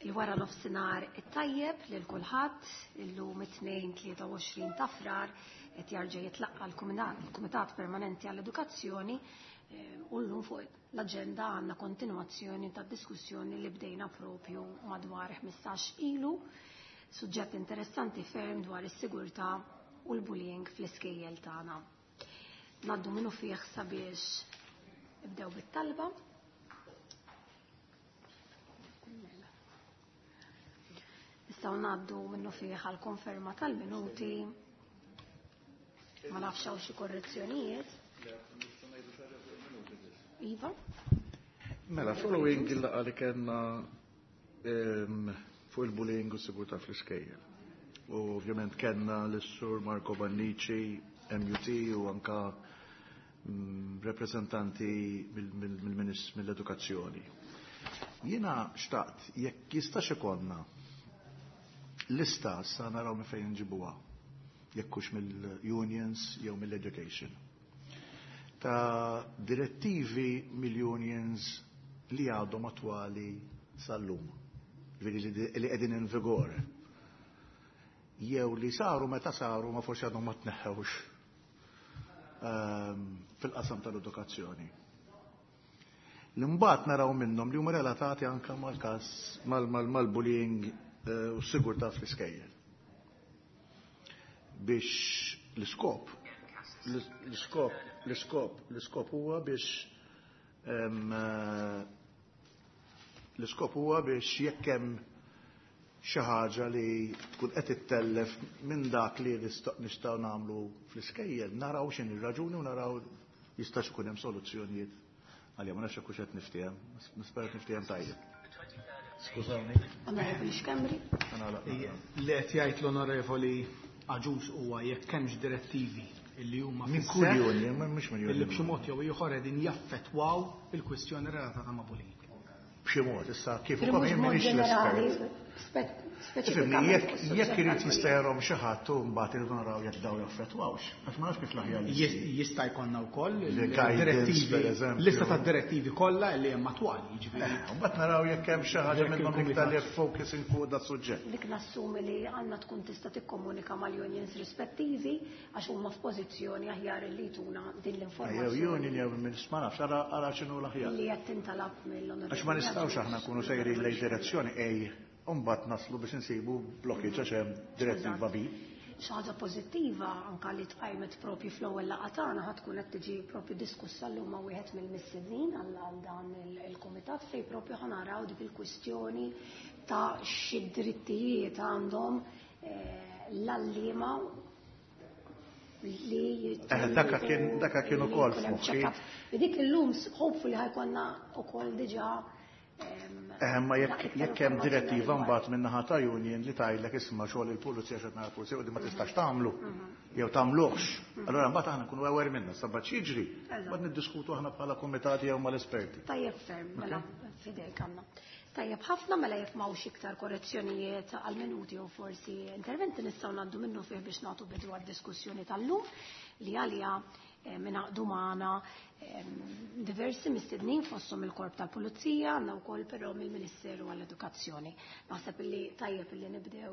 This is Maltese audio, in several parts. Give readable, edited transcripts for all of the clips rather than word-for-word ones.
Il-wara nofsinhar it-tajjeb lil kulħadd, illum it-Tnejn 23 ta' Frar qed jarġa' jitlaqqa' l-Kumitat Permanenti għall-Edukazzjoni u llum fuq l-aġenda għandna kontinwazzjoni ta' diskussjoni li bdejna propju madwar 15 ilu, suġġett interessanti ferm dwar is-sigurtà u l-bullying fl-iskejjel tagħna. Ngħaddu minnu fih sabiex nibdew bit-talba. Nistgħu ngħaddu minnu fih għal konferma tal-minuti. Ma nafx hawn xi korrezzjonijiet. Iva. Mela, following il-laqgħa li kellna fuq il-bullying u s-sigurtà fl-iskejjel. U ovvjament kellna l-Sur Marco Bannici, MUT u anka rappresentanti mill-edukazzjoni. Jiena xtaqt jekk jistax ikollna lista sa naraw minn fejn nġibuha, jekk hux mill-unions jew mill-education, ta' direttivi mill-unions li għadhom attwali sal-lum, ġifieri li qegħdin in vigor, jew li saru meta saru ma forsi għadhom ma tneħħewx fil-qasam tal-edukazzjoni. L-imbagħad naraw minnhom li huma relatati anke mal-każ mal-bullying u s-sigurtà fl-iskejjel. Biex l-iskop, l-iskop, l-iskop, l-iskop huwa biex l-iskop huwa biex jekk hemm xi ħaġa li tkun qed ittellef minn dak li nistgħu nagħmlu fl-iskejjel, naraw x'inhi r-raġuni u naraw jistax ikun hemm soluzzjonijiet għalija. Ma nafx hekk hux qed niftiehem, nispera qed niftiehem tajjeb. Skużawni. Onorevoli Schembri. Li qed jgħid l-Onorevoli Agius huwa jekk hemmx direttivi illi huma Minn kull union, ma mhux minn union. Illi b'xi mod jew ieħor qegħdin jaffettwaw il-kwistjoni relatata ma' bullying. B'xi mod, issa kif ukoll jien m'iniex l-espert. Ifhimni, jekk irid jista' jarahom xi ħadd u mbagħad irridu naraw jekk daw jaffettwawx. Għax ma nafx kif l-aħjar li jsir. Jista' jkollna wkoll Il-guidance, per eżempju. lista ta' direttivi kollha li hemm attwali, jiġifieri. Mbagħad naraw jekk hemm xi ħaġa Jekk minnhom il-kumitat. iktar li focusing fuq da suġġett. Dik nassumi li għandna tkun tista' tikkomunika mal-unions rispettivi għax huma f'pożizzjoni aħjar li jtuna din l-informazzjoni. Jew union jew minn ma nafx, ara x'inhu l-aħjar. Li qed tintalab mill-onorevoli. Għax ma nistgħux aħna nkunu sejrin lejn direzzjoni A u mbagħad naslu biex insibu blockage għax hemm direttiva B. Xi ħaġa pożittiva anka li tqajmet propju fl-ewwel laqgħa tagħna ħad tkun qed tiġi propju diskussa llum ma' wieħed mill-mistednin għal dan il-kumitat fejn propju ħa naraw dik il-kwistjoni ta' xi drittijiet għandhom l-għalliema li Daka kien, daka kien ukoll li jkun hemm f'moħħi. check-up. Dik illum hopefully ħajkonna ukoll diġà Ma iktar jekk hemm informazzjoni direttiva dwar. mbagħad minn naħa ta' union li tgħidlek isma' xogħol il-pulizija x'qed nara pulizija u di ma tistax tagħmlu jew tagħmluhx. Allura mbagħad aħna nkunu aware minna, sa mbagħad x'jiġri, mbagħad niddiskutu aħna bħala kumitati jew mal-esperti. Tajjeb ferm, mela fidejk għandna. Tajjeb ħafna, mela jekk m'hawnx iktar korrezzjonijiet għal minuti u forsi interventi nistgħu ngħaddu minnu fih biex nagħtu bidu għad-diskussjoni tal-lum li għalija mingħaqdu magħna diversi mistednin fosthom il-Korp tal-Pulizija, għandna wkoll però mill-Ministeru għall-Edukazzjoni. Naħseb illi tajjeb illi nibdew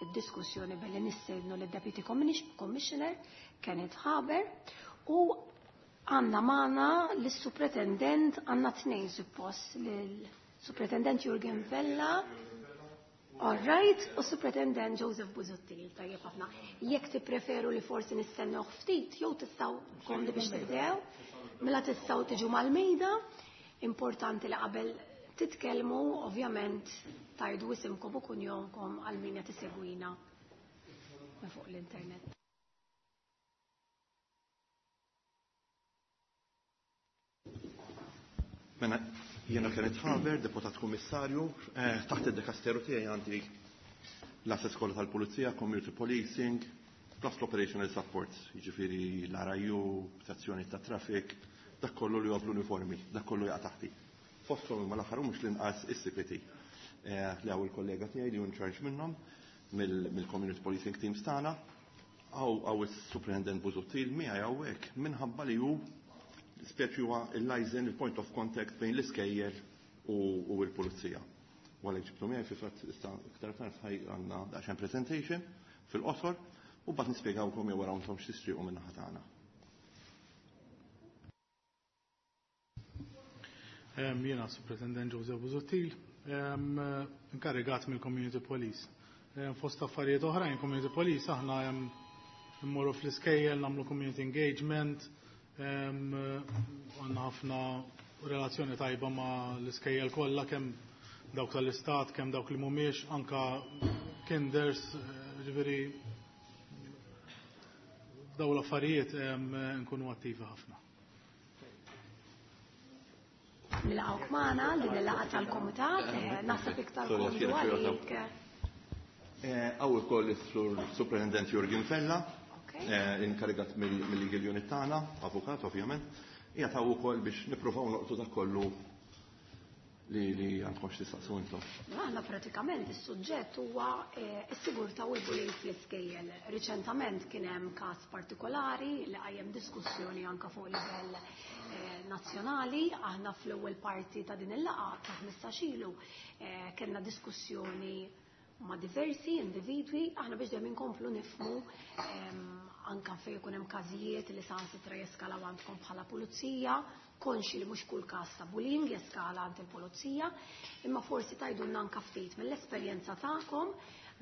id-diskussjoni billi nistednu lid-Deputy Commissioner Kenneth Haber u għandna magħna lis-Supretendent, għandna tnejn suppost, lill-Supretendent Jurgen Vella, all right, u Supretendent Joseph Busuttil. Tajjeb ħafna. Jekk tippreferu li forsi nistennew ftit, jew tistgħu komdi biex tibdew, mela tistgħu tiġu mal-mejda. Importanti li qabel titkellmu, ovvjament, tajdu isimkom u kunjomkom għal min qed isegwina minn fuq l-internet. Mela, jiena Kenneth Haber, deputat kummissarju, taħt id-dekasteru tiegħi għandi l-assets kollha tal-Pulizija, Community Policing, plus l-Operational Support, jiġifieri l-RIU, sezzjoni ta' traffic, dak kollu li huwa bl-uniformi, dak kollu jaqa' taħti. Fosthom imma l-aħħar u mhux l-inqas is-CPT, li hawn il-kollega tiegħi li hu in charge minnhom mill-Community Policing Teams tagħna. Hawn is-Superintendent Busuttil miegħi hawnhekk minħabba li hu speċi huwa il-liaison, il-point of contact bejn l-iskejjel u l-pulizija. U għalhekk ġibtu miegħi fil-fatt issa iktar tard ħaj għandna daqsxejn presentation fil-qosor u mbagħad nispjegawkom jew wara intom x'tixtiequ min-naħa tagħna. Jiena Superintendent Joseph Busuttil, inkarigat mill-Community Police. Fost affarijiet oħrajn, Community Police aħna immorru fl-iskejjel, nagħmlu community engagement, għandna ħafna relazzjoni tajba ma' l-iskejjel kollha kemm dawk tal-istat, kemm dawk li mhumiex, anka kinders, ġifieri daw l-affarijiet nkunu attivi ħafna. Nilqgħuk magħna din il-laqgħa tal-komitat, naħseb iktar Sorry, komdu għax jiena għalik. Hawn ukoll is-Sur Superintendent Jurgen Fella, inkarigat mill-Legal Unit tagħna, avukat ovvjament, qiegħed hawn ukoll biex nippruvaw noqtu dak kollu li għandkom x'tistaqsu intom. Aħna pratikament is-suġġett huwa s-sigurtà u l-bullying fl-iskejjel. Riċentament kien hemm każ partikolari li qajjem diskussjoni anke fuq livell nazzjonali. Aħna fl-ewwel parti ta' din il-laqgħa ta' 15 ilu kellna diskussjoni ma' diversi individwi, aħna biex dejjem inkomplu nifhmu anke fejn ikun hemm każijiet li saħansitra jeskalaw għandkom bħala pulizija, konxi li mhux kull każ ta' bullying jeskala għand il-pulizija, imma forsi tgħidulna anke ftit mill-esperjenza tagħkom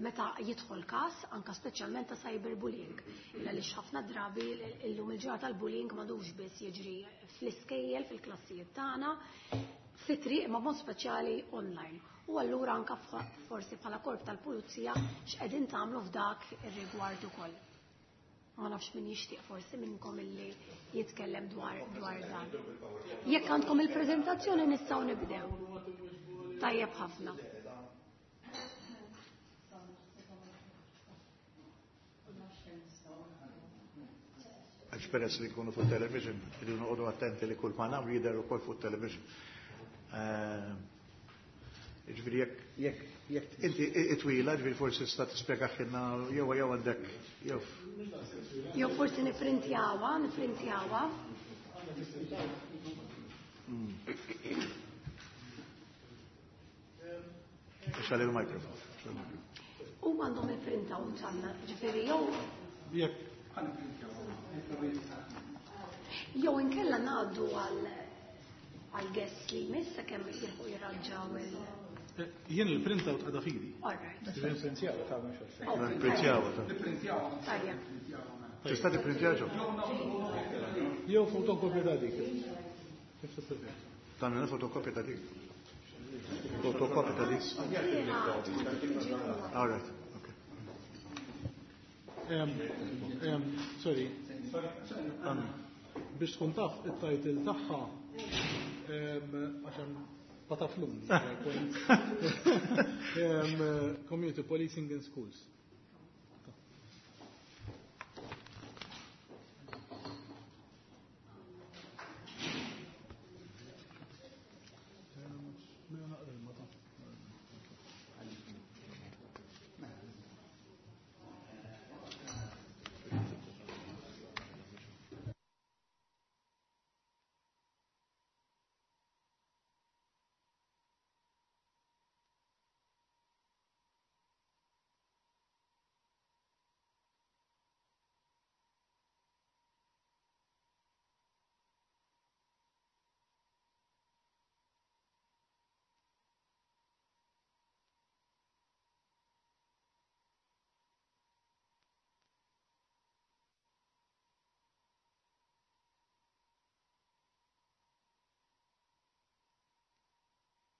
meta jidħol każ anke speċjalment ta' cyberbullying. Illa li ħafna drabi illum il-ġurnata tal-bullying m'għadux biss jiġri fl-iskejjel, fil-klassijiet tagħna, fit-triq imma b'mod speċjali online. U allura anke forsi bħala korp tal-pulizija x'qegħdin tagħmlu f'dak ir-rigward ukoll. Ma nafx min jixtieq forsi minnkom illi jitkellem dwar dan. Jekk għandkom il-preżentazzjoni nistgħu nibdew. Tajjeb ħafna. Għax peress li jkunu fuq television, irridu noqogħdu attenti li kull ma nagħmlu jidher ukoll fuq television. Ġifieri jekk inti itwila, ġifieri forsi tista' tispjega ħinna jew jew għandek jew. Jew forsi nifrintjawha, nifrintjawha. Ixgħal il-mikrofon. U għandhom il-printout għandna, ġifieri jew Jekk. Jew inkella ngħaddu għal guest li jmiss sakemm jilħqu jirranġaw il- Jien il-printout għadha fidi. All right. Nipprintjaw, ta' mhux għalfejn. Oh, Nipprintjaw, ta'. Nipprintjaw. Tajjeb. Tista' tipprintjaw ġo? Jew fotokopja ta' dik. Kif tippreferi? Tagħmel fotokopja ta' dik. Fotokopja ta' dik. All right. Okay. Sorry. Biex tkun taf it-title tagħha, għax hemm pataflun. Community Policing in Schools.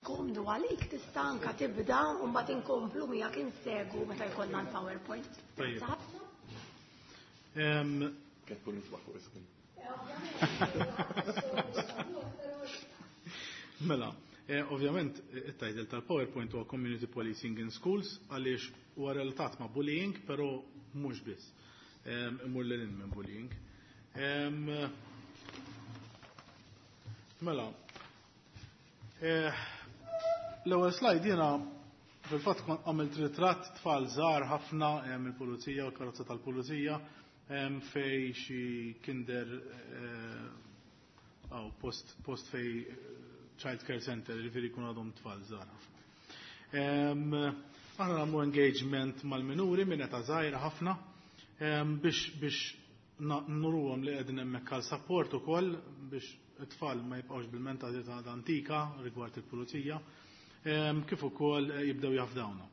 Komdu għalik tista' anka tibda u mbagħad inkomplu miegħek insegu meta jkollna l-PowerPoint. Tajjeb. Kif kull nisbaħ fuq is-screen. Mela, ovvjament it-title tal-PowerPoint huwa Community Policing in Schools għaliex huwa relatat ma' bullying, però mhux biss. Imur lil hinn minn bullying. Mela, l-ewwel slide jiena fil-fatt kont għamilt ritratt tfal żgħar ħafna il-pulizija u l-karozza tal-pulizija fej xi kinder aw post fej child care center, ġifieri jkun għadhom tfal żgħar ħafna. Aħna nagħmlu engagement mal-minuri minn età żgħira ħafna biex nuruhom li qegħdin hemmhekk għal support ukoll biex it-tfal ma jibqgħux bil-mentalità antika rigward il-pulizija, kif ukoll jibdew jafdawna.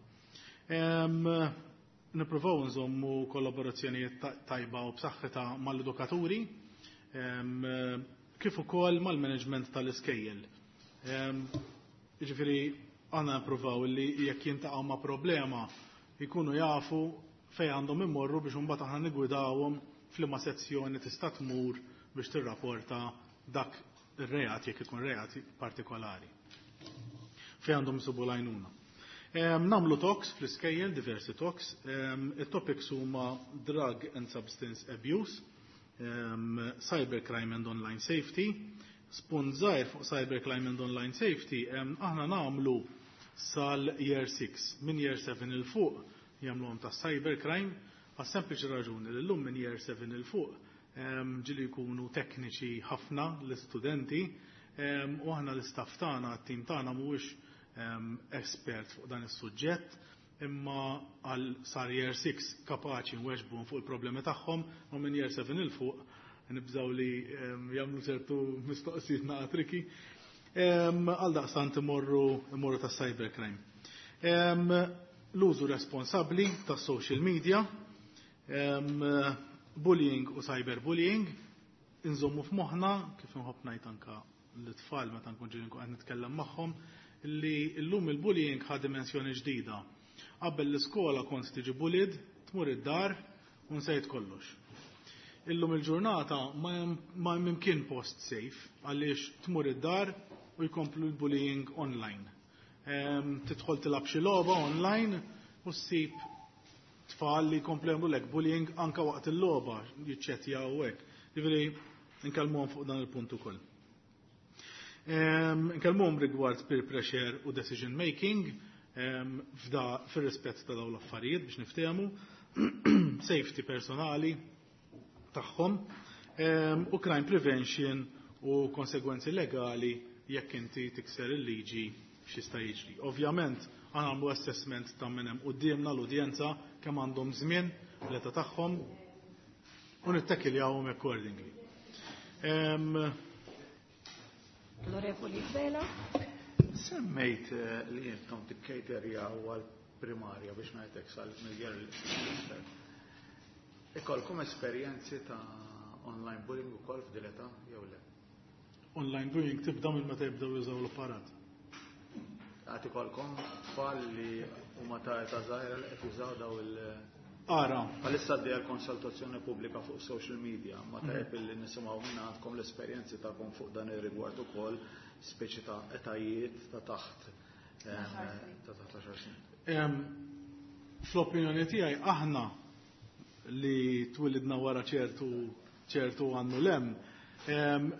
Nippruvaw nżommu kollaborazzjonijiet tajba u b'saħħitha mal-edukaturi, kif ukoll mal-management tal-iskejjel. Jiġifieri aħna nippruvaw li jekk jintaqgħu ma' problema jkunu jafu fejn għandhom imorru biex imbagħad aħna niggwidawhom f'liema sezzjoni tista' tmur biex tirrapporta dak ir-reat jekk ikun reat partikolari. Fejn għandhom isibu l-għajnuna. Nagħmlu talks fl-iskejjel, diversi talks. It-topics huma drug and substance abuse, cybercrime and online safety. Spunt żgħir fuq cybercrime and online safety, aħna nagħmlu sal-year 6. Minn year 7 'il fuq jagħmluhom ta' cybercrime, għas sempliċi raġuni li llum minn year 7 'il fuq ġieli jkunu tekniċi ħafna l-istudenti, u aħna l-istaff tagħna, t-tim tagħna mhuwiex espert fuq dan is-suġġett, imma għal sar year 6 kapaċi nweġbuhom fuq il-problemi tagħhom, u minn year 7 'il fuq nibżaw li jagħmlu ċertu mistoqsijiet naqa tricky. Għal daqstant imorru ta' cybercrime. L-użu responsabbli ta' social media, bullying u cyberbullying, inżommu f'moħħna, kif nħobb ngħid anka l-tfal meta nkun ġieli nkun qed nitkellem magħhom, li llum il-bullying ħa dimensjoni ġdida. Qabel l-iskola kont tiġi bullied, tmur id-dar u nsejt kollox. Illum il-ġurnata ma hemm imkien post safe għaliex tmur id-dar u jkomplu l-bullying online. Tidħol tilgħab xi logħba online u ssib tfal li jkomplu jagħmlulek bullying anka waqt il-logħba, jiċċettjaw u hekk. Jiġifieri nkellmuhom fuq dan il-punt ukoll. Nkellmuhom rigward peer pressure u decision making, f'da fir-rispett ta' dawn l-affarijiet biex niftehmu, safety personali tagħhom, u crime prevention u konsegwenzi legali jekk inti tikser il-liġi x'jista' jiġri. Ovvjament, aħna nagħmlu assessment ta' min hemm quddiemna l-udjenza kemm għandhom żmien l-età tagħhom u nittekiljawhom accordingly. L-Onorevoli Vela. Semmejt li intom tikkejterjaw għal primarja biex ngħidlek sal-miljer l-isfel. Ikolkom esperjenzi ta' online bullying ukoll f'din l-età jew le? Online bullying tibda minn meta jibdew jużaw l-apparat. Għad ikolkom tfal li huma ta' età żgħira li qed jużaw daw il- Ara. Għalissa għaddejja l-konsultazzjoni pubblika fuq social media, ma tajjeb illi nisimgħu minn għandkom l-esperjenzi tagħkom fuq dan ir-rigward ukoll, speċi ta' etajiet ta' taħt, ta' taħt 10 snin. Fl-opinjoni tiegħi aħna li twilidna wara ċertu għannu lem,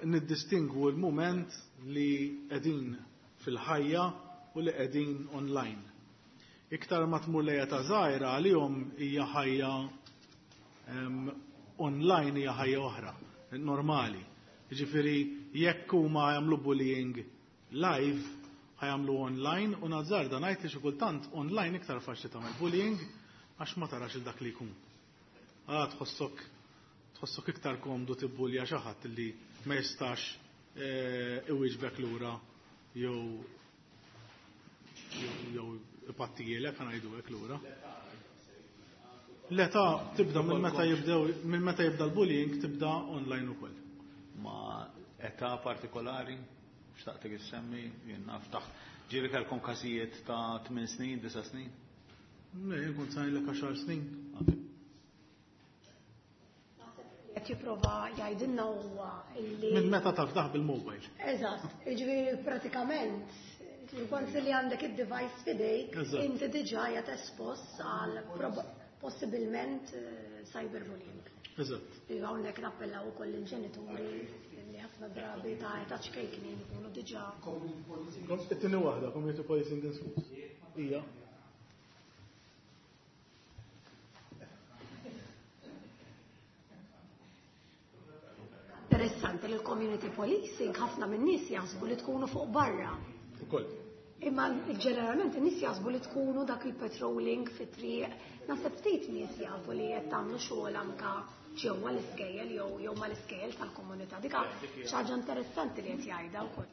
niddistingwu l-moment li qegħdin fil-ħajja u li qegħdin online. Iktar ma tmur lejja ta' żgħira għalihom hija ħajja online hija ħajja oħra, normali. Jiġifieri jekk huma jagħmlu bullying live, ħajamlu online u nazzarda ngħid li xi kultant online iktar faċli tagħmel bullying għax ma tarax il dak li jkun. Għala tħossok iktar komdu tibbulja xi ħadd li ma jistax iwieġbek lura jew ipattijielek ħa ngħidu hekk lura. L-età tibda minn meta jibdew, minn meta jibda l-bullying tibda online ukoll. Ma età partikolari xtaqtek issemmi, jien naf taħt. Ġieli kellkom każijiet ta' 8 snin, 9 snin? Le, jien kont ngħidlek 10 snin. Qed jipprova jgħidilna huwa illi Minn meta tafdaħ bil-mobile. Eżatt, jiġifieri pratikament kont li għandek id-device f'idejk, inti diġà qiegħed espost għal possibilment cyberbullying. Iva, hawnhekk nappellaw ukoll il-ġenituri li ħafna drabi ta' età ċkejknin ikunu diġà. It-tieni waħda, community policing in schools. Ija. Interessanti li l-community policing ħafna minn nies jaħsbu li tkunu fuq barra. Ukoll. Imma ġeneralment in-nies jaħsbu li tkunu dak il-patrolling fit-triq. Naħseb ftit nies jafu li qed tagħmlu xogħol anka ġewwa l-iskejjel jew mal-iskejjel tal-komunità. Dik xi ħaġa interessanti li qed jgħidha wkoll.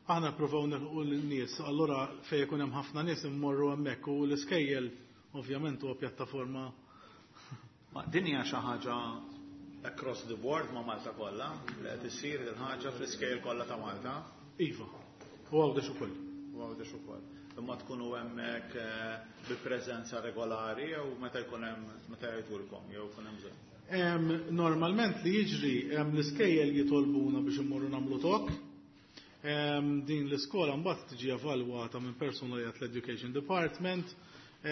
Aħna nippruvaw nilħqu lin-nies, allura fejn ikun hemm ħafna nies immorru hemmhekk u l-iskejjel ovvjament huwa pjattaforma. Ma din hija xi ħaġa across the board ma' Malta kollha li qed issir il-ħaġa fl-iskejjel kollha ta' Malta? Iva, u Għawdex ukoll. U Għawdex ukoll. Imma tkunu hemmhekk bi preżenza regolari jew meta jkun hemm meta jgħidulkom jew jkun hemm bżonn? Normalment li jiġri l-iskejjel jitolbuna biex immorru nagħmlu talk. Din l-iskola mbagħad tiġi evalwata minn persuna li l-Education Department u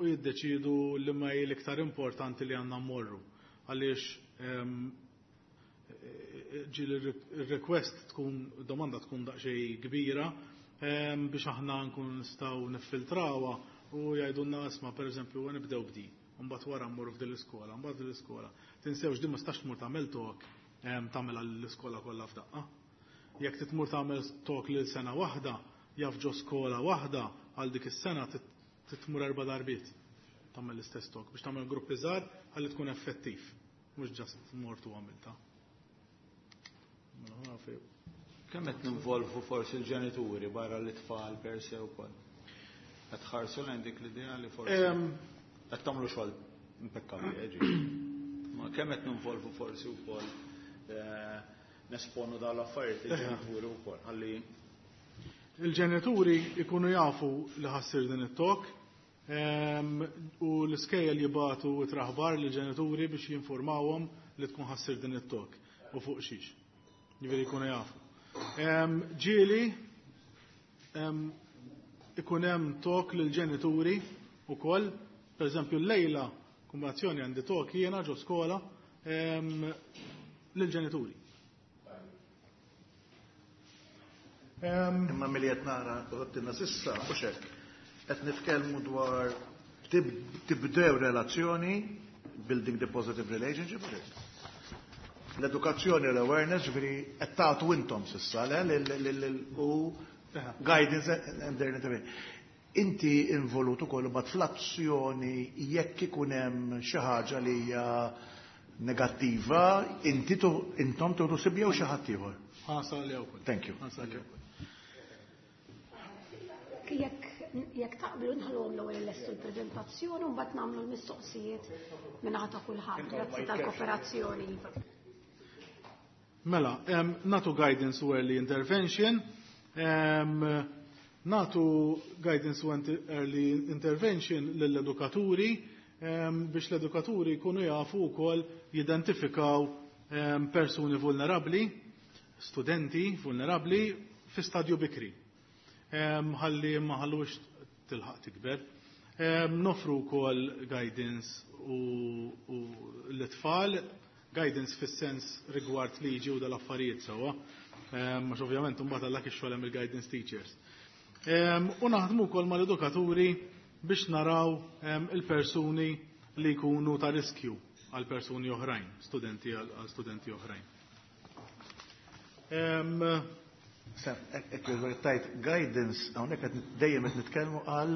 jiddeċidu li ma hi l-iktar importanti li għandna mmorru. Għaliex ġieli r-request tkun, domanda tkun daqsxejn kbira biex aħna nkunu nistgħu niffiltrawha u jgħidulna isma' pereżempju nibdew b'di, mbagħad wara mmorru f'din l-iskola, mbagħad din l-iskola. Tinsewx din ma tistax tmur tagħmel talk tagħmel għall-iskola kollha f'daqqa. Jekk titmur tagħmel talk lil sena waħda, jaf ġo skola waħda għal dik is-sena titmur 4 darbiet tagħmel l-istess talk biex tagħmel gruppi żgħar ħalli tkun effettiv, mhux ġast mort u għamilta. Kemm qed ninvolvu forsi l-ġenituri barra l-itfal per se wkoll? Qed tħarsu lejn dik l-idea li forsi qed tagħmlu xogħol impekkabbli, ġifieri. Ma kemm qed ninvolvu forsi wkoll nesponu dawn l-affarijiet il-ġenituri wkoll ħalli il-ġenituri ikunu jafu li ħassir din it-talk u l-iskejjel jibatu traħbar lill-ġenituri biex jinformawhom li tkun ħassir din it-talk u fuq xiex. Ġifieri jkunu jafu. Ġieli ikun hemm talk lill-ġenituri wkoll, pereżempju llejla kombinazzjoni għandi talk jiena ġo skola lill-ġenituri. Imma milli qed nara għottilna sissa u xek, qed nitkellmu dwar tibdew relazzjoni, building the positive relationship, l-edukazzjoni l-awareness, ġifieri qed tagħtu intom sissa, le, u guidance and their intervention. Inti involut ukoll imbagħad fl-azzjoni jekk ikun hemm xi ħaġa li hija negattiva, inti intom tuħdu sibja u xi ħadd ieħor. Ħasal li wkoll. Thank you. Ħasal li wkoll. Jekk taqblu nħallhom l-ewwel illestu l-preżentazzjoni u mbagħad nagħmlu l-mistoqsijiet minn ta' kulħadd. Grazzi tal-kooperazzjoni. Mela, natu guidance u early intervention, natu guidance u early intervention lill-edukaturi biex l-edukaturi jkunu jafu wkoll jidentifikaw persuni vulnerabbli, studenti vulnerabbli fi stadju bikri. Ħalli ma ħallux tilħaq tikber. Nofru wkoll guidance u l-tfal, guidance fis-sens rigward liġi u dal-affarijiet sewwa. Għax ovvjament imbagħad għal dak ix-xogħol hemm il-guidance teachers. U naħdmu wkoll mal-edukaturi biex naraw il-persuni li jkunu ta' riskju għal persuni oħrajn, studenti għal studenti oħrajn. Ekk tajt guidance, hawnhekk qed dejjem qed nitkellmu għal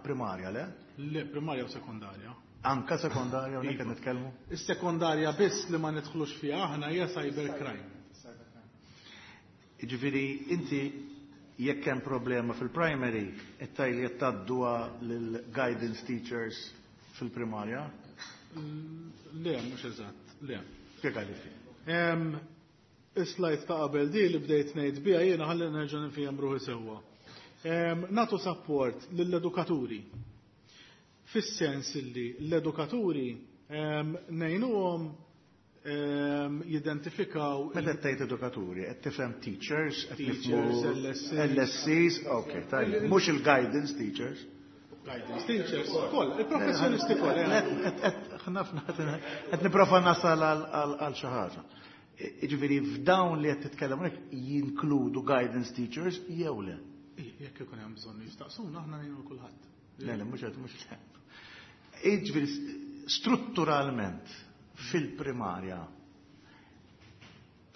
primarja, le? Le, primarja u sekondarja. Anka sekondarja hawnhekk qed nitkellmu? Is-sekondarja biss li ma nidħlux fiha aħna hija cybercrime. Jiġifieri inti jekk hemm problema fil-primary, qed tgħid li qed tgħadduha lill-guidance teachers fil-primarja? Le, mhux eżatt, le. Spjega li ftit. Is-slide ta' qabel di li bdejt ngħid biha jiena ħalli nerġa' nifhem ruħi sewwa. Natu support lill-edukaturi. Fis-sens illi l-edukaturi ngħinuhom jidentifikaw Meta tgħid edukaturi, qed tifhem teachers, qed Teachers, nifhmu LSCs. LSCs, ok, tajjeb. Mhux il-guidance teachers. Guidance teachers, koll, il-professjonisti koll. Qed nipprova nasal għal xi ħaġa. Jiġifieri f'dawn li qed titkellem hawnhekk jinkludu guidance teachers jew le? Jekk ikun hemm bżonn jistaqsuna aħna ngħinu kulħadd. Le, le, mhux qed mhux le. Jiġifieri strutturalment fil-primarja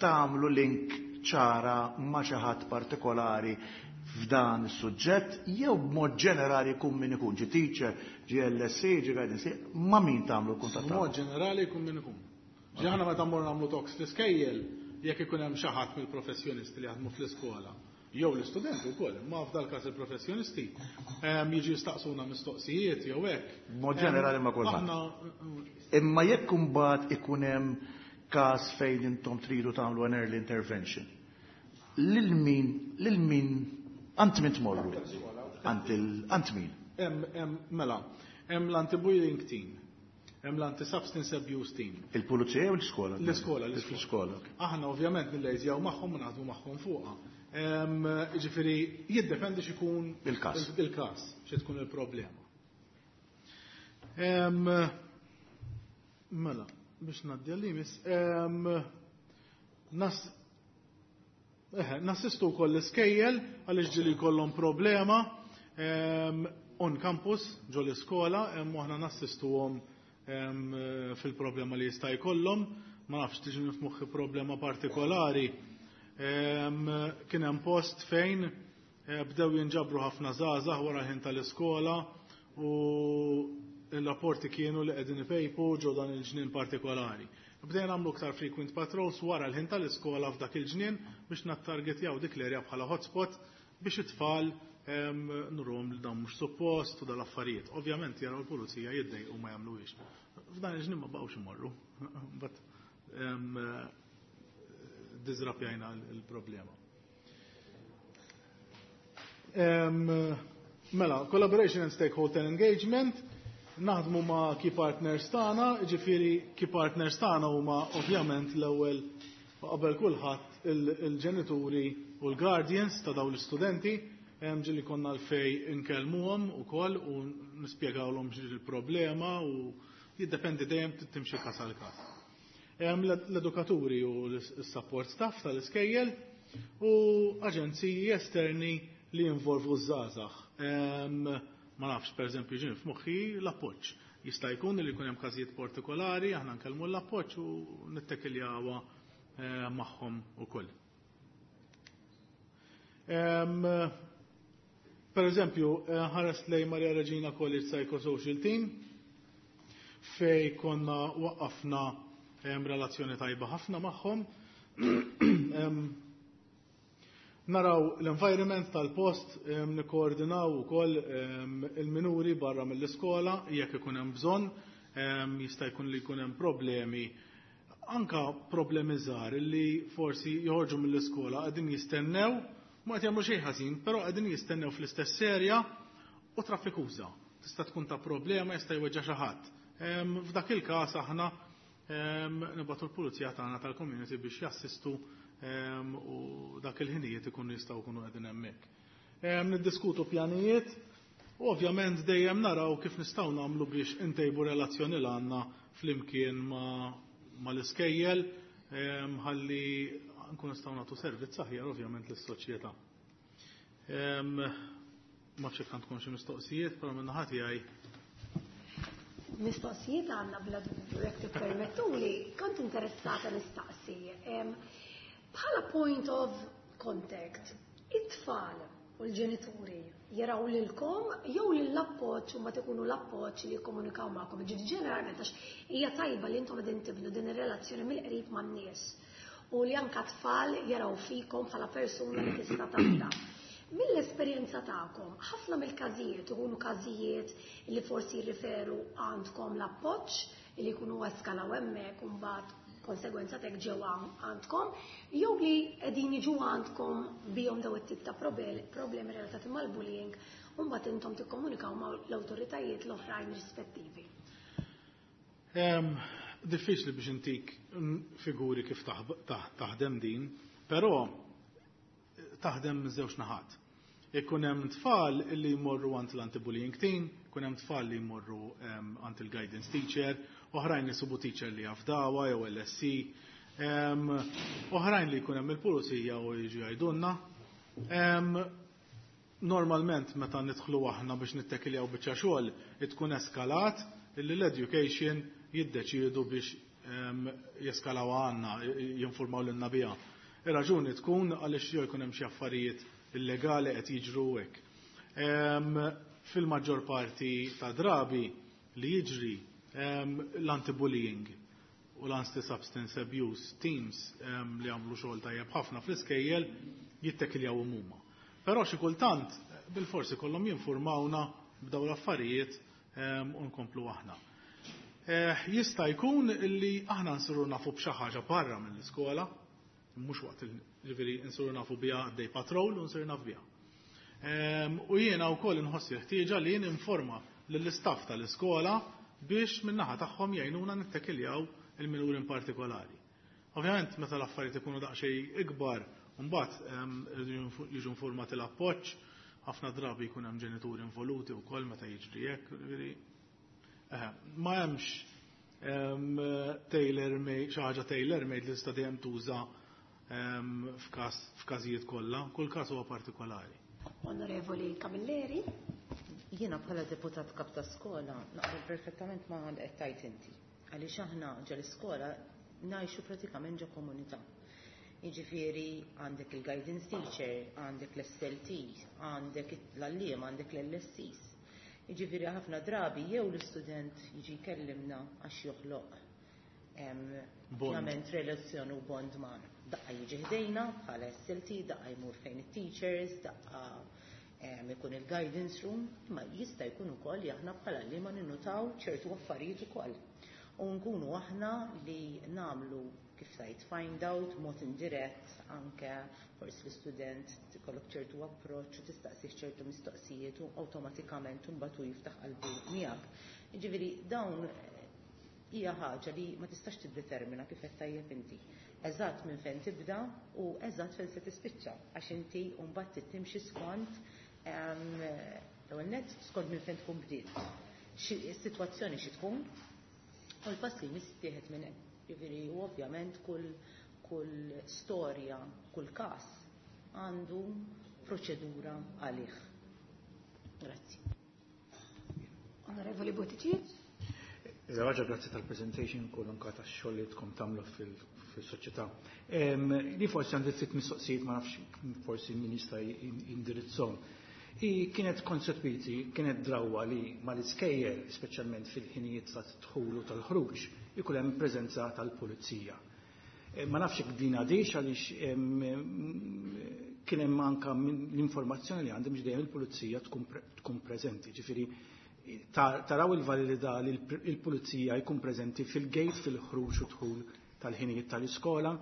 tagħmlu link ċara ma' xi ħadd partikolari f'dan is-suġġett jew b'mod ġenerali jkun min ikun, ġie teacher, ġie LSE, ġie guidance, ma' min tagħmlu l-kuntatt B'mod tagħkom? ġenerali jkun min ikun. Ġi aħna meta mmorru nagħmlu talks fl-iskejjel, jekk ikun hemm xi ħadd mill-professjonisti li jaħdmu fl-iskola, jew l-istudenti wkoll, imma f'dal każ il-professjonisti, jiġu jistaqsuna mistoqsijiet jew hekk. B'mod ġenerali ma' kulħadd. Aħna Imma jekk imbagħad ikun hemm każ fejn intom tridu tagħmlu an early intervention, lil min għand min tmorru? Għand min? Mela, hemm l-anti-bullying team, hemm l-anti-substance abuse team. Il-pulizija jew l-iskola? L-iskola, l-iskola. Aħna ovvjament nillejżjaw magħhom u naħdmu magħhom fuqha. Ġifieri jiddependi x'ikun il-każ. Il-każ, xi tkun il-problema. Mela, biex ngħaddi għal-limis, nassistu wkoll l-iskejjel għaliex ġieli jkollhom problema on campus ġo l-iskola, u aħna nassistuhom fil-problema li jista' jkollhom. Ma nafx, tiġi f'moħħi problema partikolari. Kien hemm post fejn bdew jinġabru ħafna żgħażagħ wara l-ħin tal-iskola u il-rapporti kienu li qegħdin ipejpu ġo dan il-ġnien partikolari. Bdejna nagħmlu aktar frequent patrols wara l-ħin tal-iskola f'dak il-ġnien biex nattargetjaw dik l-area bħala hotspot biex it-tfal nurhom li dan mhux suppost u dal-affarijiet. Ovvjament jaraw il-pulizija jiddejqu, ma jagħmluhiex. F'dan il-ġnien ma baqgħux imorru. But diżrapjajna l-problema. Mela, collaboration and stakeholder engagement, naħdmu ma' key partners tagħna, ġifieri key partners tagħna huma ovvjament l-ewwel qabel kulħadd il-ġenituri u l-guardians ta' dawn l-istudenti, ġieli konna l-fej inkellmuhom ukoll u nispjegawlhom il-problema u jiddependi dejjem timxi każ għal każ. L-edukaturi u l-support staff tal-iskejjel u aġenziji esterni li jinvolvu ż-żgħażagħ. Ma nafx, per eżempju, ġin f'moħħi l-appoġġ. Jista' jkun li jkun hemm każijiet partikolari, aħna nkellmu l-appoġġ u nittekiljawha magħhom ukoll. Per eżempju, ħares lej Maria Regina College Psychosocial Team, fej konna waqqafna relazzjoni tajba ħafna magħhom. Naraw l-environment tal-post, nikkoordinaw ukoll il-minuri barra mill-iskola jekk ikun hemm bżonn, jista' jkun li jkun hemm problemi, anka problemi żgħar li forsi joħorġu mill-iskola, qegħdin jistennew, ma qed jagħmlu xejn ħażin, però qegħdin jistennew fl-istess serja u traffikuża. Tista' tkun ta' problema, jista' jweġġa' xi ħadd. F'dak il-każ aħna nibgħatu l-pulizija tagħna tal-community biex jassistu u dak il-ħinijiet ikunu jistgħu jkunu qegħdin hemmhekk. Niddiskutu pjanijiet u ovvjament dejjem naraw kif nistgħu nagħmlu biex intejbu relazzjoni l għandna flimkien ma l-iskejjel ħalli nkun nistgħu nagħtu servizz aħjar ovvjament lis-soċjetà. Ma nafx jekk għandkom xi mistoqsijiet, però minn naħa tiegħi. Mistoqsijiet għandna bla dubju, jekk tippermettuli, kont interessata nistaqsi. Bħala point of contact, it-tfal u l-ġenituri jaraw lilkom jew lill-appoġġ u ma tkunu l-appoġġ li jikkomunikaw magħkom? Ġifieri ġeneralment għax hija tajba li intom qegħdin tibnu din ir-relazzjoni mill-qrib man-nies u li anka tfal jaraw fikom bħala persuna li tista' tafda. Mill-esperjenza tagħkom, ħafna mill-każijiet ikunu każijiet li forsi jirriferu għandkom l-appoġġ li jkunu eskalaw hemmhekk u mbagħad konsegwenza tek ġew għandkom, jew li qegħdin jiġu għandkom bihom daw it-tip ta' problemi relatati mal-bullying u mbagħad intom tikkomunikaw ma' l-awtoritajiet l-oħrajn rispettivi? Diffiċli biex intik figuri kif taħdem din, però taħdem żewġ naħat. Ikun hemm tfal li jmorru għand l-anti-bullying team, ikun hemm tfal li jmorru għand il-guidance teacher, oħrajn li subu teacher li jafdawa jew LSC, oħrajn li jkun hemm il-pulizija u jiġu jgħidulna. Normalment meta nidħlu aħna biex nittekiljaw biċċa xogħol, tkun eskalat illi l-education jiddeċiedu biex jeskalaw għandna, jinformaw lilna biha. Ir-raġuni tkun għaliex jew jkun hemm xi affarijiet illegali qed jiġru hekk. Fil-maġġor parti ta' drabi li jiġri l-anti-bullying u l-anti-substance abuse teams li għamlu xogħol tajjeb ħafna fl-iskejjel jittekiljaw huma. Però xi kultant bil-forsi kollhom jinformawna b'daw l-affarijiet u nkomplu aħna. Jista' jkun li aħna nsiru nafu b'xi ħaġa barra mill-iskola, mhux waqt ġifieri nsiru nafu biha għaddej patrol u nsiru naf biha. U jiena wkoll inħossi ħtieġa li ninforma lill-istaff tal-iskola biex min-naħa tagħhom jgħinuna nittekiljaw il-minuri in partikolari. Ovvjament meta l-affarijiet ikunu daqsxejn ikbar, mbagħad jiġu informati l-appoġġ, ħafna drabi jkun hemm ġenituri involuti wkoll meta jiġri hekk, ġifieri ma hemmx tailor made, xi ħaġa tailor made li tista' dejjem tuża f'każijiet kollha, kull każ huwa partikolari. Onorevoli Camilleri. Jiena bħala deputat kap ta' skola naqbel perfettament ma' qed tgħid inti. Għaliex aħna ġo l-iskola ngħixu pratikament ġo komunità. Jiġifieri għandek il-guidance teacher, għandek l-SLT, għandek l-għalliem, għandek l-LSCs. Jiġifieri ħafna drabi jew l-istudent jiġi jkellimna għax joħloq ovvjament relazzjoni u bond magħna. Daqqa jiġi ħdejna bħala SLT, daqqa jmur fejn it-teachers, daqqa ikun il-guidance room, imma jista' jkun ukoll li aħna bħala li ma ninnutaw ċertu affarijiet ukoll. U nkunu aħna li nagħmlu kif tajt find out mod indirett, anke forsi l-istudent ikollok ċertu approċċ u tistaqsih ċertu mistoqsijiet u awtomatikament imbagħad hu jiftaħ qalbu miegħek. Jiġifieri dawn hija ħaġa li ma tistax tiddetermina kif qed tajjeb inti. Eżatt minn fejn tibda u eżatt fejn se tispiċċa, għax inti mbagħad trid timxi skont l-ewwel nett skont minn fejn tkun bdiet. Is-sitwazzjoni xi tkun u l-pass li jmiss jittieħed minn hemm. Jiġifieri u ovvjament kull storja, kull każ għandu proċedura għalih. Grazzi. Onorevoli Buttigieg. Iżda grazzi tal-presentation kull anka tax-xogħol li tkun tagħmlu fil-soċjetà. Li forsi għandi ftit mistoqsijiet, ma nafx forsi min jista' jindirizzhom. I kienet koncepiti, kienet drawwa li mal-iskejjel, speċjalment fil-ħinijiet ta' dħul u tal-ħruġ, ikun hemm preżenza tal-pulizija. Ma nafx jekk din għadix, għaliex kien hemm anka l-informazzjoni li għandi mhux dejjem il-pulizija tkun preżenti. Ġifieri taraw il-validità li il-pulizija jkun preżenti fil-gate fil-ħruġ u dħul tal-ħinijiet tal-iskola.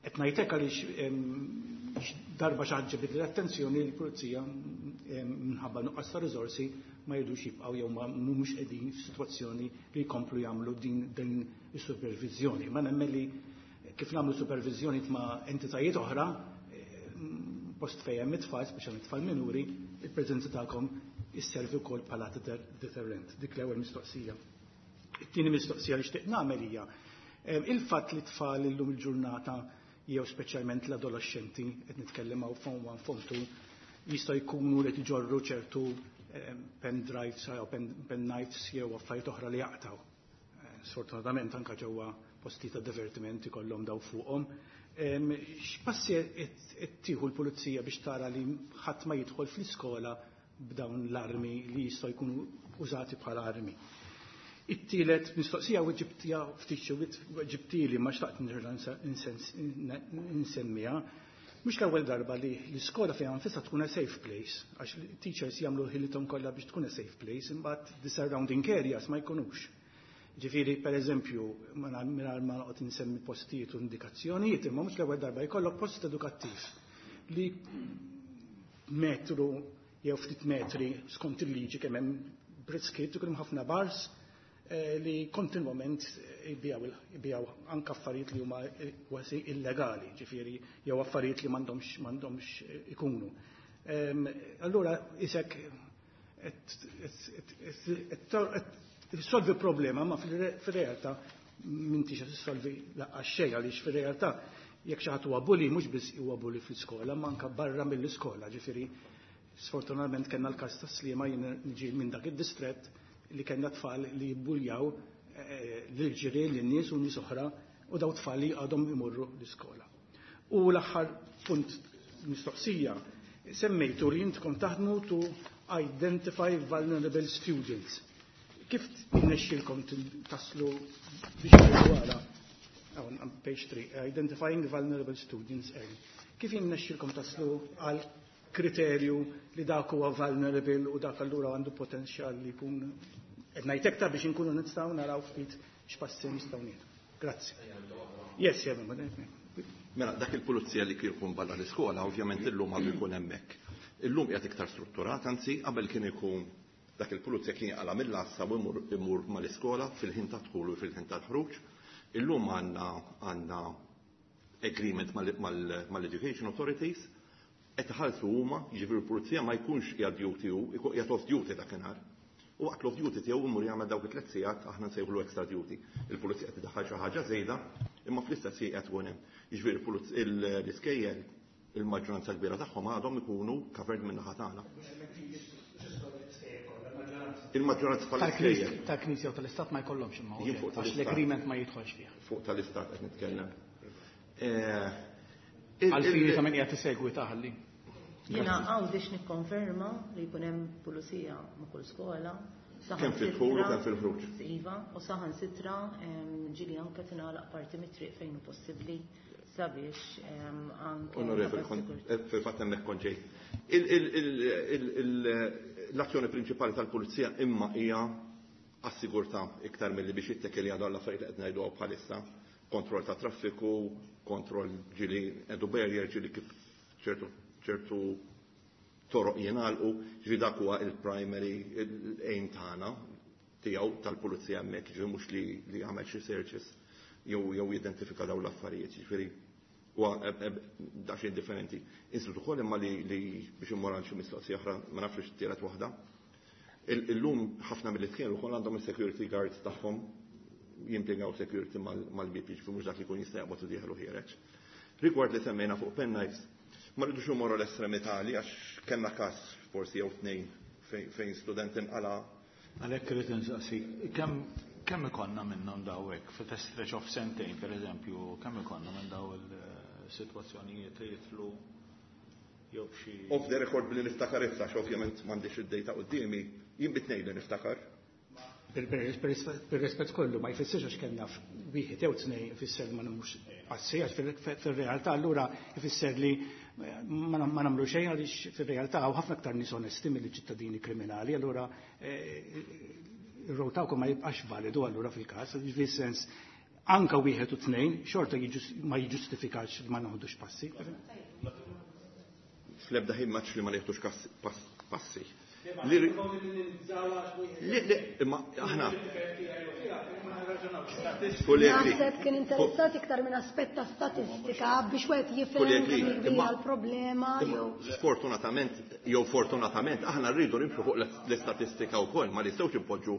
Qed ngħidlek għaliex darba xi ħaġa ġibdet l-attenzjoni li l-pulizija minħabba nuqqas ta' riżorsi ma jridux jibqgħu jew ma mhumiex qegħdin f'sitwazzjoni li jkomplu jagħmlu din is-supervizjoni. Ma nemmen li kif nagħmlu supervizjoni ma' entitajiet oħra, post fejn hemm it-tfal, speċjalment tfal minuri, il-preżenza tagħkom isservi wkoll bħala deterrent. Dik l-ewwel mistoqsija. It-tieni mistoqsija li xtieq nagħmel hija il-fatt li tfal illum il-ġurnata jew speċjalment l-adolescenti, qed nitkellem hawn form 1, form 2, jistgħu jkunu li iġorru ċertu pen drives jew pen knives jew affarijiet oħra li jaqtaw. Sfortunatament anke ġewwa posti ta' divertiment ikollhom daw fuqhom. X'passi qed tieħu l-pulizija biex tara li ħadd ma jidħol fl-iskola b'dawn l-armi li jistgħu jkunu użati bħala armi? It-tielet mistoqsija u ġibtija ftit xi ġibtili ma xtaqt nerġa' nsemmiha. Mhux l-ewwel darba li l-iskola fejn nfisha tkun a safe place, għax teachers jagħmlu ħilithom kollha biex tkun a safe place, imbagħad the surrounding areas ma jkunux. Ġifieri, per eżempju, mingħajr ma noqgħod insemmi postijiet u indikazzjonijiet, imma mhux l-ewwel darba jkollok post edukattiv li metru jew ftit metri skont il-liġi kemm hemm briskiet ikun hemm ħafna bars li kontinwament jbijaw anke affarijiet li huma kważi illegali, ġifieri jew affarijiet li m'għandhomx ikunu. Allura isek tissolvi problema, ma fil-realtà m'intix qed tissolvi laqqas xejn, għaliex fir-realtà jekk xi ħadd huwa bully mhux biss huwa bully fl-iskola, ma anke barra mill-iskola, ġifieri sfortunatament kellna l-każ ta' Sliema, jien niġi minn dak id-distrett li kellna tfal li jibbuljaw lil-ġirien, lin-nies u nies oħra, u daw tfal li għadhom imorru l-iskola. U l-aħħar punt mistoqsija, Semmejtu li intkom taħdmu to identify vulnerable students. Kif innexxilkom taslu biex tgħidu għala? Hawn, page 3, identifying vulnerable students early. Kif innexxilkom taslu għal kriterju li dak huwa vulnerable u dak allura għandu potenzjal li jkun qed ngħid iktar biex inkunu nistgħu naraw ftit x'passi nistgħu nieħdu. Grazzi. Yes, yeah, Mela, dak il-pulizija li kien ikun barra l-iskola, ovvjament illum għadu jkun hemmhekk. Illum qiegħed iktar strutturat, anzi qabel kien ikun dak il-pulizija kien jaqla' mill-għassa u imur mal-iskola fil-ħin ta' dħul u fil-ħin ta' ħruġ. Illum għandna agreement mal-Education Authorities, qed iħallsu huma, jiġifieri l-pulizija ma jkunx qiegħed duty hu, ikun qiegħed off duty dakinhar. U waqt l-off duty tiegħu imur jagħmel dawk it-tliet sigħat aħna nsejħulu extra duty. Il-pulizija qed idaħħal xi ħaġa żejda, imma fl-istess ħin qed tkun hemm. Jiġifieri l-iskejjel il-maġġoranza kbira tagħhom għadhom ikunu covered minn naħa tagħna. Il-maġġoranza tal-iskejjel. Tal-Knisja u tal-Istat ma jkollhomx imma Jien fuq għax tal-Istat. l-agreement ma jidħolx fih. Fuq tal-Istat qed nitkellem. Għal-fini ta' min qiegħed isegwi taħalli. Jiena hawn biex nikkonferma li jkun hemm pulizija ma' kull skola. Kemm fil-dħul u kemm fil-ħruġ. Iva, u saħansitra ġieli anke tingħalaq parti mit-triq fejn hu possibbli sabiex anke Onorevoli, sigurtà. fil-fatt hemmhekk kont ġej. L-azzjoni prinċipali tal-pulizija imma hija għas-sigurtà iktar milli biex jittekel għadu għall-affarijiet li qed ngħidu bħalissa. Kontroll ta' traffiku, kontroll ġieli edu barrier, ġieli kif ċertu toroq jingħalqu, ġifieri dak huwa il-primary aim tagħna tiegħu tal-pulizija hemmhekk, ġifieri mhux li jagħmel xi searches jew jidentifika dawn l-affarijiet, ġifieri huwa daqsxejn differenti. Insidu ukoll imma li biex immur għal xi mistoqsija oħra, ma nafx x'tielet waħda. Illum ħafna mill-iskejjel ukoll għandhom is-security guards tagħhom jimpjegaw security mal-bib, jiġifieri mhux dak li jkun jista' jaqbad u dieħel u ħiereġ. Rigward li semmejna fuq pen knives, ma rridux imorru l-estremità li għax kellna każ forsi jew tnejn fejn student inqala. Għalhekk irid insaqsi, kemm ikollna minnhom dawek fi stretch of sentejn pereżempju, kemm ikollna minn daw il-sitwazzjonijiet li jitlu jew xi Off the record billi niftakar issa, għax ovvjament m'għandix id-data quddiemi, jien bitnej li niftakar. Per-rispett kollu ma jfissirx għax kellna wieħed jew tnejn ifisser ma nagħmlux passi, għax fil-realtà allura ifisser li ma nagħmlu xejn għaliex fir-realtà hawn ħafna aktar nies onesti milli ċittadini kriminali, allura ir-row tagħkom ma jibqax validu allura fil-każ, jiġifieri sens anka wieħed u tnejn xorta ma jiġġustifikax li ma naħdux passi. Fl-ebda ħin maċ li ma nieħdux passi. Li, imma aħna. Kollegi. Naħseb kien interessat iktar minn aspett ta' statistika biex wieħed jifhem Kollegi, kemm hi kbira imma l-problema imma jew sfortunatament jew fortunatament aħna rridu nimxu fuq l-istatistika wkoll, ma nistgħux impoġġu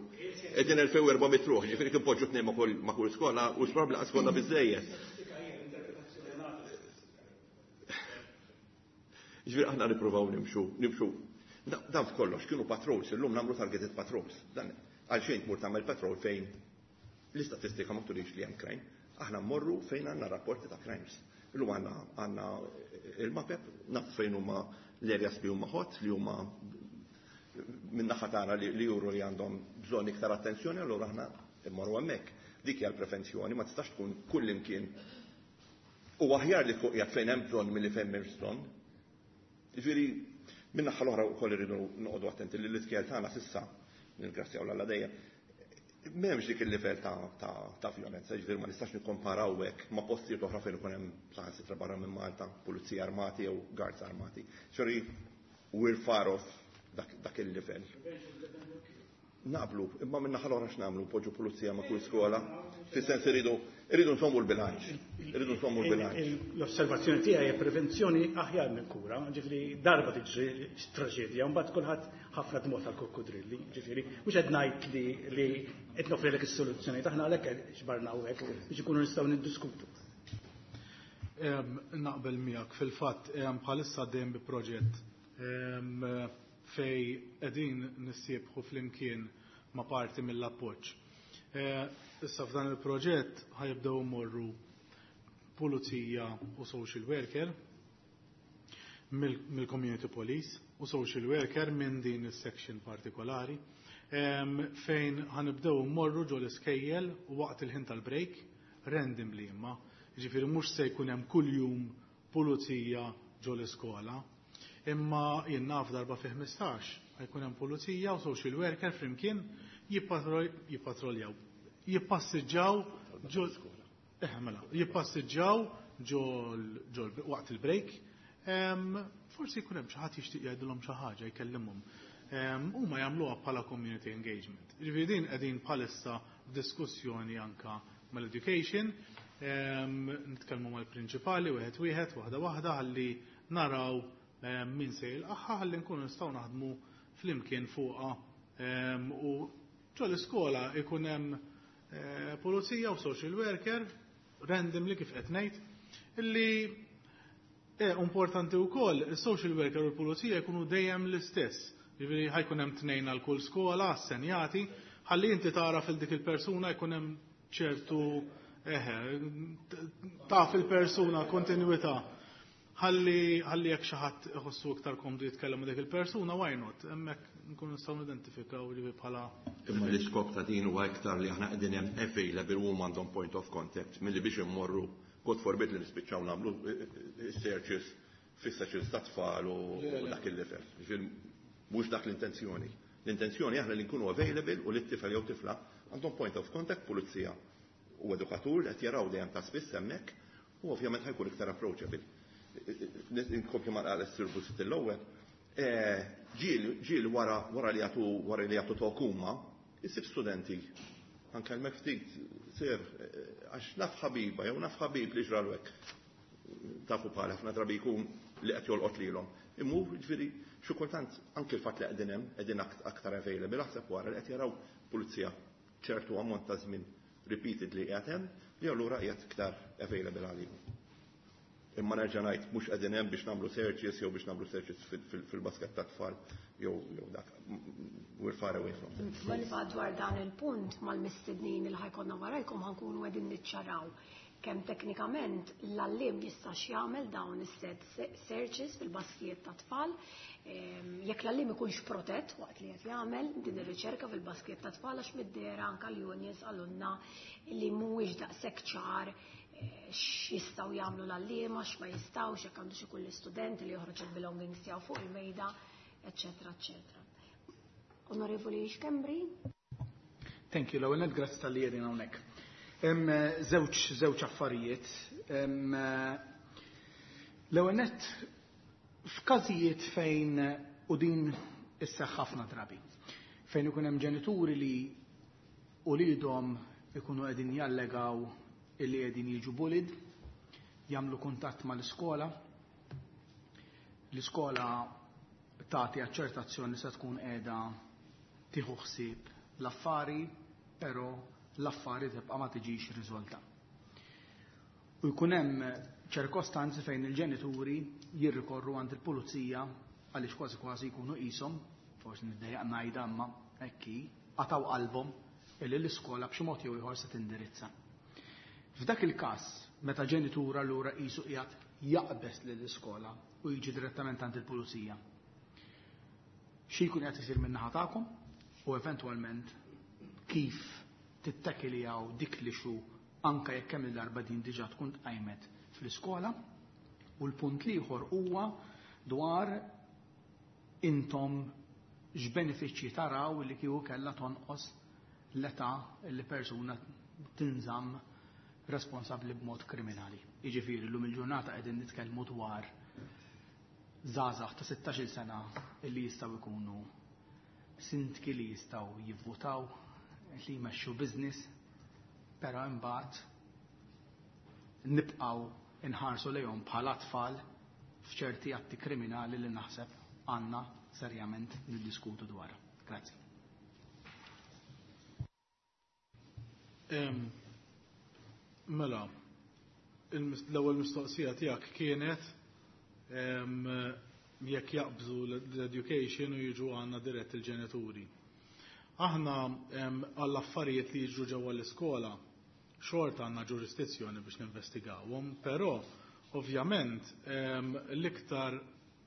qegħdin 2400 ruħ, ġifieri kif poġġu tnejn ma' kull skola u probabbli skola biżejjed. Ġifieri aħna nippruvaw nimxu. Dan f'kollox kienu patrols, illum nagħmlu targeted patrols. Dan għalxejn tmur tagħmel patrol fejn l-istatistika ma turix li hemm crime. Aħna mmorru fejn għandna rapporti ta' crimes. Illum għandna il-mapep, naf fejn huma l-areas li huma hot, li huma min-naħa tagħna li juru li għandhom bżonn iktar attenzjoni, allura aħna mmorru hemmhekk. Dik hija l-prevenzjoni, ma tistax tkun kull imkien. U aħjar li fuq qiegħed fejn hemm bżonn milli fejn m'hemmx bżonn. Jiġifieri, min-naħa l-oħra wkoll irridu noqogħdu attenti li l-iskejjel tagħna s'issa, nirgrazzjaw l-Alla dejjem, m'hemmx dik il-livell ta' violenza, jiġifieri ma nistax nikkomparaw hekk ma' postijiet oħra fejn ikun hemm saħansitra barra minn Malta, pulizija armati jew guards armati. Sorry, we're far off dak il-livell. Naqblu, imma minn naħa l-oħra x'nagħmlu, poġġu pulizija ma' kull skola, fis-sens irridu nsommu l-bilanċ. Irridu nsommu l-bilanċ. L-osservazzjoni tiegħi hija prevenzjoni aħjar minn kura, ġifieri darba tiġri traġedja, mbagħad kulħadd ħafna dmot tal-krokodrilli, ġifieri mhux qed ngħid li qed nofrilek is-soluzzjoni, aħna għalhekk xbarna hawnhekk biex ikunu nistgħu niddiskutu. Naqbel miegħek fil-fatt bħalissa dejjem bi proġett fej qegħdin nissiebħu flimkien ma' parti mill-appoġġ. Issa f'dan il-proġett ħajibdew imorru pulizija u social worker mill-community police u social worker minn din is-section partikolari fejn ħa nibdew mmorru ġo l-iskejjel waqt il-ħin tal-break randomly imma. Ġifieri mhux se jkun hemm kuljum pulizija ġo l-iskola. Imma jien naf darba fi 15 ħa jkun hemm pulizija u social worker flimkien jippatroljaw. Jippassiġġaw ġo mela, jippassiġġaw ġo waqt il-break. Forsi jkun hemm xi ħadd jixtieq jgħidilhom xi ħaġa, jkellimhom. Huma jagħmluha bħala community engagement. Ġifieri din qegħdin bħalissa f'diskussjoni anka mal-education, nitkellmu mal-prinċipali wieħed wieħed, waħda waħda, ħalli naraw min se jilqagħha, ħalli nkunu nistgħu naħdmu flimkien fuqha u ġo l-iskola ikun hemm pulizija u social worker randomly, kif qed ngħid, illi importanti wkoll is-social worker u l-pulizija jkunu dejjem l-istess. Ġifieri ħa jkun hemm tnejn għal kull skola assenjati, ħalli inti tara fil dik il-persuna, jkun hemm ċertu eħe, taf il-persuna, kontinuità. Ħalli jekk xi ħadd iħossu iktar komdu jitkellem ma' dik il-persuna, why not? Hemmhekk nkunu nistgħu nidentifikaw li bħala Imma l-iskop ta' din huwa iktar li aħna qegħdin hemm available u għandhom point of contact milli biex immorru, God forbid, li nispiċċaw nagħmlu searches fis-searches ta' tfal u dak il-level. Ġifieri mhux dak l-intenzjoni. L-intenzjoni aħna li nkunu available u li t-tifel jew tifla għandhom point of contact, pulizija u edukatur qed jaraw dejjem ta' spiss hemmhekk u ovvjament ħa jkun iktar approachable. Inkompli ma qal is-Sur Busuttil l-ewwel. Ġieli wara li jagħtu tokuma, issib studenti anke l ftit sir għax naf ħabiba jew naf ħabib li ġralu hekk. Tafu bħal ħafna drabi jkun li qed jolqot lilhom. Immu ġifieri xi kultant anke l-fatt li qegħdin hemm, qegħdin aktar available, aħseb wara li qed jaraw pulizija ċertu ammont ta' żmien repeatedly qiegħed hemm, li allura qiegħed iktar available għalihom. Imma nerġa' ngħid, mhux qegħdin hemm biex nagħmlu searches jew biex nagħmlu searches fil-basket ta' tfal jew dak. We're far away from that. Iva, dwar dan il-punt mal-mistednin il ħa jkollna warajkom ħa nkunu qegħdin niċċaraw kemm teknikament l-għalliem jista' jagħmel dawn is-said searches fil-baskijiet ta' tfal, jekk l-għalliem ikunx protett waqt li qed jagħmel din ir-riċerka fil-baskijiet ta' tfal, għax mid-dehra anke l-unions qalulna li mhuwiex daqshekk ċar x'jistgħu jagħmlu l-għalliema, x'ma jistgħux, jekk għandux ikun l-istudent li joħroġ il-belongings tiegħu fuq il-mejda, eċċetera, eċċetera. Onorevoli Schembri? Thank you, l-ewwel nett grazzi talli qegħdin hawnhekk. Hemm żewġ affarijiet. L-ewwel nett, f'każijiet fejn, u din isseħħ ħafna drabi, fejn ikun hemm ġenituri li uliedhom ikunu qegħdin jallegaw illi qegħdin jiġu bullied, jagħmlu kuntatt mal-iskola, l-iskola tagħti aċċertazzjoni se tkun qiegħda tieħu ħsieb l-affari, però l-affari tibqa' ma tiġix riżolta. U jkun hemm ċirkostanzi fejn il-ġenituri jirrikorru għand il-pulizija għaliex kważi kważi jkunu qishom, forsi niddejjaq ngħidha imma hekk hi, qataw qalbhom illi l-iskola b'xi mod jew ieħor se tindirizza. F'dak il-każ, meta ġenitur allura qisu qiegħed jaqbeż lill-iskola u jiġi direttament għand il-pulizija, xi jkun qed isir min-naħa tagħkom u eventwalment kif tittakiljaw dik l-issue, anka jekk kemm il-darba din diġà tkun tqajmet fl-iskola? U l-punt l-ieħor huwa dwar intom x'benefiċċji taraw li kieku kellha tonqos l-età li persuna tinżamm responsabbli b'mod kriminali. Jiġifieri llum il-ġurnata qegħdin nitkellmu dwar żgħażagħ ta' 16 sena illi jistgħu jkunu sindki, li jistgħu jivvutaw, li jmexxu business, però imbagħad nibqgħu inħarsu lejhom bħala tfal f'ċerti atti kriminali li naħseb għandna serjament niddiskutu dwar. Grazzi. Mela, l-ewwel mistoqsija tiegħek kienet jekk jaqbżu l-education u jiġu għandna dirett il-ġenituri. Aħna għall-affarijiet li jiġu ġewwa l-iskola xorta għandna ġurisdizzjoni biex ninvestigawhom, però ovvjament l-iktar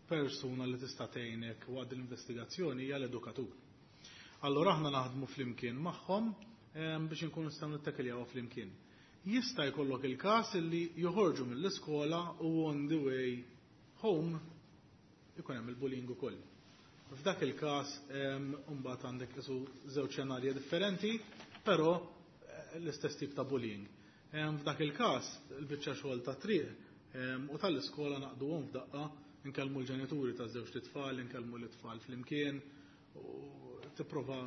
persuna li tista' tgħinek waqt l-investigazzjoni hija l-edukatur. Allura aħna naħdmu flimkien magħhom biex inkunu nistgħu nittakiljaw flimkien. Jista' jkollok il-każ li joħorġu mill-iskola u on the way home ikun hemm il-bullying ukoll. F'dak il-każ imbagħad għandek isu żewġ xenarji differenti, però l-istess tip ta' bullying. F'dak il-każ il-biċċa xogħol ta' triq u tal-iskola naqduhom f'daqqa, nkellmu l-ġenituri ta' żewġ tfal, nkellmu l-tfal flimkien u tipprova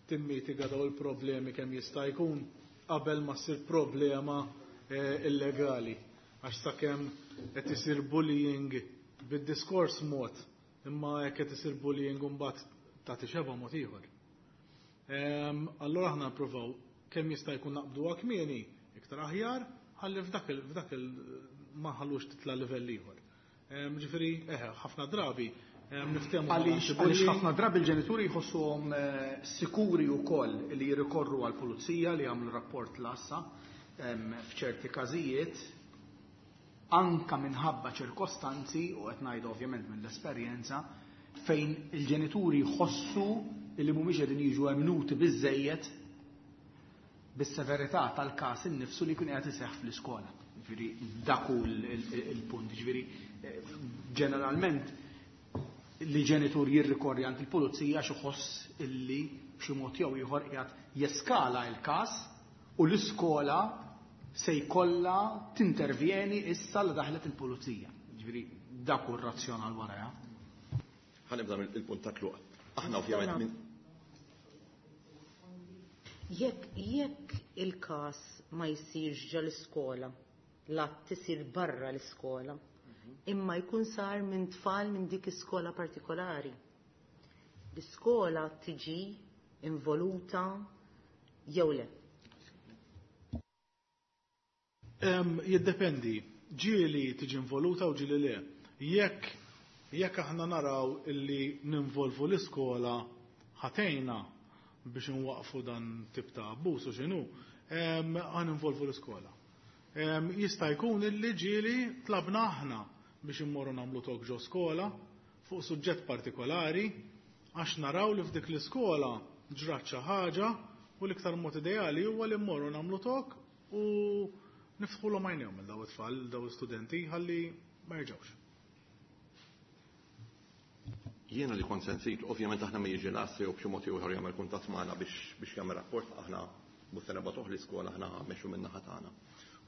timmitiga daw il-problemi kemm jista' jkun qabel ma ssir problema illegali. Għax sakemm qed isir bullying bid-diskors mod, imma jekk qed isir bullying imbagħad tagħti xeba mod ieħor. Allura aħna nippruvaw kemm jista' jkun naqbduha kmieni iktar aħjar, ħalli f'dak il ma ħallux titla' livell ieħor. Ġifieri, ħafna drabi niftehmu Għaliex ħafna drabi l-ġenituri jħossuhom sikuri wkoll li jirrikorru għall-pulizija li jagħmlu rapport l-għassa f'ċerti każijiet, anka minħabba ċirkostanzi, u qed ngħidu ovvjament mill-esperjenza, fejn il-ġenituri jħossu li mhumiex qegħdin jiġu emmnuti biżejjed bis-severità tal-każ innifsu li jkun qiegħed iseħħ fl-iskola. Ġifieri dak hu il-punt. Ġifieri ġeneralment li ġenitur jirrikorri għand il-pulizija għax iħoss illi b'xi mod jew ieħor qiegħed jeskala l-każ u l-iskola se jkollha tintervjeni issa li daħlet il-pulizija. Ġifieri dak hu r-razzjonal warajha. Ħa nibda mill-punt ta' tluq. Aħna ovvjament minn Jekk il-każ ma jsirx ġo l-iskola, l-att isir barra l-iskola, imma jkun sar minn tfal minn dik iskola partikolari. L-iskola tiġi involuta jew le? Jiddependi. Ġieli tiġi involuta u ġieli le. Jekk aħna naraw illi ninvolvu l-iskola ħatejna biex nwaqfu dan tip ta' abbuż u x'inhu, ħa ninvolvu l-iskola. Jista' jkun illi ġieli tlabna aħna biex immorru nagħmlu talk ġo skola fuq suġġett partikolari għax naraw li f'dik l-iskola ġrat xi ħaġa u l-iktar mod ideali huwa li mmorru nagħmlu talk u niftħulhom għajnejhom lil daw it-tfal, daw l-istudenti ħalli ma jerġgħux. Jiena li kont sensit, ovvjament aħna ma jiġi l-assi jew b'xi mod ieħor jagħmel kuntatt magħna biex jagħmel rapport, aħna mhux se nibgħatuh l-iskola, aħna mmexxu min-naħa tagħna.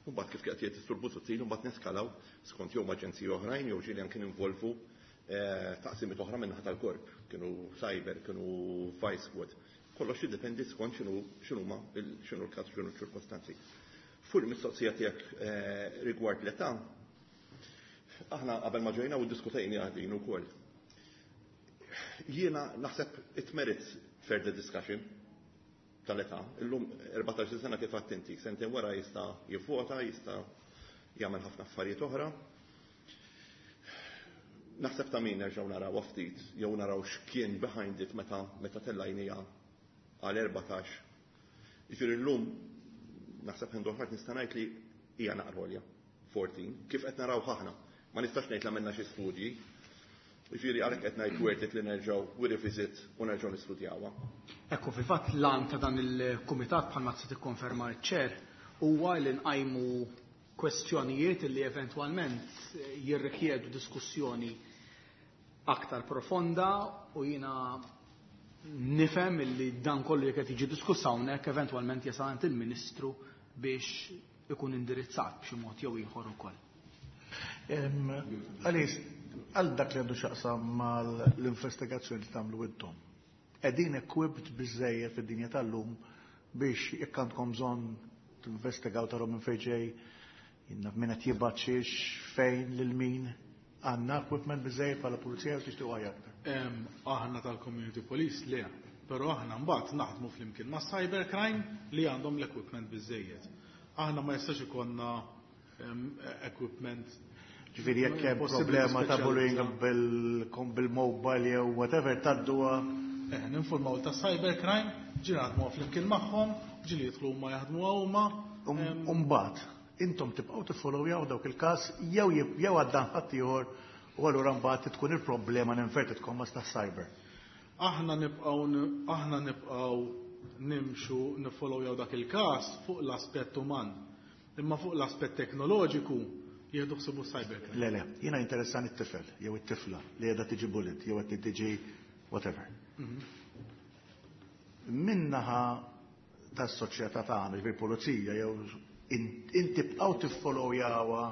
U mbagħad kif qed jgħid is-Sur Busuttil, mbagħad neskalaw skont jew aġenziji oħrajn jew ġieli anke ninvolvu taqsimiet oħra min-naħa tal-korp, kienu cyber, kienu vice squad. Kollox jiddependi skont x'inhuma x'inhu l-każ, x'inhu ċ-ċirkostanzi. Fuq il-mistoqsija tiegħek rigward l-età, aħna qabel ma ġejna u ddiskutejna din ukoll. Jiena naħseb it merits further discussion tal-età. Illum 14 sena kif għedt inti, sentejn wara jista' jivvota, jista' jagħmel ħafna affarijiet oħra. Naħseb ta' min nerġgħu naraw ftit jew naraw x'kien behind it meta tellajnija għal 14. Jiġifieri llum naħseb hand on heart nista' ngħid li hija naqra għolja 14, kif qed naraw aħna. Ma nistax ngħid li għamilna xi studji. Jiġifieri għalhekk qed ngħid worth it li nerġgħu we revisit u nerġgħu nistudjawha. Ekku, fil-fatt l-għan ta' dan il-kumitat bħalma se tikkonferma ċ-chair huwa li nqajmu kwestjonijiet li eventwalment jirrikjedu diskussjoni aktar profonda u jiena nifhem li dan kollu jekk qed jiġi diskuss hawnhekk eventwalment jasal għand il-Ministru biex ikun indirizzat b'xi mod jew ieħor ukoll. Għalis, għal dak li għandu x'jaqsam mal-investigazzjoni li tagħmlu intom. Qegħdin equipped biżejjed fid-dinja tal-lum biex jekk għandkom bżonn tinvestigaw taraw minn fejn ġej, min qed jibgħat xiex, fejn lil min, għandna equipment biżejjed bħala pulizija u tixtiequ aktar. Aħna tal-Community Police le, però aħna mbagħad naħdmu flimkien ma' cybercrime li għandhom l-equipment biżejjed. Aħna ma jistax ikollna equipment. Ġifieri jekk hemm problema ta' bullying bil-mobile jew whatever tgħadduha. Ninformaw ta' cybercrime, ġieli naħdmu flimkien magħhom, ġieli jidħlu huma jaħdmu huma. Umbagħad intom tibqgħu tiffollowjaw dawk il-każ jew għaddan ħadd ieħor. U allura mbagħad tkun il-problema inverted commas ta' cyber. Aħna nibqgħu nimxu nifollowjaw dak il-każ fuq l-aspett uman. Imma fuq l-aspett teknoloġiku jieħdu ħsibu cybercrime. Le, jiena interessani t-tifel jew it-tifla li qiegħda tiġi bullied jew qed tiġi whatever. Min-naħa tas-soċjetà tagħna, ġifieri pulizija jew inti bqgħu tiffollowjawha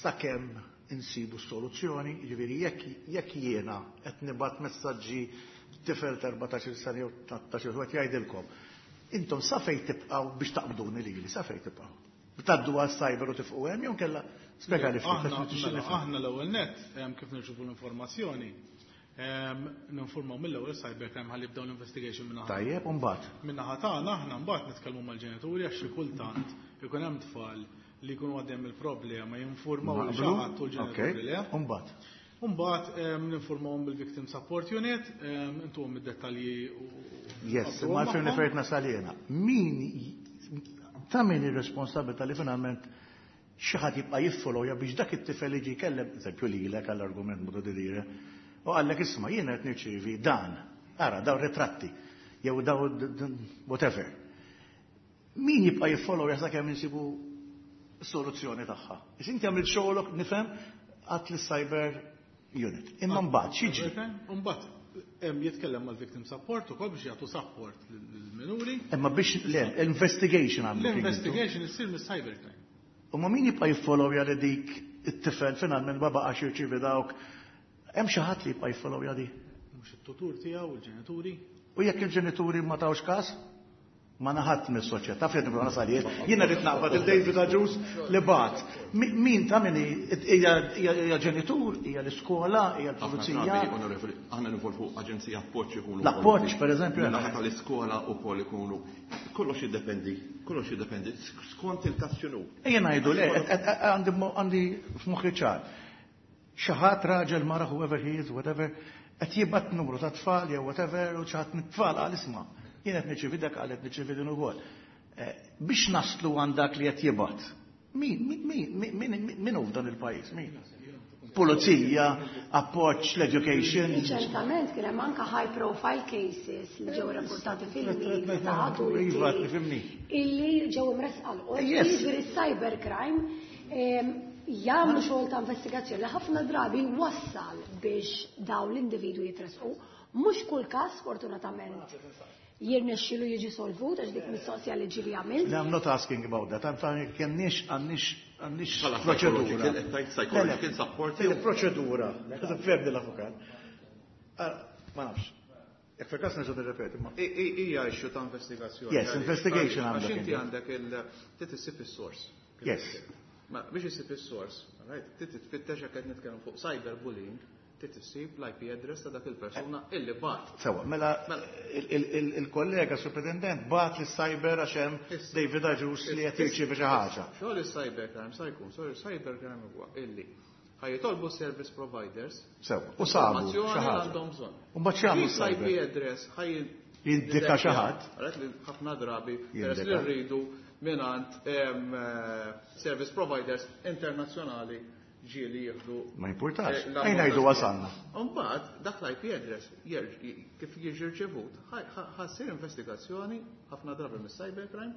sakemm insibu soluzzjoni, ġifieri jekk jiena qed nibgħat messaġġi tifel ta' 14 sena jew 13 u qed jgħidilkom. Intom sa fejn tibqgħu biex taqbduni lili, sa fejn tibqgħu? Tgħaddu għal cyber u tifqu hemm jew kella spjega li ftit Aħna għax nixtieq mela, nifhem. Aħna l-ewwel net kif nirċivu l-informazzjoni ninformaw mill-ewwel cybercrime ħalli jibdew l-investigation minn Tajjeb, u mbagħad. Min-naħa tagħna aħna mbagħad nitkellmu mal-ġenituri għax xi kultant ikun hemm tfal li jkunu għaddejjem il-problema jinformaw lil xi ħadd u l-ġenituri le. U mbagħad. Mbagħad ninformawhom bil-Victim Support Unit, intuhom id-dettalji u Yes, ma għalfejn magħhom. fejt nasal jiena. Min ta' min ir-responsabilità li finalment xi ħadd jibqa' jiffollowja biex dak it-tifel jiġi jkellem, eżempju lilek għall-argument modo di dire, u qallek isma' jiena qed nirċievi dan, ara daw ritratti, jew daw whatever. Min jibqa' jiffollowja sakemm insibu soluzzjoni tagħha? Is inti għamilt xogħolok nifhem għat cyber unit. Imma mbagħad x'jiġri? Mbagħad jitkellem mal-Victim Support ukoll biex jagħtu support lill-minuri. Imma biex le, investigation għamlu. L-investigation issir mis-cybercrime. U ma min jibqa' jiffollowja li dik it-tifel finalment ma baqax jirċievi dawk. Hemm xi ħadd li jibqa' jiffollowja di. Mhux it-tutur tiegħu, il-ġenituri. U jekk il-ġenituri ma tawx każ, ma naħat mis-soċjetà fejn nibqa' nasal jien. Jiena rrid naqbad il-David Agius li bat. Min ta' min hija ġenitur, hija l-iskola, hija Ħafna l-pulizija. drabi, onorevoli, aħna nivolvu aġenzija appoġġ ikunu. L-appoġġ, per eżempju, Min-naħa tal-iskola u kol ikunu. Kollox jiddependi, skont il-każ x'inhu. Ejja ngħidu le, għandi f'moħħi ċar. Xi ħadd raġel mara whoever he is, whatever, qed jibgħat numru ta' tfal jew whatever u xi ħadd mit-tfal qal isma' jien qed nirċievi dak qal qed nirċievi din ukoll. Biex naslu għand dak li qed jibgħat. Min hu f'dan il-pajjiż? Min? Pulizija, appoġġ, l-education. Ċertament kien hemm anke high profile cases li ġew rapportati fil-media ta' adulti Iva, tifhimni. illi ġew imresqa l-qorti, jiġifieri cybercrime jagħmlu xogħol ta' investigazzjoni li ħafna drabi wassal biex dawn l-individwi jitresqu. Mhux kull każ fortunatament jirnexxilu jiġi solvut għax dik mistoqsija li ġieli għamilt. No, I'm not asking about that. I'm saying għandniex għandniex għandniex Bħala proċedura. psychological, psychological support. Il-proċedura. Fehmni l-avukat. Ma nafx. Jekk fil-każ nerġa' nirrepeti. Hija issue ta' investigazzjoni. Yes, Għaliex? investigation Għax għandek inti inti. għandek il trid issib is-source. Yes. Ma biex issib is-source, right? Trid titfittex jekk qed nitkellem fuq cyberbullying, trid issib l-IP address ta' dak il-persuna illi bat. Sewa, mela il-kollega superintendent bat li cyber għax hemm David Agius li qed jirċievi xi ħaġa. Xogħol il-cybercrime sa jkun, sorry, cybercrime huwa illi ħa jitolbu service providers Sewa, u sabu xi informazzjoni li ħaġa. għandhom bżonn. U mbagħad x'jagħmlu Dik l-IP cyber? address ħaj Jindika xi ħadd. Għalet li ħafna drabi peress li Jindika. rridu mingħand service providers internazzjonali ġieli jieħdu Ma jimpurtax. l-ammont Ejja ngħidu ta' wasalna. Mbagħad dak l-IP address kif jiġi rċevut, ħa ssir investigazzjoni ħafna drabi mis-cybercrime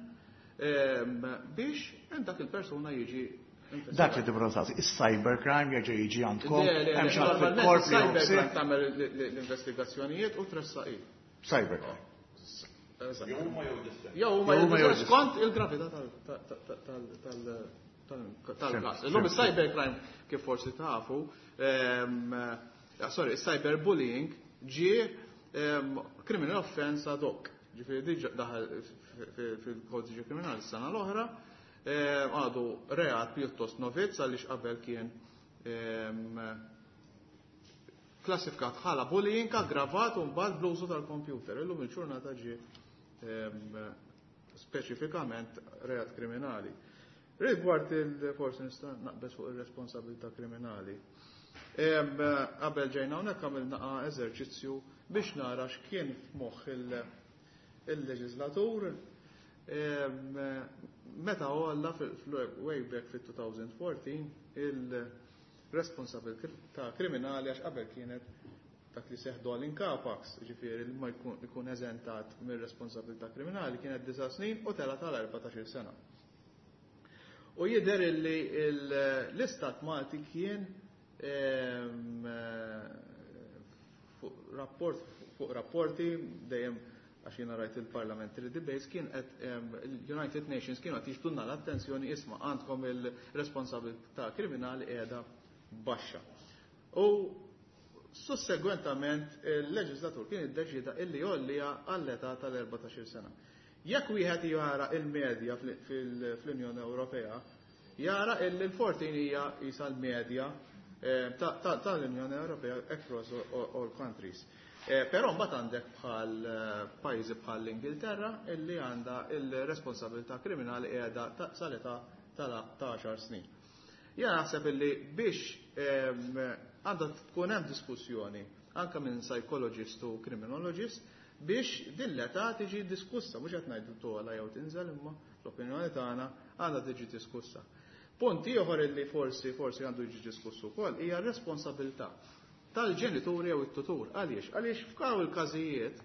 biex hemm dak il-persuna jiġi investigat. Dak li tibra saqsi, is-cybercrime jerġa' jiġi għandkom, Le, hemm xi ħadd normalment fil-korp li il-cybercrime joħsib. tagħmel l-investigazzjonijiet u tressaqi. Cybercrime. Jew huma jew Jew huma jew skont il-gravità tal-każ. Illum il-cybercrime kif forsi tafu, sorry, il-cyberbullying ġie criminal offense ad hoc. Ġifieri diġà daħal fil-kodiċi kriminali s-sena l-oħra, għadu reat pjuttost novizz għaliex qabel kien klassifikat bħala bullying aggravat u mbagħad bl-użu tal-computer. Illum il-ġurnata ġie speċifikament reat kriminali. Rigward il-forsi nista' naqbeż fuq ir-responsabilità kriminali. Qabel ġejna hawnhekk għamilna eżerċizzju biex nara x'kien f'moħħ il-leġislatur meta għalla way back fit-2014 responsabilità kriminali, għax qabel kienet dak li seħħ dol incapax, ġifieri li ma jkun eżentat mir-responsabilità kriminali, kienet 9 snin u tela tal-14 sena. U jidher li l-Istat Malti kien fuq rapporti dejjem, għax jiena rajt il-parliamentary debates, kien qed il-United Nations kienu qed jiġbdulna l-attenzjoni, isma', għandkom il-responsabilità kriminali qiegħda baxxa. U sussegwentament il-leġislatur kien iddeċida illi jgħollija għall-età tal-14 sena. Jekk wieħed jara il-medja fl-Unjoni Ewropea, jara illi l-14 hija isa l-medja tal-Unjoni Ewropea across all countries. Però mbagħad għandek bħal pajjiżi bħal l-Ingilterra illi għandha il-responsabilità kriminali qiegħda sal-età ta' 10 snin. Jien naħseb illi biex għandha tkun hemm diskussjoni anke minn psychologist u criminologist biex din l-età tiġi diskussa, mhux qed ngħidu togħla jew tinżel, imma l-opinjoni tagħna għandha tiġi diskussa. Punt ieħor illi forsi għandu jiġi diskussu wkoll hija r-responsabilità tal-ġenituri jew it-tutur. Għaliex? Għaliex f'kaw il-każijiet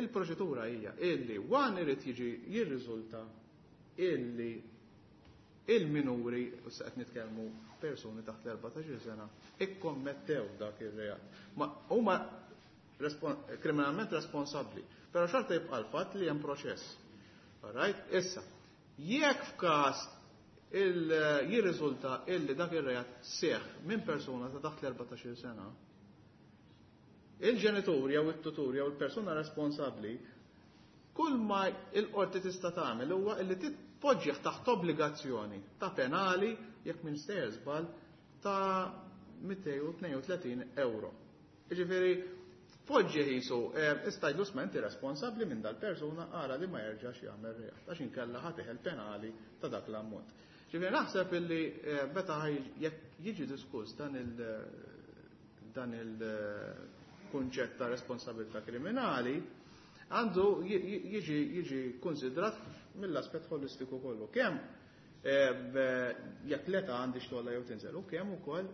il-proċedura hija illi one irid jiġi jirriżulta illi il-minuri, u se qed nitkellmu persuni taħt l-14 sena, ikkommettew dak ir-reat. Ma huma kriminalment responsabbli, però xorta jibqa' l-fatt li hemm proċess. All right? Issa, jekk f'każ jirriżulta illi dak ir-reat seħ minn persuna ta' taħt l-14 sena, il-ġenitur jew it-tutur jew il-persuna responsabbli, kull ma il-qorti tista' tagħmel huwa illi titpoġġih taħt obbligazzjoni ta' penali, jekk minn sejjer żball, ta' 232 euro. Jiġifieri tpoġġi qisu istajlu smenti responsabbli minn dal-persuna, ara li ma jerġax jagħmel reat, għax inkella ħa teħel penali ta' dak l-ammont. Ġifieri naħseb illi meta jekk jiġi diskuss dan il-kunċett ta' responsabilità kriminali, għandu jiġi konsidrat mill-aspett holistiku kollu. Kemm jekk l-età għandix togħla jew tinżel, u kemm ukoll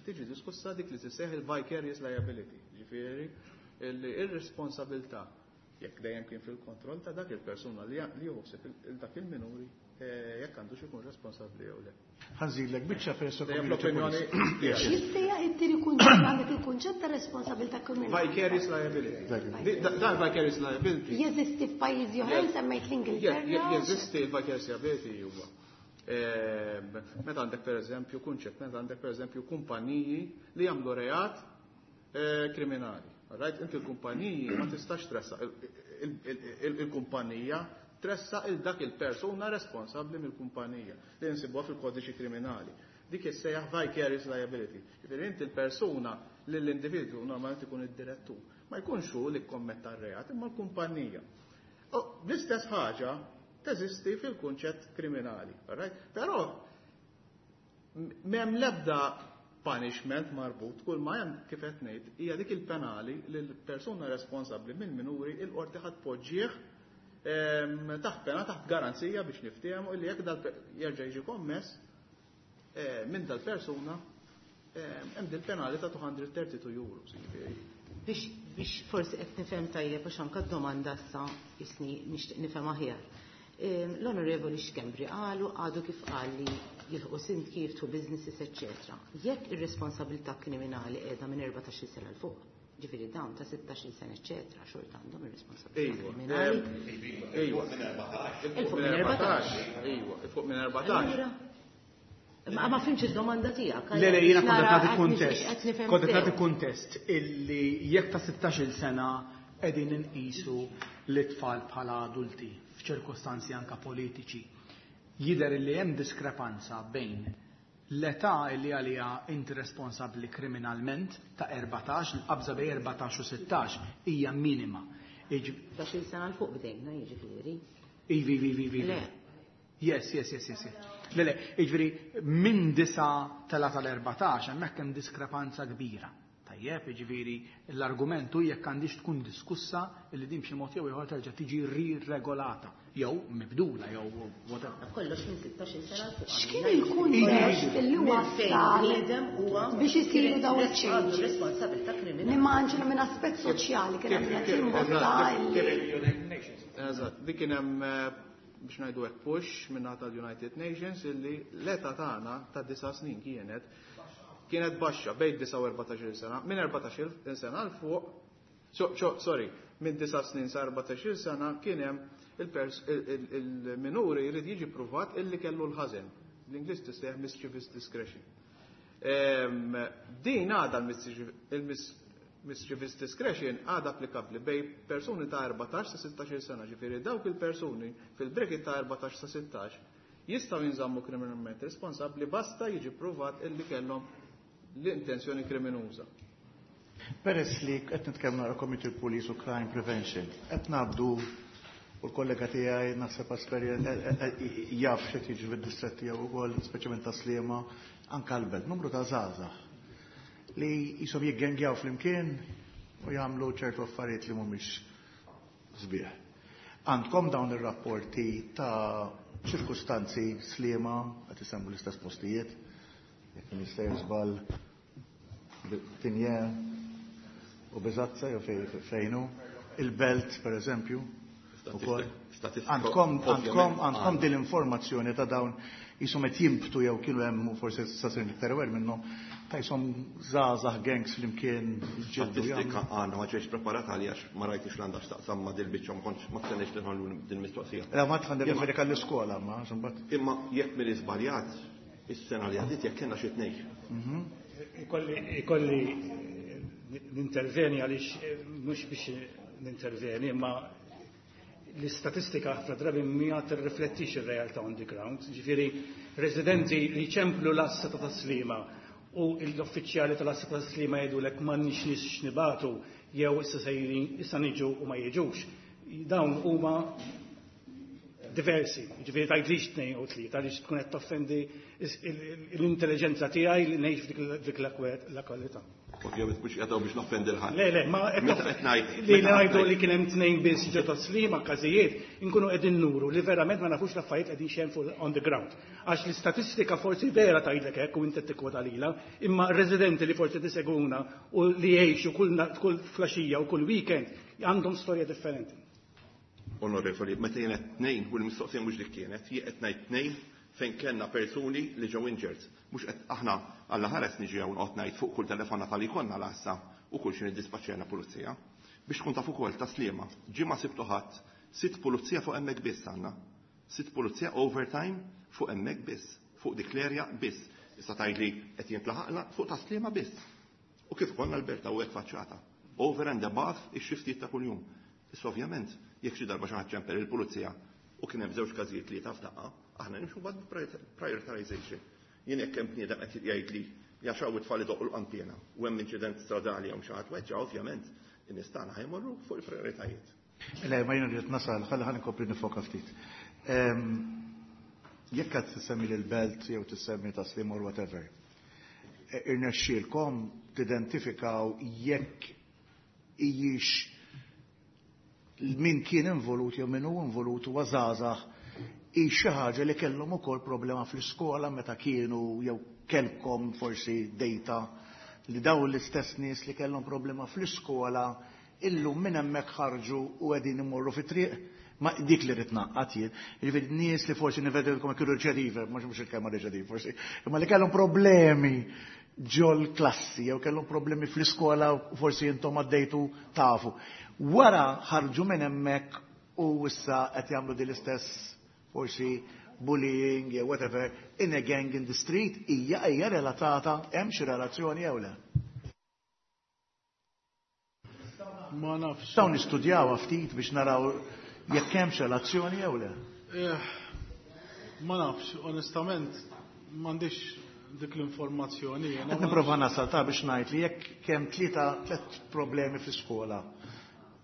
tiġi diskussa dik li tisseħ il-vicarious liability, ġifieri ir-responsabilità jekk dejjem kien fil-kontroll ta' dak il-persuna li joħseb dak il-minuri, jekk għandux ikun responsabbli jew le. Ħa nżidlek biċċa perso. Dejjem l-opinjoni. X'jissejjaħ it-tieni kunċett? Għandek il-kunċett ta' responsabilità kriminali. Vicarious liability. Dan vicarious liability. Jeżisti f'pajjiżi oħrajn, semmejt l-Ingilterra. Jeżisti il-vicarious liability huwa. Meta għandek per eżempju kunċett, meta għandek per eżempju kumpaniji li jagħmlu reat kriminali. Right? Inti l-kumpaniji ma tistax tressa il-kumpanija, tressa il dak il-persuna responsabbli mill-kumpanija li nsibuha fil-kodiċi kriminali. Dik issejjaħ vicarious liability. Ġifieri inti l-persuna li l-individwu normalment ikun id-direttur, ma jkunx hu li kkommetta r-reat, imma l-kumpanija. U l-istess ħaġa teżisti fil-kunċett kriminali. Right? Però m'hemm l-ebda punishment marbut, kull ma hemm, kif qed ngħid, hija dik il-penali li l-persuna responsabbli mill-minuri il-qorti ħadd poġġih taħt pena, taħt garanzija biex niftehmu li jekk dal jerġa' jiġi kommess minn dal-persuna, hemm dil-penali ta' 232 euro. Jiġifieri. Biex forsi qed nifhem tajjeb, għax anke d-domanda issa jisni nixtieq nifhem aħjar. L-Onorevoli Schembri qalu, għadu kif qal, li jilħqu sindki, jiftħu businesses, eccetera. Jekk ir-responsabilità kriminali qiegħda minn 14 sena 'l fuq, ġifieri dawn ta' 16 sena, eccetera, xorta għandhom ir-responsabilità kriminali. Ejwa. Il fuq minn 14. Ejwa, il fuq minn 14. Allura, ma fhimtx id-domanda tiegħek. Le, jiena kont qed Nara, nagħti qed kuntest. nixtieq qed nifhem Kont qed nagħti sew. kuntest illi jekk ta' 16 sena qegħdin inqisu l-tfal bħala adulti f'ċirkostanzi anka politiċi, jidher li hemm diskrepanza bejn l-età li għalija inti responsabbli kriminalment ta' 14, l-qabża bejn 14 u 16 hija minima. 16 sena 'l fuq bdejna, jiġifieri. Ivi. Le. Yes. Le, jiġifieri minn 9 tela tal-14 hemmhekk hemm diskrepanza kbira. Tajjeb, jiġifieri l-argumentu jekk għandix tkun diskussa li din b'xi mod jew ieħor terġa' tiġi riregolata. Jew mibdula jew whatever. Kollox minn 16 sena 'l fuq. X'kien il-kuntest li wassal biex isiru dawn il-changes? Responsabilità kriminali. Nimmaġinu minn aspett soċjali kien hemm qed jimbotta Eżatt, dik kien hemm biex ngħidu hekk push minn tal-United Nations illi l-età tagħna ta' 9 snin kienet baxxa bejn 9 u 14 sena, minn 14 sena 'l fuq, sorry, minn 9 snin sa 14 sena kien hemm il-minuri jrid jiġi pruvat illi kellu l-ħażen. L-Ingliż tissejjaħ mischievous discretion. Din għadha il-mischievous discretion għadha applikabbli bejn persuni ta' 14 sa 16 sena, ġifieri dawk il-persuni fil-bracket ta' 14 sa 16 jistgħu jinżammu kriminalment responsabbli basta jiġi pruvat illi kellhom l-intenzjoni kriminuża. Peress li qed nitkellmu nara Community Police u Crime Prevention, qed ngħaddu u l-kollega tiegħi naħseb jaf x'qed jiġri fid-distrett tiegħu wkoll, speċjalment ta' Sliema, anke l-belt, numru ta' żgħażagħ li jisom jiggengjaw flimkien u jagħmlu ċertu affarijiet li mhumiex sbieħ. Għandkom dawn ir-rapporti ta' ċirkustanzi Sliema, qed isemmu l-istess postijiet, jekk nista' żball Tinje u Biżazza jew fejnu, il-Belt per eżempju. Għandkom din l-informazzjoni ta' dawn jisom qed jimbtu jew kienu hemm u forsi sa sir iktar aware minnhom ta' jisom żgħażagħ gangs flimkien ġildu. Statistika għandna, ma ġejx preparat għalija għax ma rajtix l-għandha x'taqsam ma' dil-biċċa, ma kontx ma stenniex li nħallu din mistoqsija. La ma tħandi referi għall-iskola ma imbagħad. Imma jekk minn iżbaljat is-sena li għaddiet jekk kellna xi tnejn. Ikolli ninterveni għaliex mhux biex ninterveni, imma l-istatistika ħafna drabi ma tirriflettix ir-realtà on the ground. Ġifieri residenti li ċemplu l-għassa ta' Sliema u l-uffiċjali tal-għassa ta' Sliema jgħidulek m'għandniex nies x'nibagħtu jew issa sejrin issa niġu u ma jiġux. Dawn huma diversi, ġifieri tgħidlix tnejn u tlieta għaliex tkun qed toffendi l-intelligenza tiegħi li ngħix f'dik l-kwalità. Ovvjament mhux qiegħed biex noffendi l-ħadd. Le, le, ma Meta qed ngħid li ngħidu li kien hemm tnejn biss ġo ta' Sliema każijiet, inkunu qegħdin nuru li verament ma nafux l-affarijiet qegħdin xejn fuq on the ground. Għax l-istatistika forsi vera tgħidlek hekk u inti tikkwota lilha, imma residenti li forsi tiseguna u li jgħixu kull flaxija u kull weekend għandhom storja differenti. Onorevoli, meta jien qed tnejn u l-mistoqsija mhux dik kienet, jien qed ngħid tnejn fejn kellna persuni li ġew injured. Mhux qed aħna alla ħares niġi hawn qed ngħid fuq kull telefonata li konna l-għassa u kull xi niddispaċċjana pulizija. Biex tkun taf ukoll ta' Sliema, ġimgħa sibtu ħadd, sitt pulizija fuq hemmhekk biss għandna. Sitt pulizija overtime fuq hemmhekk biss, fuq dik l-area biss. Issa tgħidli qed jintlaħaqna fuq ta' Sliema biss. U kif konna l-Berta u hekk faċċata. Over and above ix-xiftijiet ta' kuljum. Issa ovvjament, jekk xi darba xi ħadd ċempel il-pulizija u kien hemm żewġ każijiet li taf daqqa, aħna nimxu bad prioritization. Jien jekk hemm bniedem qed jgħid li jaxaw it-tfal idoqqu l-qanpiena u hemm inċident stradali jew xi ħadd weġġa', ovvjament in-nies tagħna ħajmorru fuq il-prioritajiet. Le, ma jiena rrid nasal, ħalli ħalli nkompli nifoka ftit. Jekk qed tissemmi lil-Belt jew tissemmi ta' Sliema or whatever, irnexxielkom tidentifikaw jekk hijiex min kien involut jew min hu involut huwa żgħażagħ hi xi ħaġa li kellhom ukoll problema fl-iskola meta kienu jew kellkom forsi data li dawn l-istess nies li kellhom problema fl-iskola illum minn hemmhekk ħarġu u qegħdin imorru fit-triq. Ma dik li rrid naqqat jien. Jiġifieri nies li forsi nivedilkom kienu reċedive, mhux il-kelma reċedive forsi, imma li kellhom problemi ġol klassi jew kellhom problemi fl-iskola u forsi intom għaddejtu tafu. Wara ħarġu minn hemmhekk u issa qed jagħmlu din l-istess forsi bullying jew whatever in a gang in the street, hija relatata, hemm xi relazzjoni jew le? Ma nafx. Dawn nistudjawha ftit biex naraw jekk hemmx relazzjoni jew le. Ma nafx, onestament, m'għandix dik l-informazzjoni. Qed nipprova nasal ta' biex ngħid li jekk kemm tliet problemi fl-iskola,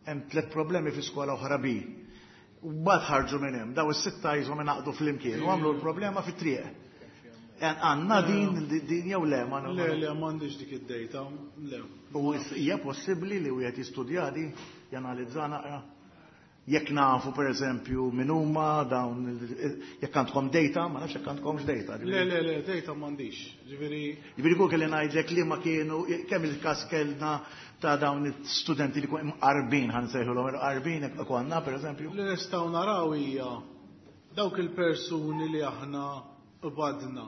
hemm tliet problemi fl-iskola oħra bi. U mbagħad ħarġu minn hemm, daw is-sitta jiżhom ingħaqdu flimkien u għamlu l-problema fit-triq. Għandna din jew le? Ma Le, le, m'għandix dik id-data, le. U hija possibbli li wieħed jistudja di, janalizza naqra? Jekk nafu per eżempju min huma dawn jekk għandkom data, ma nafx jekk għandkomx data. Le, le, le, data m'għandix. Ġifieri Ġifieri kull kelli ngħidlek li ma kienu kemm il-każ kellna ta' dawn it-studenti li kun imqarbin ħa nsejħulhom imqarbin konna per eżempju. Li nistgħu naraw hija dawk il-persuni li aħna qbadna.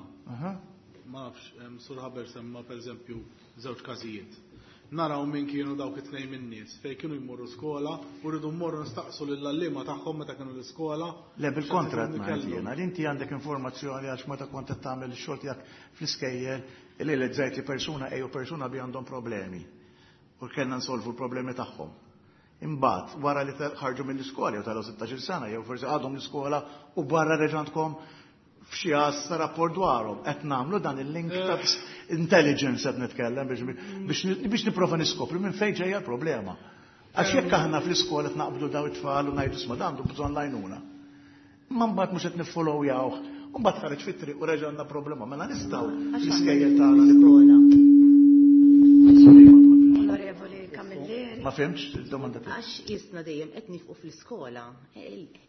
Ma nafx, Sur Haber semma per eżempju żewġ każijiet. Naraw min kienu dawk it-tnejn min-nies fejn kienu jmorru skola u rridu mmorru nistaqsu lill-għalliema tagħhom meta kienu l-iskola. Le, bil-kontra qed ngħid jiena, li inti għandek informazzjoni għax meta kont qed tagħmel ix-xogħol tiegħek fl-iskejjel li realizzajt li persuna A u persuna B għandhom problemi u kellna nsolvu l-problemi tagħhom. Imbagħad wara li ħarġu mill-iskola jew telgħu 16-il sena jew forsi għadhom l-iskola u barra reġa' għandkom f'xi għassa rapport dwarhom. Qed nagħmlu dan il-link ta' intelligence qed nitkellem biex nipprova niskopri minn fejn ġejja l-problema. Għax jekk aħna fl-iskola qed naqbdu daw it-tfal u ngħidu isma' dan għandu bżonn l-għajnuna. Imma mbagħad mhux qed niffollowjawh, u mbagħad ħareġ fit-triq u reġa' għandna problema. Mela nistgħu fl-iskejjel tagħna Onorevoli Camilleri. Ma fhimtx id-domanda tiegħek. Għax jisna dejjem qed nifqu fl-iskola,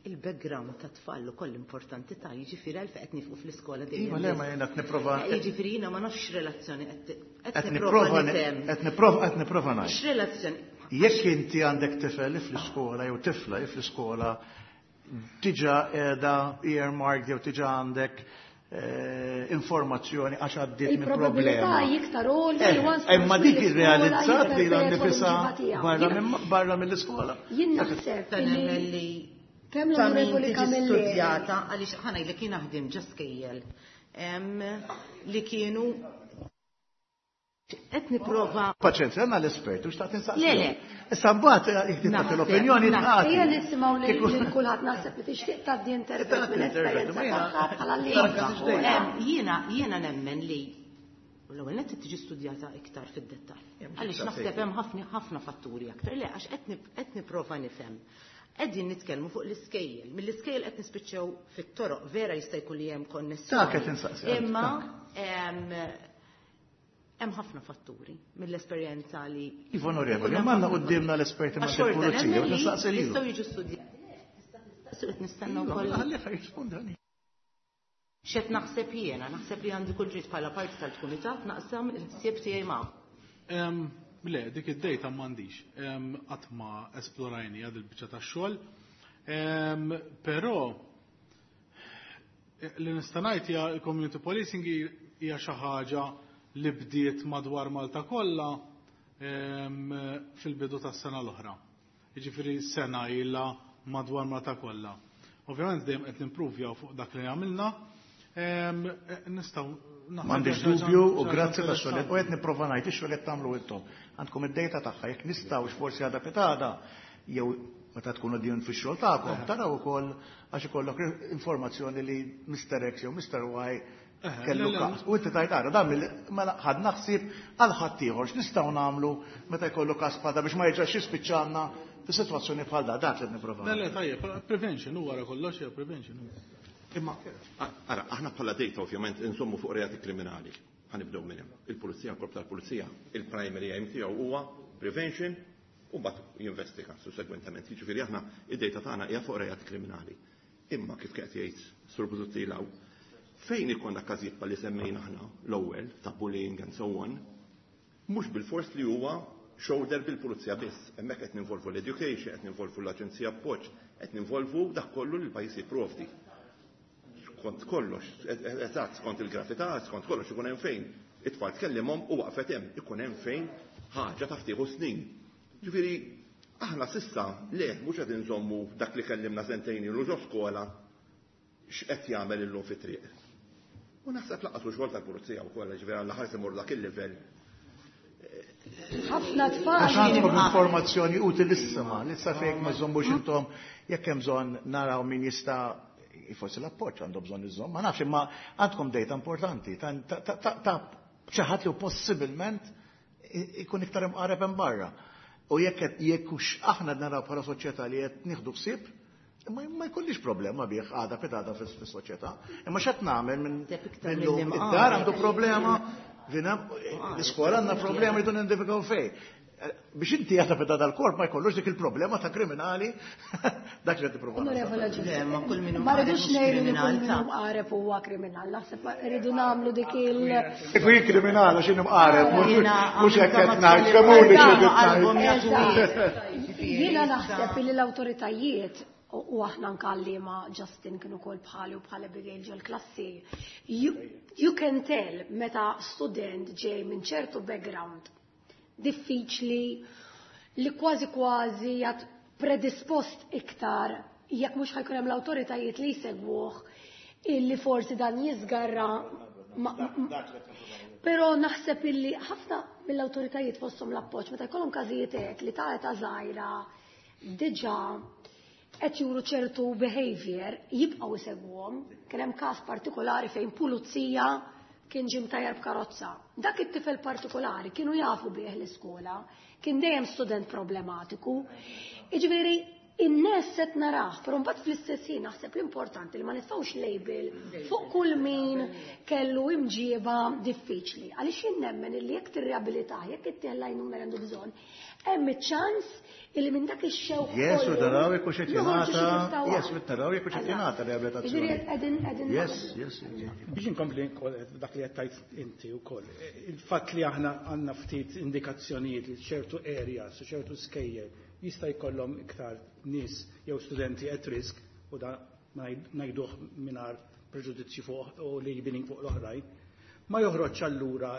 il-background ta' tfal ukoll importanti ta' jiġifieri għalfejn qed nifqu fl-iskola dejjem. Iva, le, ma jiena qed nipprova. Jiġifieri jiena ma nafx x'relazzjoni qed nipprova nifhem. Qed nipprova qed nipprova ngħid. X'relazzjoni? Jekk inti għandek tifel li fl-iskola jew tifla li fl-iskola diġà qiegħda earmarked jew diġà għandek informazzjoni għax għaddiet minn Il-probabilità problema. iktar għolja li once Imma dik mill-iskola irrealizzat li jipperpetwa nifisha l-imġiba tiegħu. barra mill-iskola. Jien naħseb Ta' li nemmen li kemm ta' min l-Onorevoli tiġi Camilleri studjata għaliex ħa ngħidlek jien naħdem ġo skejjel li kienu qed nipprova Paċenzja, għandna l-esperti u xtaqt insaqsi. Le, le. Issa mbagħad jekk tagħti Naħseb, l-opinjoni naħseb. tagħti. Ejja nisimgħu Kieku- lil kulħadd naħseb li tixtieq tgħaddi intervent Tagħti minn intervent, esperjenza ma jiena- tagħha bħala li Tagħti x'dejja. Jiena nemmen li l-ewwel nett tiġi studjata iktar fid-dettall. Mhux Għaliex iktar naħseb sejjer. hemm ħafna ħafna fatturi aktar. Le, għax qed nipprova nifhem. Qegħdin nitkellmu fuq l-iskejjel. Mill-iskejjel qed nispiċċew fit-toroq, vera jista' jkun li hemm konnessjoni. Dak qed insaqsi, għaliex, Imma dak. hemm ħafna fatturi mill-esperjenza li Iva, onorevoli, Ikun hemm ma għandna ħafna quddiemna l-esperti Għax ma' xorta il-pulizija, nemmen u li nistaqsi lilhom. Jistgħu jiġu studjati. Tista' qed nistenna Iva, wkoll. ħalli ħa jirrispondi għalih. X'qed naħseb jiena, naħseb li għandi kull dritt bħala parti tal-kumitat naqsam il-ħsieb tiegħi magħhom. Le, dik id-data m'għandix. Qatt ma esplorajni għad il-biċċa tax-xogħol. Però li nista' ngħid hija l-community policing hija xi ħaġa li bdiet madwar Malta kollha fil-bidu tas-sena l-oħra. Jiġifieri sena ilha madwar Malta kollha. Ovvjament dejjem qed nimpruvjaw fuq dak li għamilna. Nistgħu naħseb M'għandix xi ħaġa dubju u xi ħaġa grazzi ta' xogħol. interessanti. U qed nipprova ngħid ix-xogħol qed tagħmlu intom. Għandkom id-dejta tagħha jekk nistgħux forsi għadha pitada jew meta tkunu din fix-xogħol tagħkom, taraw ukoll għax ikollok informazzjoni li Mr. X jew Mr. Y kellu le, le. każ. U inti tajt ara dan mela ħadna ħsieb għal ħadd ieħor x'nistgħu nagħmlu meta jkollu każ bħal da biex ma jerġax jispiċċalna fis-sitwazzjoni bħal da, dak li qed nipprova. Le, le, tajjeb, prevention u wara kollox hija prevention. Imma, ara, aħna bħala data ovvjament insommu fuq reati kriminali. Ħanibdew minn hemm. Il-pulizija, il-korp tal-pulizija, il-primary aim tiegħu huwa prevention u mbagħad jinvestiga sussegwentement. Jiġifieri aħna id-data tagħna hija fuq reati kriminali. Imma kif qed jgħid Sur Busuttil hawn, fejn ikollna każijiet bħal li semmejna aħna l-ewwel ta' bullying and so on, mhux bil-fors li huwa shoulder bil-pulizija biss. Hemmhekk qed ninvolvu l-education, qed ninvolvu l-aġenzija appoġġ, qed ninvolvu dak kollu li l-pajjiż jipprovdi. Skont kollox, eżatt, skont il-gravità, skont kollox ikun hemm fejn. It-tfal tkellimhom u waqfet hemm, ikun hemm fejn ħaġa taf tieħu snin. Ġifieri, aħna sissa le mhux qed inżommu dak li kellimna sentejn ilu ġo skola x'qed jagħmel illum fit-triq. U naħseb laqas u xogħol tal-pulizija wkoll, ġifieri għal ħares imur dak il-livell. Ħafna tfal. Għax għandkom informazzjoni utilissima, li sa fejk ma żommux intom jekk hemm bżonn naraw min jista' forsi l-appoġġ għandu bżonn iżomm, ma nafx imma għandkom data importanti ta' xi ħadd li possibilment ikun iktar imqareb hemm barra. U jekk hux aħna naraw bħala soċjetà li qed nieħdu ħsieb, imma ma jkollix problema bih għada pitada fis-soċjetà. Imma x'qed nagħmel minn Naħseb iktar illum milli id-dar għandu mqareb. problema, l-iskola għandna problema jridu nindividwaw fejn. Biex inti jata feda dal-korp ma jkollux dik il-problema ta' kriminali dak li tipprova. Onorevole Le, ma kull min hu Ma mqareb rridux mhux ngħidu li kull kriminal, min ta' hu mqareb huwa kriminal. Naħseb rridu nagħmlu dik il- Kieku jien kriminal għax jien imqareb, Jiena mhux hekk għamilta qed ma' ngħid, tfal femuni il-qalb, xi qed qalbhom ngħid. jagħtu Eżatt. Jiena Issa- naħseb li l-awtoritajiet u aħna anke għalliema Justin kienu wkoll bħali u bħal Abigail ġol-klassi. You can tell meta student ġej minn ċertu background diffiċli li kważi kważi jgħat predispost iktar jekk mhux ħajkun hemm l-awtoritajiet li jsegwuh illi forsi dan jiżgarra Però naħseb illi ħafna mill-awtoritajiet fosthom l-appoġġ meta jkollhom każijiet hekk li ta' età żgħira diġà qed juru ċertu behavior jibqgħu jsegwuhom. Kien hemm każ partikolari fejn pulizija kien ġie mtajjar b'karozza. Dak it-tifel partikolari kienu jafu bih l-iskola, kien dejjem student problematiku. Jiġifieri in-nies qed narah, però mbagħad fl-istess ħin naħseb l-importanti li ma nitfgħux label fuq kull min kellu imġieba diffiċli. Għaliex jien nemmen illi jekk tirriabilitah, jekk ittih l-għajnuna li għandu bżonn, hemm iċ-ċans illi minn dak ix-xewq Yes, u kollu taraw jekk hux qed noħorġu xi jingħata, tista' yes, u taraw jekk hux qed jingħata riabilitazzjoni. Jiġifieri qegħdin Yes, naħdmu. yes, yes. Biex inkompli wkoll dak li qed tgħid inti wkoll. Il-fatt li aħna għandna ftit indikazzjonijiet li ċertu areas u ċertu skejjel jista' jkollhom iktar nies jew studenti at risk u da ngħiduh mingħajr preġudizzju fuq u labeling fuq l-oħrajn, ma joħroġ allura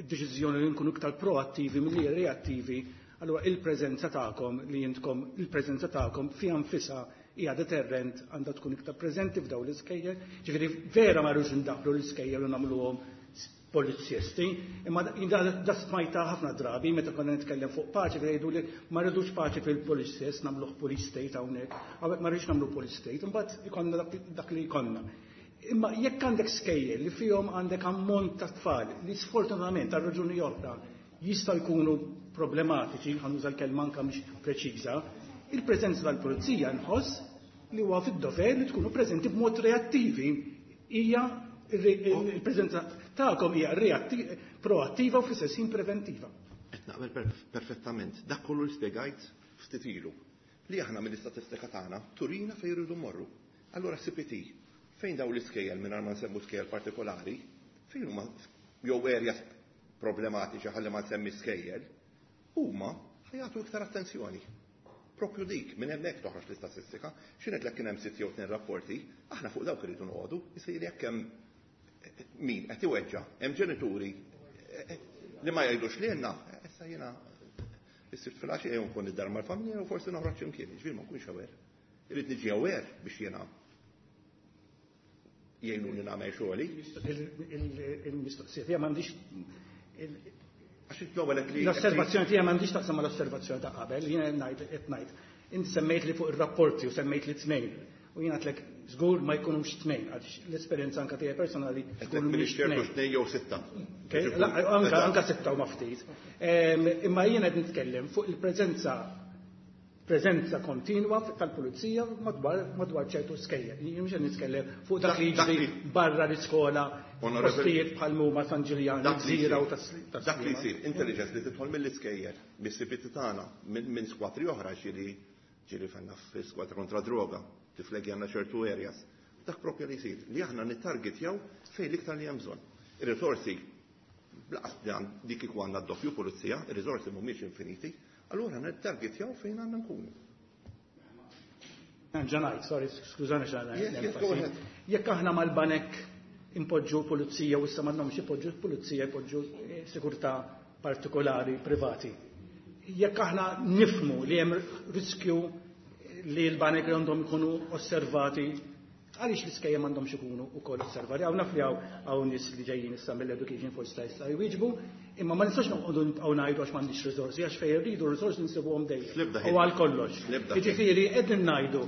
id-deċiżjoni li nkunu iktar proattivi milli reattivi, allura il-preżenza tagħkom li intkom il-preżenza tagħkom fiha nfisha hija deterrent għandha tkun iktar preżenti f'dawn l-iskejjel. Ġifieri vera ma rridux indaħlu l-iskejjel u nagħmluhom polizzisti, imma da smajta ħafna drabi meta konna nitkellem fuq paċi jgħidu li ma rridux paċi fil-police state, nagħmluh police state hawnhekk, hawnhekk ma rridux nagħmlu police state, imbagħad ikollna dak li jkollna. Imma jekk għandek skejjel li fihom għandek ammont ta' tfal li sfortunatament għal raġuni oħra jistgħu jkunu problematiċi, ħa nuża l-kelma anke mhix preċiża, il-preżenza tal-pulizija nħoss li huwa fid-dover li tkunu preżenti b'mod reattivi. Hija il-preżenza tagħkom hija proattiva u fl-istess ħin preventiva. Qed naqbel perfettament. Dak kollu li spjegajt ftit ilu li aħna mill-istatistika tagħna turina fejn irridu mmorru. Allura CPT, fejn daw l-iskejjel mingħajr ma nsemmu skejjel partikolari, fejn huma jew areas problematiċi ħalli ma nsemmi skejjel, huma ħajatu iktar attenzjoni. Propju dik, minn hemmhekk toħroġ l-istatistika, x'inhet lek kien hemm sitt jew tnejn rapporti, aħna fuq dawk irridu noqogħdu, isir jekk hemm min qed iweġġa', hemm ġenituri li ma jgħidux lilna, issa jiena issir fil-għaxija jew nkun id-dar mal-familja jew forsi noħroġ x'imkien, jiġifieri ma nkunx aware. Irrid niġi aware biex jiena jgħinuni nagħmel xogħli. Il-mistoqsija tiegħi m'għandix Għax l-ewwel qed li L-osservazzjoni tiegħi m'għandix taqsam mal-osservazzjoni ta' qabel, jiena ngħid qed ngħid. Inti semmejt li fuq ir-rapporti u semmejt li tnejn. U jiena għedtlek żgur ma jkunux tnejn, għaliex l-esperjenza anke tiegħi personali Qed żgur minn mhumiex ċertu tnejn. tnejn jew sitta. Okay? La, anka sitta u ma ftit. Imma jiena qed nitkellem fuq il-preżenza preżenza kontinwa tal-pulizija madwar ċertu skejjel. Jien mhux qed nitkellem fuq dak li Dak jiġri li- barra l-iskola, Onorevoli- postijiet bħal huma San Ġiljan, Dak li Gżira u jsir. Dak li tas-Sliema. jsir, intelligence li tidħol mill-iskejjel, mis-CPT tagħna, minn squadri oħra ġieli fenna fi squadra kontra droga, tiflegi għandna ċertu areas. Dak propju li jsir, li aħna nittargetjaw fejn l-iktar li hemm bżonn. Ir-risorsi, blaqas li dik kieku għandna d-doppju pulizija, ir-risorsi mhumiex infiniti, allura nittargetjaw fejn għandna nkunu. Ġanajt, sorry, skużani xana. Yes, go ahead. Jekk aħna mal-banek impoġġu pulizija u issa m'għandhomx ipoġġu pulizija, ipoġġu sigurtà partikolari privati. Jekk aħna nifmu li hemm riskju li l-banek għandhom ikunu osservati, għaliex l-iskejjel m'għandhomx ikunu wkoll osservati? Hawn naf li hawn nies li ġejjin issa mill-education force ta' issa jwieġbu, imma ma nistax noqogħdu nibqgħu ngħidu għax m'għandix risorsi, għax fejn irridu risorsi nsibuhom dejjem. Fl-ebda U ħin. għal kollox. Fl-ebda ħin. Jiġifieri qegħdin ngħidu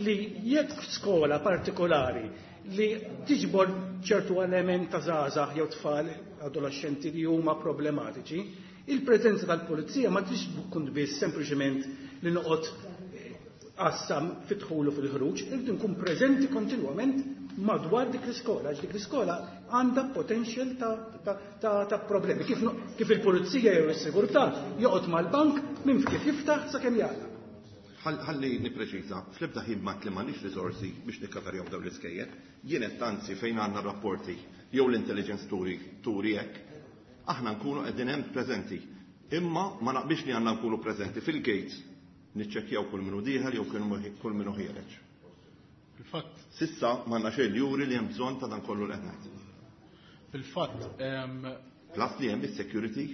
li jekk skola partikolari li tiġbor ċertu element ta' żgħażagħ jew tfal adolescenti li huma problematiċi, il-preżenza tal-pulizija ma tix tkun biss sempliċement li noqgħod għassa fid-dħul u fil-ħruġ, irridu nkun preżenti kontinwament madwar dik l-iskola, għax dik l-iskola għandha potential ta' problemi. Kif il-pulizija jew is-sigurtà joqgħod mal-bank minn kif jiftaħ sakemm jagħlaq. Ħalli nippreċiża, fl-ebda ħin m'għedt li m'għandniex riżorsi biex nikkaverjaw dawn l-iskejjel. Jien qed anzi fejn għandna rapporti jew l-intelligence turi hekk, aħna nkunu qegħdin hemm preżenti. Imma ma naqbilx li għandna nkunu preżenti fil-gates niċċekkjaw kull min hu dieħel jew kull min hu ħiereġ. Fil-fatt. S'issa m'għandna xejn li juri li hemm bżonn ta' dan kollu li qed ngħid. Fil-fatt. Plus li hemm is-security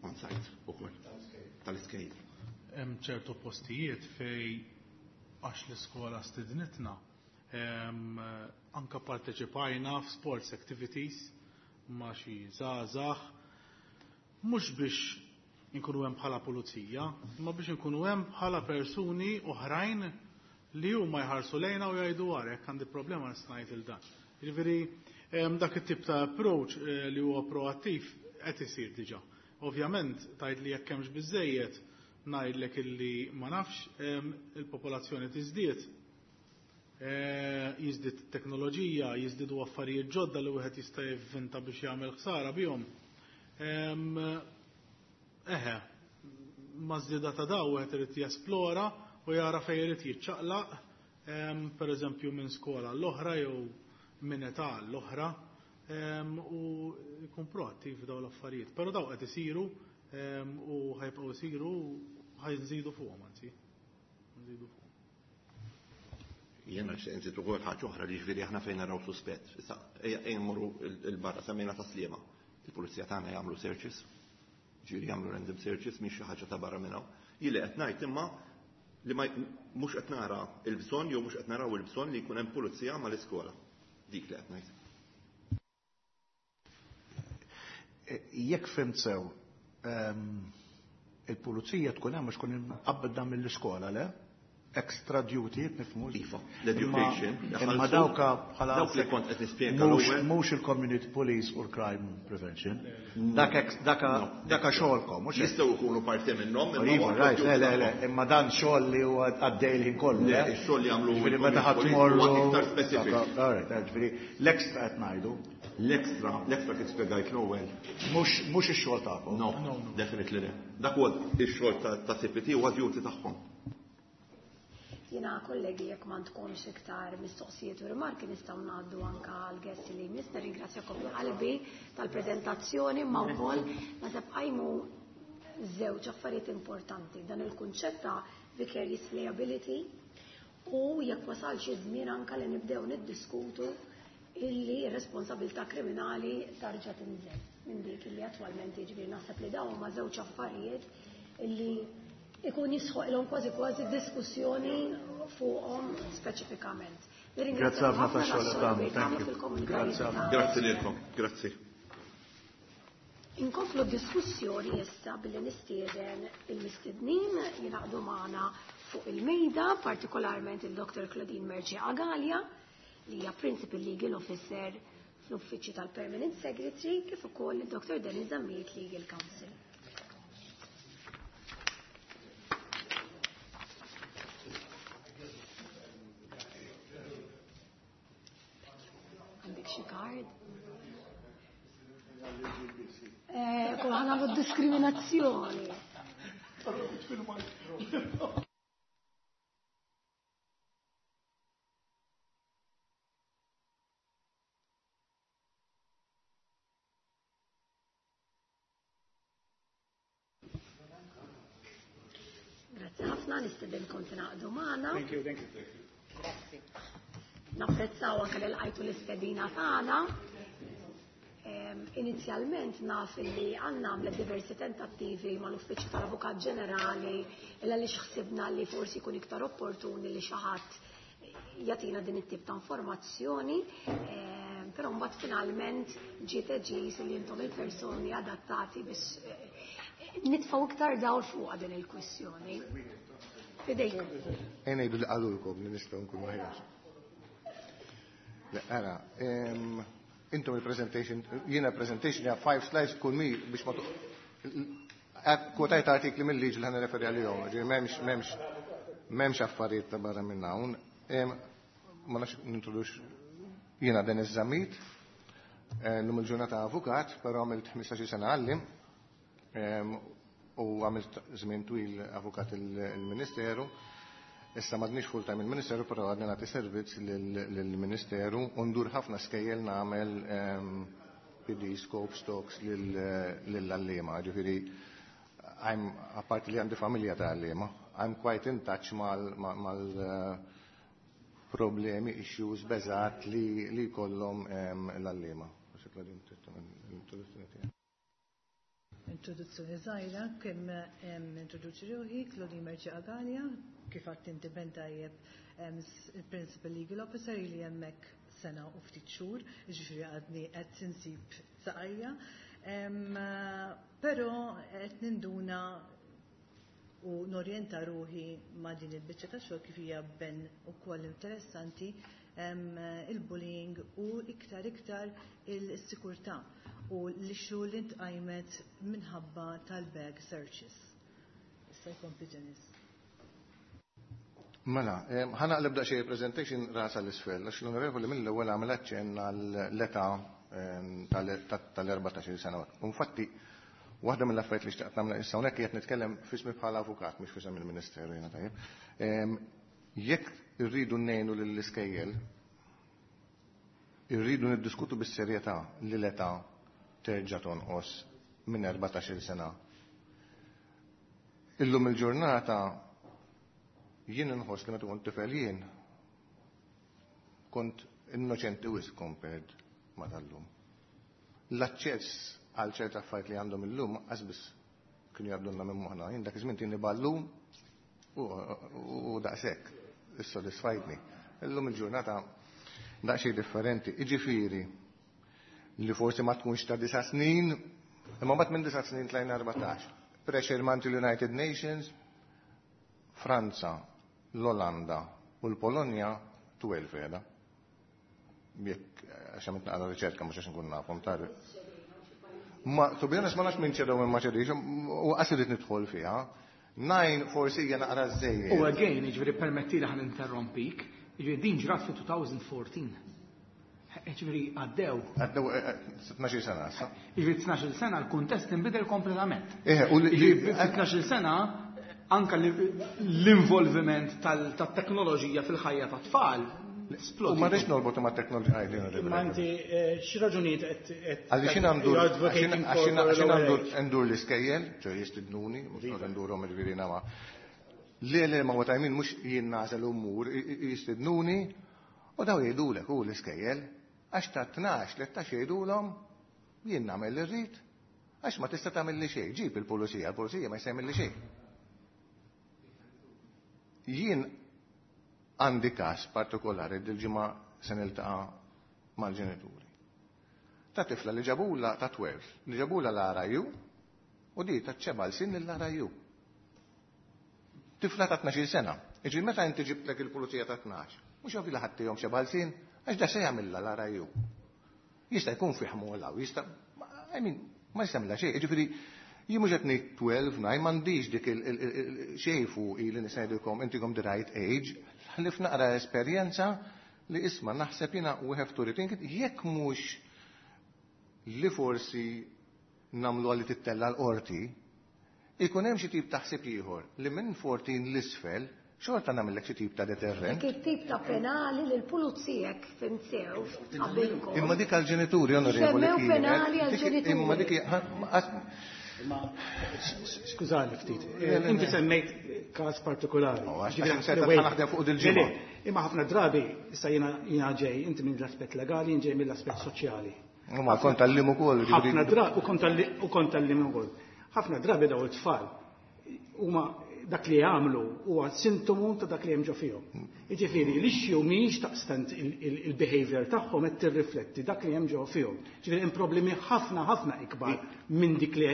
on site ukoll tal-iskejjel. Hemm ċertu postijiet fej għax l-iskola stidnitna anka parteċipajna f'sports activities ma' xi żgħażagħ mhux biex inkunu hemm bħala pulizija, imma biex inkunu hemm bħala persuni oħrajn li huma jħarsu lejna u jgħidu wara jekk għandi problema nista' ngħid il dan. Jiġifieri dak it-tip ta' approach li huwa proattiv qed isir diġà. Ovvjament tgħid li jekk hemmx biżejjed ngħidlek illi ma nafx, il-popolazzjoni tiżdied, jiżdied teknoloġija, jiżdiedu affarijiet ġodda li wieħed jista' jivvinta biex jagħmel ħsara bihom. Eħe, ma' żieda ta' daw wieħed irid jesplora u jara fejn irid jiċċaqlaq, pereżempju minn skola l-oħra jew minn età l-oħra, u jkun proattiv f'dawn l-affarijiet. Però daw qed isiru u ħajbqgħu isiru, ħajnżidu fuqhom anzi. Nżidu fuqhom. Jiena nixtieq inżid ukoll ħaġa oħra li ġifieri aħna fejn naraw suspett. Issa ejja mmorru il-barra semmejna ta' Sliema. Il-pulizija tagħna jagħmlu searches, ġifieri jagħmlu random searches mhix xi ħaġa ta' barra minn hawn. Jien li qed ngħid imma li ma mhux qed nara l-bżonn jew mhux qed naraw il-bżonn li jkun hemm pulizija mal-iskola. Dik li qed ngħid. Jekk fhimt sew, il-pulizija tkun hemm għax tkun imqabbda mill-iskola, le? Extra duty, nifhmu. Iva, l-education. Imma dawka bħala Dawk li kont qed nispjega l-ewwel. Mhux il-community police u l-crime prevention. Dak xogħolkom, mhux hekk? Jistgħu jkunu parti minnhom, imma Iva, huwa right, le, le, le, tagħhom. imma dan xogħol li huwa għaddej il-ħin kollu, Le, le? ix-xogħol li jagħmlu Ġifieri meta il-community ħadd police tmorru huwa iktar specific. Dak, all right, ġifieri l-extra qed ngħidu. L-extra, l-extra kif spjegajt l-ewwel. Mhux ix-xogħol tagħkom. No, definitely le. Dak huwa ix-xogħol ta' CPT huwa duty tagħhom. Jiena kollegi jekk m'għandkomx iktar mistoqsijiet u rimarki nistgħu ngħaddu anke għal guest li jmiss. Nirringrazzjakom minn qalbi tal-preżentazzjoni, ma wkoll naħseb qajmu żewġ affarijiet importanti. Dan il-kunċett ta' vicarious liability u jekk wasal xi żmien anke li nibdew niddiskutu illi r-responsabilità kriminali tarġa' tinżel minn dik illi attwalment jiġifieri naħseb li dawn huma żewġ affarijiet illi ikun jisħoqilhom kważi kważi diskussjoni fuqhom speċifikament. Grazzi ħafna tax-xogħol li tagħmlu, thank you. Grazzi ħafna. Grazzi lilkom, grazzi. Inkomplu diskussjoni issa billi nistieden il-mistednin jingħaqdu magħna fuq il-mejda, partikolarment il-Dr. Claudine Mercieca Galea, li hija Principal Legal Officer fl-Uffiċċju tal-Permanent Secretary, kif ukoll il-Dr. Dennis Zammit, Legal Counsel. Għandek xi card? Kull ħana diskriminazzjoni. Grazie ħafna, nistedinkom tingħaqdu magħna. Thank you, thank you. Grazzi. Napprezzaw anke li lqajtu l-istedina tagħna. Inizjalment naf li għandna għamlet diversi tentattivi mal-Uffiċċju tal-Avukat Ġenerali illa li xħsibna li forsi jkun iktar opportuni li xi ħadd jagħtina din it-tip ta' informazzjoni, però mbagħad finalment ġiet eġis li intom il-persuni adattati biex nitfgħu iktar dawl fuq din il-kwistjoni. Fidejkom. Ejja ngħidu li qalulkom li nistgħu nkunu aħjar. Le, ara, intom il-presentation, jiena presentation hija 5 slides kull mi biex ma kwotajt artikli mill-liġi li ħa nirreferi għalihom, ġifieri M'hemmx affarijiet ta' barra minn hawn. Ma nafx nintrodux jiena Dennis Zammit, llum il-ġurnata avukat, però għamilt 15 sena għallim u għamilt żmien twil avukat il-Ministeru. Issa m'għadniex full time il-Ministeru, però għadni nagħti servizz lill-Ministeru u ndur ħafna skejjel nagħmel PD, scope, stocks lill-għalliema. Ġifieri, I'm, apparti li għandi familja ta' għalliema, I'm quite in touch mal problemi, issues, beżat li jkollhom l-għalliema. Introduzzjoni żgħira kemm introduċi ruħi Claudine Mercieca Galea, kif għedt inti ben tajjeb, il-Principal Legal Officer li hemmhekk sena u ftit xhur, jiġifieri għadni qed insib saqajja. Però qed ninduna u norjenta ruħi ma' din il-biċċa ta' xogħol kif hija ben ukoll interessanti, il-bullying u iktar iktar il-sikurtà u l-issue li ntqajmet minħabba tal-bag searches. Issa jkompli Dennis. Mela, ħa naqleb daqsxejn presentation rasa l-isfel, għax l-onorevoli mill-ewwel għamel aċċenn għall-età tal-14 sena. Infatti, waħda mill-affarijiet li xtaqt nagħmel issa hawnhekk qed nitkellem f'ismi bħala avukat, mhux f'isem il-Ministeru jiena, tajjeb. Jekk irridu ngħinu lill-iskejjel, irridu niddiskutu bis-serjetà li l-età terġa' tonqos minn 14 sena. Illum il-ġurnata jien inħoss li meta kont tifel jien kont innoċenti wisq compared ma tal-lum. L-aċċess għal ċerta affarijiet li għandhom illum qas kienu jgħaddulna minn moħħna. Jien dak iż-żmien tini ballun u daqshekk issodisfajtni. Illum il-ġurnata daqsxejn differenti. Iġifieri li forsi ma tkunx ta' 9 snin, imma mbagħad minn 9 snin tlajna 14. Pressure mingħand il-United Nations, Franza, l-Olanda u l-Polonja 12 qiegħda. Jekk għax għamilt naqra riċerka, mhux għax nkun nafhom tar. Ma, to be honest, ma nafx minn ċedew minn ma ċedix, u qas irrid nidħol fiha. Nine forsi hija naqra żejjed. U again, ġifieri permetti li ħa ninterrompik, ġifieri din ġrat fi 2014. Ġifieri għaddew. Għaddew 12 sena issa. Ġifieri 12 sena l-kuntest inbidel kompletament. U Ġifieri fi 12 sena anka l-involviment tat-teknoloġija fil-ħajja tat-tfal U ma rridx norbot ma' teknoloġija. Ma inti xi raġunijiet qed Għalli xin għandu għandu ndur l-iskejjel, ċo jistidnuni, mux ndurhom il-viri nama. Le, ma what I mean, mux jien nagħżel umur, jistidnuni, u daw jgħidulek u l-iskejjel, għax ta' 12, 13 jgħidulhom jien nagħmel li rrid, għax ma tista' tagħmel li xejn, ġib il-pulizija, il-pulizija ma jista' li xejn. Jien għandi każ partikolari, dil-ġimgħa se niltaqa' mal-ġenituri. Ta' tifla li ġabula ta' 12, li ġabula l-RIU u di ta' xebgħa lsien l-RIU. Tifla ta' 12 sena. Iġi meta inti ġibtlek il-pulizija ta' 12, mhux ovvi li ħattihom xebgħa lsien, għax da se jagħmilha l-RIU. Jista' jkun fih mola u jista', I mean, ma jista' jagħmilha xejn. Jiġifieri jien mhux qed ngħid 12 9, m'għandix dik xejn fuq li nista' ngħidilkom intikom the right age, ħlif naqra esperjenza li isma' naħseb jiena we have to rethink it, jekk mhux li forsi nagħmlu għalli tittella l-qorti, ikun hemm xi tip ta' ħsieb ieħor li minn 14 l-isfel xorta nagħmellek xi tip ta' deterrent. Dik it-tip ta' penali li l-pulizija fhimt sew qabilkom. Imma dik għal-ġenituri, onorevoli. Semmew penali għal-ġenituri. Imma dik Ma skużani ftit, inti semmejt każ partikolari. Għax naħdem fuq dil-ġimgħa. Imma ħafna drabi, issa jiena ġej, inti minn l-aspett legali, jien ġej mill-aspett soċjali. Ma kont għalliem ukoll. Ħafna drabi, u kont għalliem ukoll. Ħafna drabi daw it-tfal huma dak li jagħmlu huwa sintomu ta' dak li hemm ġo fihom. Jiġifieri l-issue mhijiex taqstant il-behavior tagħhom qed tirrifletti dak li hemm ġo fihom. Ġifieri hemm problemi ħafna ħafna ikbar minn dik li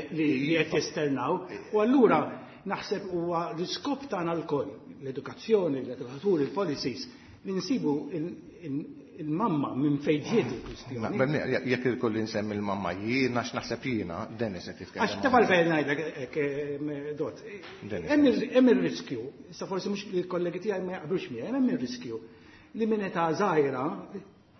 qed jesternaw. U allura naħseb huwa l-iskop tagħna lkoll, l-edukazzjoni, l-edukaturi, il-policies, li nsibu Il-mamma minn fejn ġiet il-kwistjoni. Jekk il-kolli nsemmi il-mamma jiena x'naħseb jiena, Dennis qed jitkellem. Għax taf għalfejn ngħidlek hekk Dot. Hemm ir-riskju, issa forsi mhux il-kollegi tiegħi ma jaqblux miegħi, hemm ir-riskju li minn età żgħira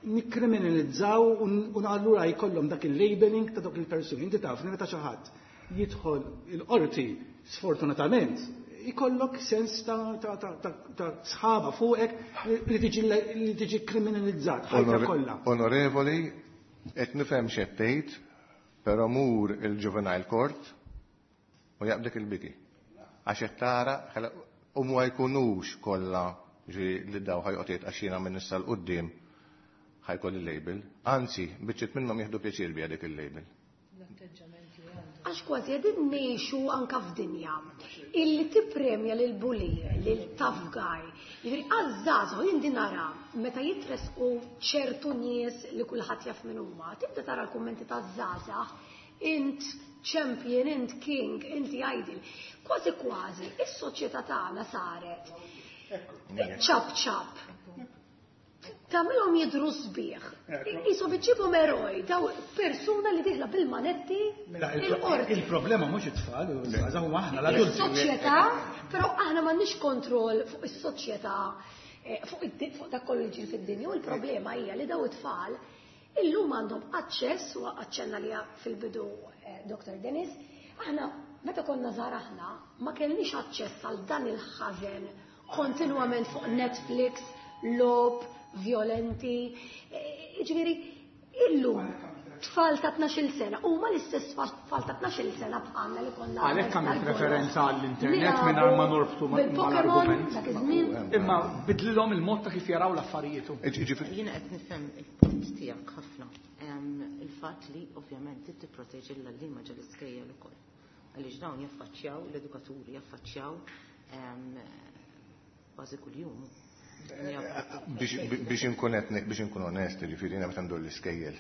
nikkriminalizzaw u allura jkollhom dak il-labeling ta' dawk il-persuni. Inti taf li meta xi ħadd jidħol il-qorti sfortunatament ikollok sens ta' sħaba fuqek li tiġi kriminalizzat ħajja kollha. Onorevoli, qed nifhem x'qed tgħid, però mur il-juvenile court u jaqbdek il-biki. Għax qed tara u ma jkunux kollha li daw ħa joqgħod għax jiena minn issa 'l quddiem ħa jkolli il-label. Anzi, biċċiet minnhom jieħdu pjaċir biha dik il-label. Għax kważi qegħdin ngħixu anka f'dinja illi tippremja lil bully, lil tough guy. Jiġifieri għaż-żgħażagħ jien din nara meta jitresqu ċertu nies li kulħadd jaf min huma, tibda tara l-kummenti taż-żgħażagħ, int champion, int king, inti idol. Kważi kważi, is-soċjetà tagħna saret ċap ċap. Tagħmilhom jidhru sbieħ. Isu biġġibhom eroj, daw persuna li dieħla bil-manetti Mela, il-qorti. Il-problema mhux it-tfal, u żgħażagħ huma aħna l-adulti. Is-soċjetà, però aħna m'għandniex kontroll fuq is-soċjetà, fuq dak kollu li ġiri fid-dinja u l-problema hija li daw it-tfal illum għandhom aċċess u aċċenna li fil-bidu Dr. Dennis, aħna meta konna żgħar aħna ma kellniex aċċess għal dan il-ħażen kontinwament fuq Netflix, logħob, violenti. Ġifieri, illum tfal ta' 12 sena, huma l-istess tfal ta' 12 sena bħalna li konna. Għalhekk għamilt referenza għall-internet Nilagħbu mingħajr ma norbtu bil-Pokemon mal-argument. dak iż-żmien. Imma bidlilhom il-mod ta' kif jaraw l-affarijiet. Jiena qed nifhem il-punt tiegħek ħafna. Il-fatt li ovvjament trid tipproteġi l-għalliema ġol-iskejjel ukoll. Għaliex dawn jaffaċċjaw l-edukaturi, jaffaċċjaw kważi kuljum. Biex inkun etni, biex inkun onest, ġifieri jiena meta ndur l-iskejjel.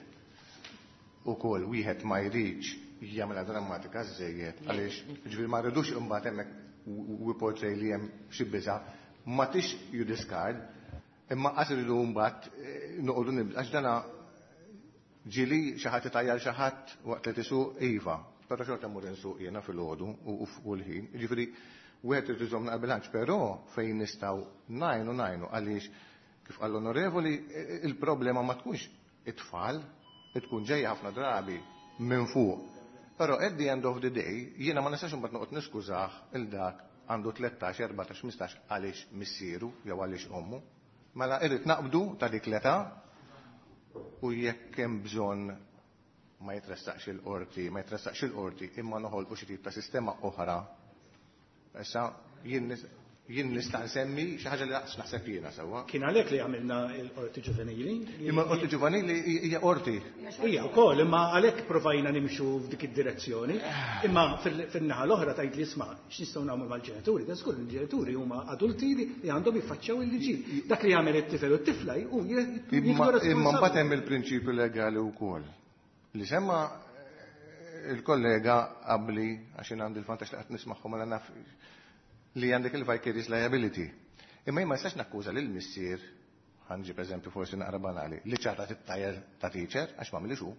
Ukoll wieħed ma jridx jagħmilha drammatika żejjed għaliex ġifieri ma rridux imbagħad hemmhekk we portray li hemm xi biża' ma tix you discard, imma qas iridu mbagħad noqogħdu nibda għax dana ġieli xi ħadd itajjar xi ħadd waqt li tisuq iva, però xorta mmur insuq jiena filgħodu u f'kull ħin. Ġifieri wieħed irid iżomm naqra bilanċ, però fejn nistgħu ngħinu ngħinu għaliex kif qal l-onorevoli il-problema ma tkunx it-tfal, tkun ġejja ħafna drabi minn fuq. Però at the end of the day jiena ma nistax imbagħad noqgħod niskużah il dak għandu 13, 14, 15 għaliex missieru jew għaliex ommu. Mela irrid naqbdu ta' dik l-età u jekk hemm bżonn ma jitressaqx il-qorti, ma jitressaqx il-qorti, imma noħolqu xi tip ta' sistema oħra. Issa jien nista' nsemmi xi ħaġa li laqas naħseb jiena sewwa. Kien għalhekk li għamilna l-qorti ġuvenili. Imma l-qorti ġuvenili hija qorti. Hija wkoll, imma għalhekk provajna nimxu f'dik id-direzzjoni. Imma fin-naħa l-oħra tgħid li isma' x'nistgħu nagħmlu mal-ġenituri, da żgur il-ġenituri huma adulti li għandhom jiffaċċjaw il-liġi. Dak li jagħmel it-tifel u t-tifla hu jieħdu Imma responsabbiltà. mbagħad hemm il-prinċipju legali wkoll. Li semma il-kollega qabli għax jien għandi l-vantaġġ li qatt nismagħhom mela naf li għandek il-vicarious liability. Imma jien ma nistax nakkuża lil missier, ħa nġib eżempju forsi naqra banali, li ċarrat it-tajer ta' teacher għax ma għamilix hu.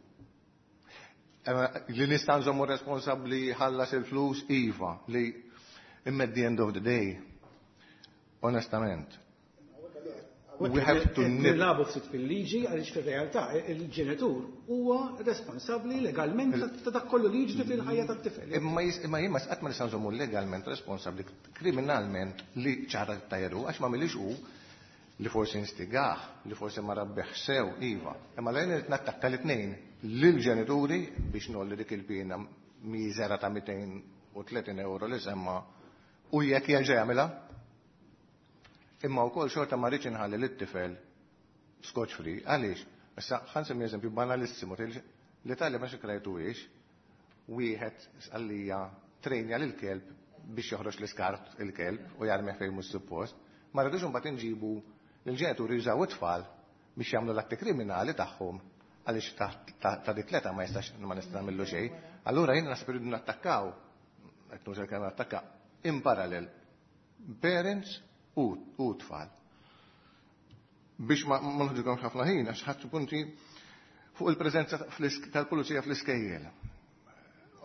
Li nista' nżommu responsabbli ħallas il-flus iva li imma at the end of the day, onestament, we have to nip. Nilagħbu ftit fil-liġi għaliex fir-realtà il-ġenitur huwa responsabbli legalment ta' dak kollu li jiġri fil-ħajja tat-tifel. Imma jien ma qatt ma nista' nżommu legalment responsabbli kriminalment li ċarrat it-tajer hu għax ma għamilix hu li forsi instigah, li forsi ma rabbeħ sew, iva. Imma lejn irid nattakka l-tnejn lill-ġenituri biex nolli dik il-pina miżera ta' 230 euro li semma u jekk jerġa' jagħmilha. Imma wkoll xorta ma rridx inħalli lit-tifel scotch free. Għaliex? Issa ħa nsemmi eżempju banalissimu, l-Italja ma xi krajtuhiex, wieħed sqallija trejnja lil kelb biex joħroġ l-iskart il-kelb u jarmih fejn mhux suppost. Ma rridux imbagħad inġibu lill-ġenituri jużaw it-tfal biex jagħmlu l-atti kriminali tagħhom għaliex ta' dik l-età ma jistax ma nista' nagħmillu xejn. Allura jiena naħseb irridu nattakkaw, qed nuża l-kelma nattakka, in parallel parents u tfal. Biex ma nħodilkomx ħafna ħin, għax ħadd punti fuq il-preżenza tal-pulizija fl-iskejjel.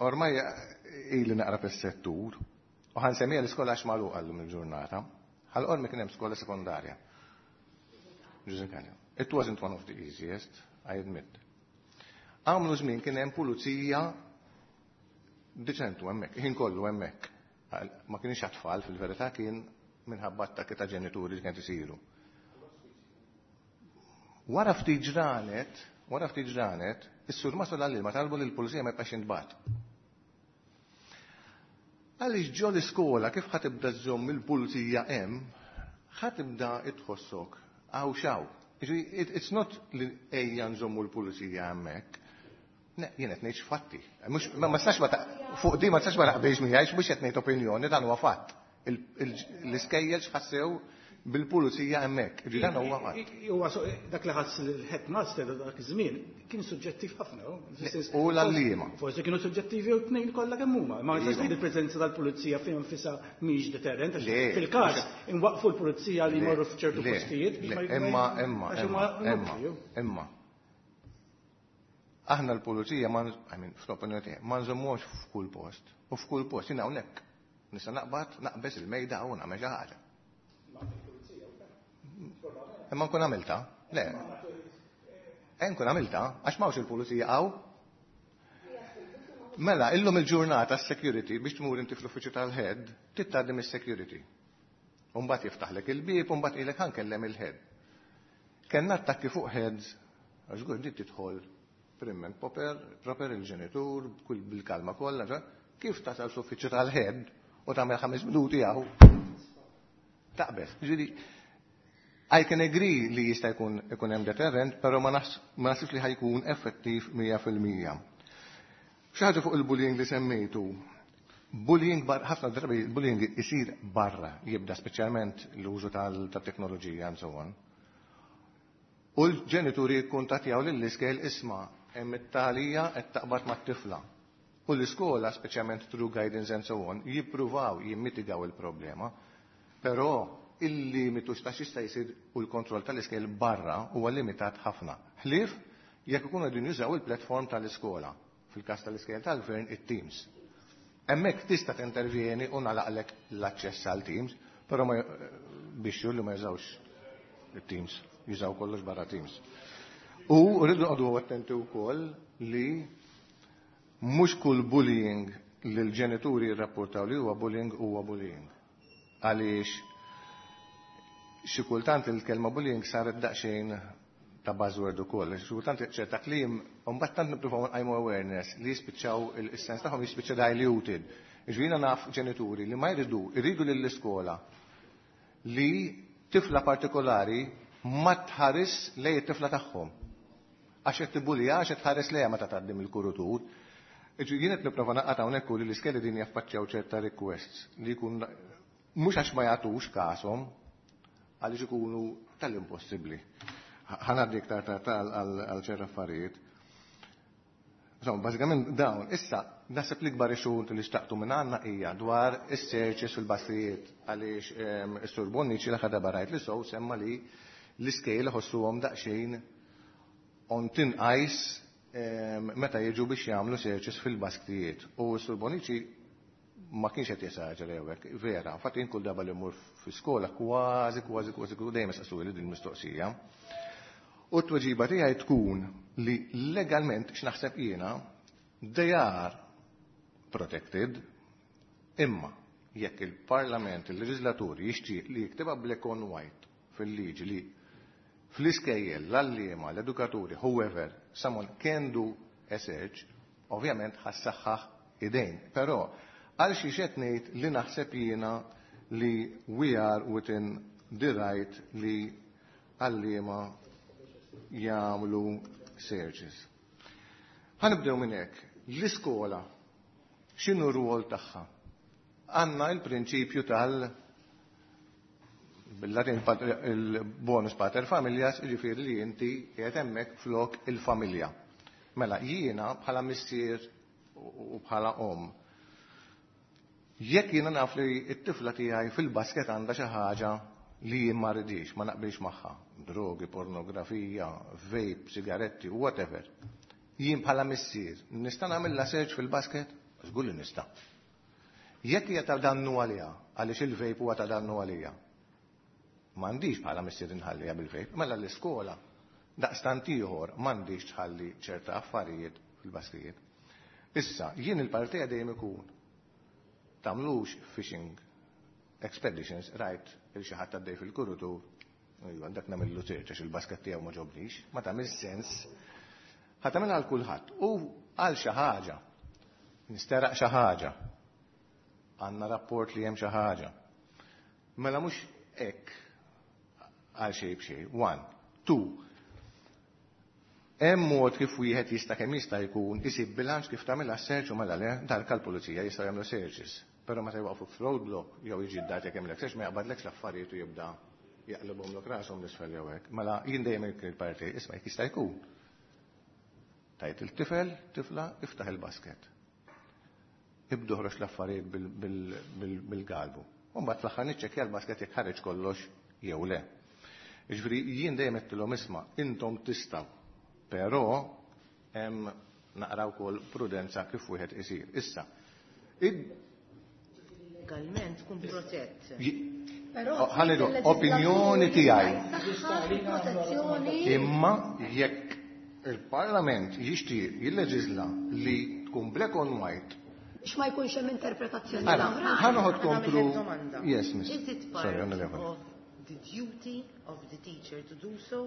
Ormai ili naqra fis-settur u ħa nsemmija l-iskola għax magħluqa llum il-ġurnata. Ħal Qormi kien hemm skola sekondarja. Ġużè Galea. It wasn't one of the easiest, I admit. Għamlu żmien kien hemm pulizija diċentu hemmhekk, ħin kollu hemmhekk. Ma kienx għat-tfal, fil-verità kien minħabba attakki ta' ġenituri li kienet isiru. Wara ftit ġranet, wara ftit ġranet, is-surmast u l-għalliema talbu li l-pulizija ma jibqax jintbagħat. Għaliex ġo l-iskola kif ħa tibda żżomm il-pulizija hemm, ħa tibda tħossok hawn x'hawn. It's not li ejja nżommu l-pulizija hemmhekk. Ne, jien qed ngħid fatti. Mhux ma tistax ma fuq di ma tistax ma naqbilx miegħi, mhux qed ngħid opinjoni, dan huwa fatt. L-iskejjel x'ħassew bil-pulizija hemmhekk. Ġi dan huwa fatt. Huwa dak li ħass il-headmaster dak iż-żmien kien suġġettiv ħafna. U l-għalliema. Forsi kienu suġġettivi u tnejn kollha kemm huma. Ma tistax tgħid il-preżenza tal-pulizija fih nfisha mhix deterrent. għax Le. Fil-każ inwaqfu l-pulizija li Le, jmorru f'ċertu le, postijiet biex le, ma Imma, imma, għax imma, huma imma, inutli. imma. Aħna l-pulizija ma, I mean, fl-opinjoni tiegħi, ma nżommux f'kull post. U f'kull post jiena hawnhekk nista' naqbad naqbeż il-mejda u nagħmel xi ħaġa. Imma nkun għamilta? Le. Nkun għamilta, għax m'hawnx il-pulizija hawn. Mela, illum il-ġurnata s-security biex tmur inti fl-uffiċċju tal-head, tgħaddi mis-security. Umbagħad jiftaħlek il-bieb, umbagħad ilek ħa nkellem il-head. Kellna attakki fuq heads, għax żgur di tidħol prim and proper, proper il-ġenitur, kull bil-kalma kollha, kif tasal fl-uffiċċju tal-head u tagħmel 5 minuti hawn. Taqbeż. Ġifieri, I can agree li jista' jkun ikun hemm deterrent, però ma naħsibx li ħa jkun effettiv 100%. Xi ħaġa fuq il-bullying li semmejtu. Bullying bar, ħafna drabi il-bullying isir barra, jibda speċjalment l-użu tal-teknoloġija and so on. U l-ġenituri jikkuntattjaw lill-iskejjel, isma' hemm it-talija qed taqbad mat-tifla. U l-iskola, speċjalment through guidance and so on, jippruvaw jimmitigaw il-problema, però il-limitu ta' x'jista' jsir u l-kontroll tal-iskejjel barra huwa limitat ħafna. Ħlief jekk ikunu qegħdin jużaw il-platform tal-iskola, fil-każ tal-iskejjel tal-gvern it-Teams. Hemmhekk tista' tintervjeni u nagħlaqlek l-aċċess għal Teams, però ma biex li ma jużawx it-Teams, jużaw kollox barra Teams. U rridu noqogħdu attenti wkoll li mhux kull bullying li l-ġenituri jirrapportaw li huwa bullying huwa bullying. Għaliex xi kultant il-kelma bullying saret daqsxejn ta' buzzword ukoll. Xi kultant ċerta kliem, u mbagħad tant nippruvaw nqajmu awareness li jispiċċaw il-sens tagħhom jispiċċa diluted. Ġifieri naf ġenituri li ma jridu, jridu lill-iskola li tifla partikolari ma tħares lej it-tifla tagħhom. Għax qed tibbulija, għax qed tħares lejha meta tgħaddi mill-kuritur. Ġifieri jien qed nipprova naqgħod hawnhekk u li l-iskejjel din jaffaċċjaw ċerta requests li jkun mhux għax ma jagħtux kashom, għaliex ikunu tal-impossibbli. Ħa ngħaddi iktar tard għal ċerta affarijiet. Insomma, bażikament dawn, issa naħseb l-ikbar issue li xtaqtu minn għandna hija dwar is-searches fil-basktijiet, għaliex is-Sur Bonnici l darba rajt li sow semma li l-iskejjel ħossuhom daqsxejn on thin ice meta jiġu biex jagħmlu searches fil-basktijiet. U s-Sur Bonnici ma kienx qed jesaġera hekk, vera. Infatti jien kull darba li mmur fi skola kważi kważi kważi dejjem saqsuli din il-mistoqsija. U t-tweġiba tiegħi tkun li legalment x'naħseb jiena they are protected, imma jekk il-Parlament, il-Leġislatur jixtieq li jiktibha black on white fil-liġi li fl-iskejjel, l-għalliema, l-edukaturi, whoever, someone can do a search, ovvjament ħa ssaħħaħ idejn. Però għal xi qed ngħid li naħseb jiena li we are within the right li għalliema jagħmlu searches. Ħa nibdew minn hekk. L-iskola x'inhu r-rwol tagħha? Għandna il-prinċipju tal bil-Latin il-bonus pater familias, ġifieri li inti qiegħed hemmhekk flok il-familja. Mela jiena bħala missier u bħala om. Jekk jiena naf li t-tifla tiegħi fil-basket għandha xi ħaġa li jien ma rridix, ma naqbilx magħha, drogi, pornografija, vape, sigaretti, whatever. Jien bħala missier, nista' nagħmilha search fil-basket? Żgur li nista'. Jekk hija ta' dannu għaliha, għaliex il-vape huwa ta' dannu għalija. M'għandix bħala missier inħalliha bil-vape, mela l-iskola daqstant ieħor m'għandix tħalli ċerta affarijiet fil-baskijiet. Issa, jien il-partija dejjem ikun tagħmlux fishing expeditions, rajt il xi ħadd għaddej fil-kurutur, iva, dak nagħmillu search għax il-basket tiegħu ma ġobnix, ma tagħmel sens. Ħa tagħmel għal kulħadd u għal xi ħaġa. Nisteraq xi ħaġa. Għandna rapport li hemm xi ħaġa. Mela mhux hekk għal xejn b'xejn. One. Two. Hemm mod kif wieħed jista' kemm jista' jkun isib bilanċ kif tagħmilha search u mela le darka l-pulizija jistgħu jagħmlu searches. Però meta jwaqfu f'roadblock jew jiġi d-dar jekk hemm search ma jaqbadlekx l-affarijiet u jibda jaqlibhom rashom l-isfel jew hekk. Mela jien dejjem il-parti isma' jekk jista' jkun. Tajt il-tifel, tifla, iftaħ il-basket. Ibdu ħroġ l-affarijiet bil-galbu. U mbagħad fl-aħħar niċċekkja l-basket jekk ħareġ kollox jew le. Jiġifieri jien dejjem għedtilhom isma' intom tistgħu, però hemm naqra wkoll prudenza kif wieħed isir. Issa, Legalment tkun protett. Però ħanidu opinjoni tiegħi. Protezzjoni. Imma jekk il-Parlament jixtieq jilleġisla li tkun black on white Biex ma jkunx hemm interpretazzjoni Ara, oħra. ħa noħodkom Ħa nagħmel through. domanda. Yes, miss. Is it part Sorry, onorevoli. of the duty of the teacher to do so?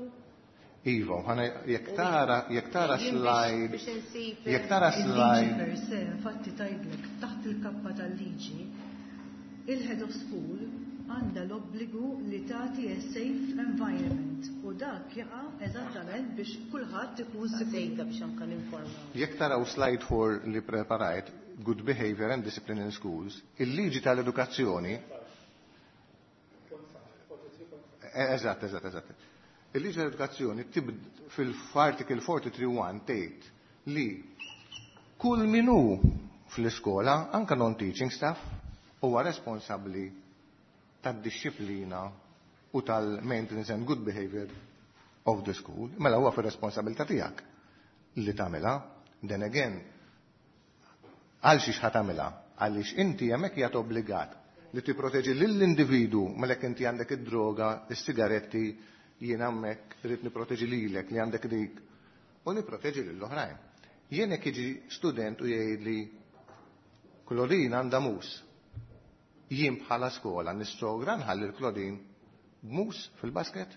Iva, ħana jekk tara Jien slide, biex insib jekk tara Il-liġi slide, per se, infatti tgħidlek taħt il-kappa tal-liġi, il-head of school għandha l-obbligu li tagħti a safe environment u dak jaqa' eżattament biex kulħadd ikun sikur. Sejta biex anka ninformaw. jekk taraw slide 4 li preparajt, Good Behavior and Discipline in Schools, il-liġi tal-edukazzjoni Eżatt, eżatt, eżatt. Il-liġi tal-edukazzjoni tibd fil-article 43.1 tgħid li kull min hu fl-iskola, anka non-teaching staff, huwa responsabbli tad-disciplina u tal-maintenance and good behavior of the school. Mela huwa fir-responsabilità tiegħek li tagħmilha. Then again, għal xiex ħa tagħmilha? Għaliex inti hemmhekk qiegħed obbligat li tipproteġi lill-individu mela jekk inti għandek id-droga, is-sigaretti, jien hemmhekk irrid nipproteġi lilek li għandek dik u nipproteġi lill-oħrajn. Jien jekk jiġi student u jgħidli Claudine għandha mus. Jien bħala skola nissogra nħalli l-Claudine b'mus fil-basket?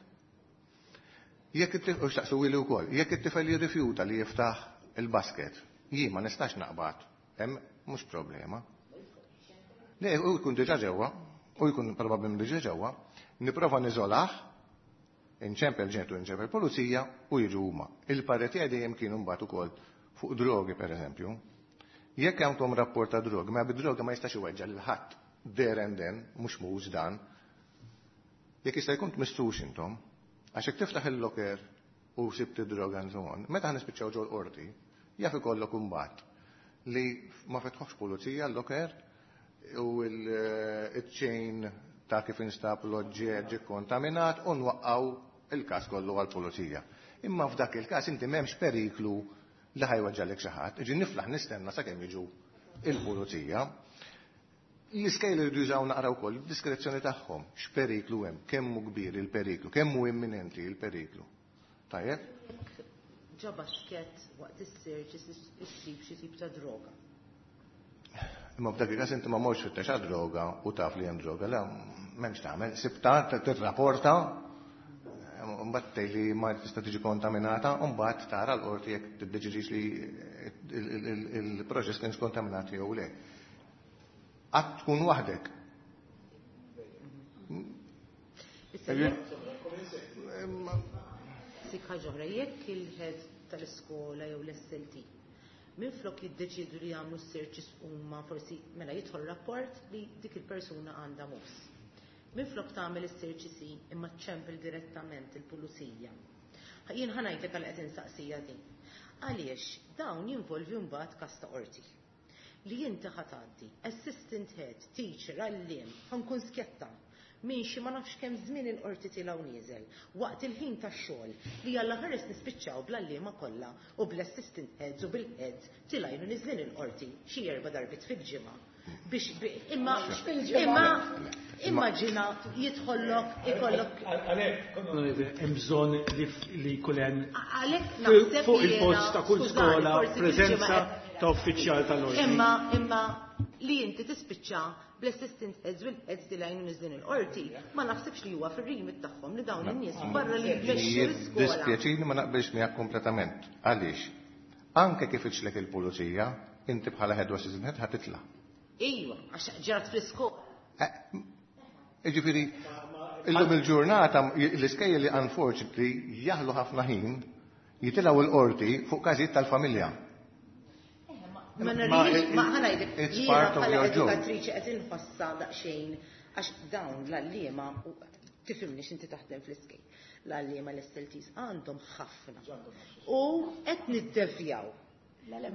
Jekk it-tifel, u xtaqsu wili wkoll, jekk it-tifel jirrifjuta li jiftaħ il-basket, jien ma nistax naqbad, hemm mhux problema. Le, u jkun diġà ġewwa, u jkun probabbli diġà ġewwa, nipprova niżolah, inċempel ġentu, inċempel pulizija u jiġu huma. Il-pareti dejjem kienu mbagħad ukoll fuq drogi pereżempju. Jekk għandkom rapport ta' drogi, ma bid-droga ma jistax iweġġa lil ħadd there and then, mhux mhux dan. Jekk jista' jkun tmissux intom, għax jekk tiftaħ il-locker u sibt id-droga and so on, meta ħanispiċċaw ġol qorti, jaf ikollok imbagħad li ma fetħox pulizija l-locker u il-chain ta' kif instab l-oġġett ġie kontaminat u nwaqqaw il-każ kollu għall-pulizija. Imma f'dak il-każ inti m'hemmx periklu li ħajweġġalek xi ħadd, iġi niflaħ nistenna sakemm jiġu il-pulizija. L-iskejl jridu jużaw naqra wkoll id-diskrezzjoni tagħhom, x'periklu hemm, kemm hu kbir il-periklu, kemm hu imminenti il-periklu. Tajjeb? Jekk ġo basket waqt is-search issib xi tip ta' droga. Imma f'dak il-każ inti ma morx fittex għad-droga u taf li hemm droga, la m'hemmx tagħmel, sibta tirrapporta, mbagħad tgħid li ma tista' tiġi kontaminata, u mbagħad tara l-qorti jekk tiddeċidix li il-proċess kienx kontaminat jew le. Qatt tkun waħdek. Issa Sik ħaġa oħra, jekk il-head tal-iskola jew l-SLT minflok jiddeċidu li jagħmlu s-searches huma forsi mela jidħol rapport li dik il-persuna għandha mus. Minflok tagħmel is-searches imma ċempel direttament il-pulizija. Jien ħa ngħidlek għal qed insaqsija din. Għaliex dawn jinvolvi mbagħad każ ta' qorti. Li inti ħa tgħaddi, assistant head, teacher, għalliem, ħa nkun skjetta. minn xi ma nafx kemm żmien il-qorti tilgħu nieżel waqt il-ħin tax-xogħol li Alla ħares nispiċċaw bl-għalliema kollha u bl-assistant heads u bil-heads tilgħin u niżlin il-qorti xi erba' darbiet fil-ġimgħa biex imma imma immaġina jidħollok ikollok Għalhekk hemm bżonn li jkun hemm Għalhekk naħseb fuq il-post ta' kull skola preżenza ta' uffiċjal tal-ordni. Imma imma li inti tispiċċa bl-assistant heads u l-heads tilgħin u niżlin il-qorti, ma naħsibx li huwa fir-remit tagħhom li dawn in-nies barra li jmexxu l-iskola. Dispjaċini ma naqbilx miegħek kompletament. Għaliex? Anke kif iċlek il-pulizija, inti bħala head u assistant head ħa titla'. Iva, għax ġrat fl-iskola. Ġifieri, illum il-ġurnata l-iskejjel li unfortunately jaħlu ħafna ħin jitilgħu l-qorti fuq każijiet tal-familja. Ma narix, ma ħa ngħidlek, It's jiena part of bħala your job. edukatriċi qed inħossha daqsxejn għax dawn l-għalliema u tifhimni x'inti taħdem fl-iskejjel. L-għalliema l-SLTs għandhom ħafna. U qed niddevjaw.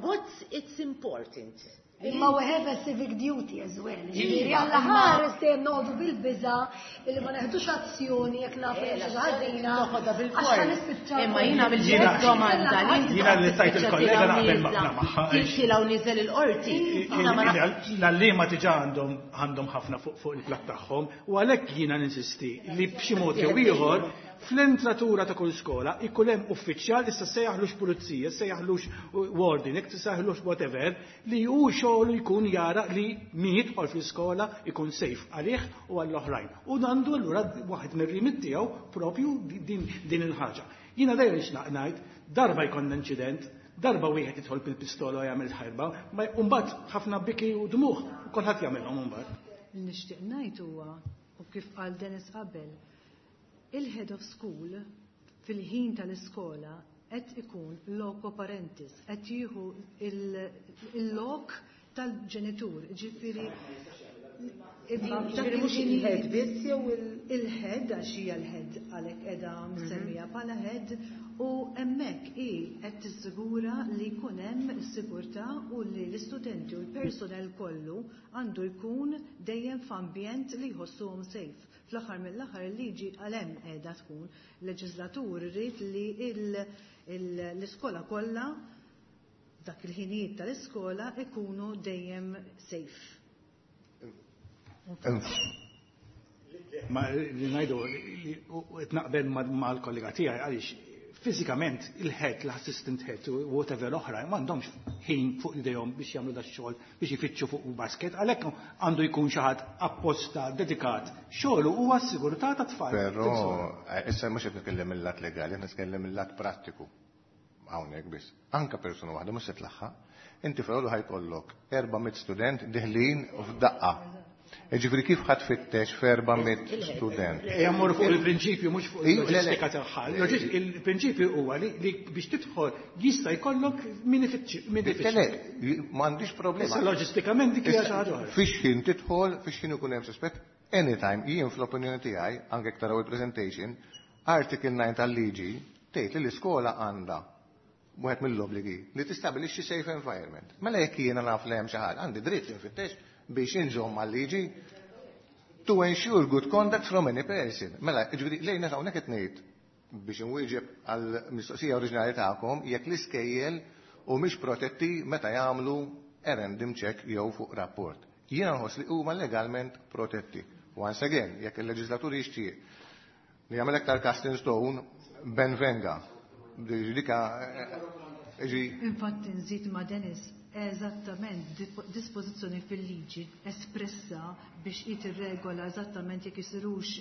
What's it's important? Imma we have a civic duty as well. Ġifieri Alla ħares dejjem noqogħdu bil-biża li ma neħdux azzjoni jekk nafu li xi ħażina. Toħodha Għax ħa nispiċċaw. Imma jiena mill-ġiet domanda li inti Jiena li tajt il-kollega naqbel magħha. Tilgħu niżel il-qorti. Jiena ma nafx. L-għalliema diġà għandhom ħafna fuq il-platt tagħhom u għalhekk jiena ninsisti li b'xi mod jew ieħor fl-entratura ta' kull skola ikun hemm uffiċjal issa sejjaħlux pulizija, sejjaħlux warden, jekk sejjaħlux whatever, li hu xogħlu jkun jara li min jidħol fl-iskola ikun safe għalih u għall-oħrajn. U għandu allura waħed mir-remit tiegħu propju din il-ħaġa. Jiena dejjem nixtaq ngħid, darba jkollna inċident, darba wieħed jidħol bil-pistola u jagħmel ħarba, ma mbagħad ħafna biki u dmuħ, u kulħadd jagħmilhom imbagħad. Li nixtieq ngħid huwa u kif qal Dennis qabel, il-head of school fil-ħin tal-iskola qed ikun loco parentis, qed jieħu il-lok tal-ġenitur, ġifieri Ġifieri mhux il-head biss jew il-head għax hija l-head għalhekk qiegħda msemmija bħala head u hemmhekk hi qed tissigura li jkun hemm is-sigurtà u li l-istudenti u l-personel kollu għandu jkun dejjem f'ambjent li jħossuhom safe. Fl-aħħar mill-aħħar il-liġi għal hemm qiegħda tkun. Leġislatur irid li l-iskola kollha dak il-ħinijiet tal-iskola ikunu dejjem safe. Ma li ngħidu li qed naqbel mal-kollega tiegħi għaliex fiżikament il-head, l-assistant head u whatever oħra m'għandhomx ħin fuq idejhom biex jagħmlu da xogħol biex ifittxu fuq basket, għalhekk għandu jkun xi ħadd apposta dedikat. Xogħlu huwa s-sigurtà tat-tfal. Però issa mhux qed nitkellem mill-lat legali, qed nitkellem mill-lat prattiku. Hawnhekk biss. Anka persuna waħda mhux se tlaħħaq. Inti filgħodu ħa jkollok 400 student deħlin f'daqqa. Ġifieri kif ħadd fittex f'400 student? Ejja mmorru fuq il-prinċipju mhux fuq Iju, le, le. il-loġistika tagħha. Il-prinċipju huwa li biex tidħol jista' jkollok min ifittx. Min ifittx. Le, m'għandix problema. Issa loġistikament dik hija xi ħaġa oħra. Fix ħin tidħol, fix ħin ikun hemm suspett, anytime, jien fl-opinjoni tiegħi, anke jekk taraw il-presentation, Article 9 tal-liġi tgħid li l-iskola għandha wieħed mill-obbligi li tistabilixxi safe environment. Mela jekk jiena naf li hemm xi ħaġa, għandi dritt li nfittex biex inżomm mal-liġi to ensure good conduct from any person. Mela, ġifieri lejna hawnhekk qed ngħid biex inwieġeb għall-mistoqsija oriġinali tagħkom jekk l-iskejjel u mhix protetti meta jagħmlu a random check jew fuq rapport. Jiena nħoss li huma legalment protetti. Once again, jekk il-leġislatur jixtieq li jagħmel aktar cast in stone, ben venga. Dika, ġi. Infatti nżid ma' Dennis, eżattament dispożizzjoni fil-liġi espressa biex tirregola eżattament jekk isirux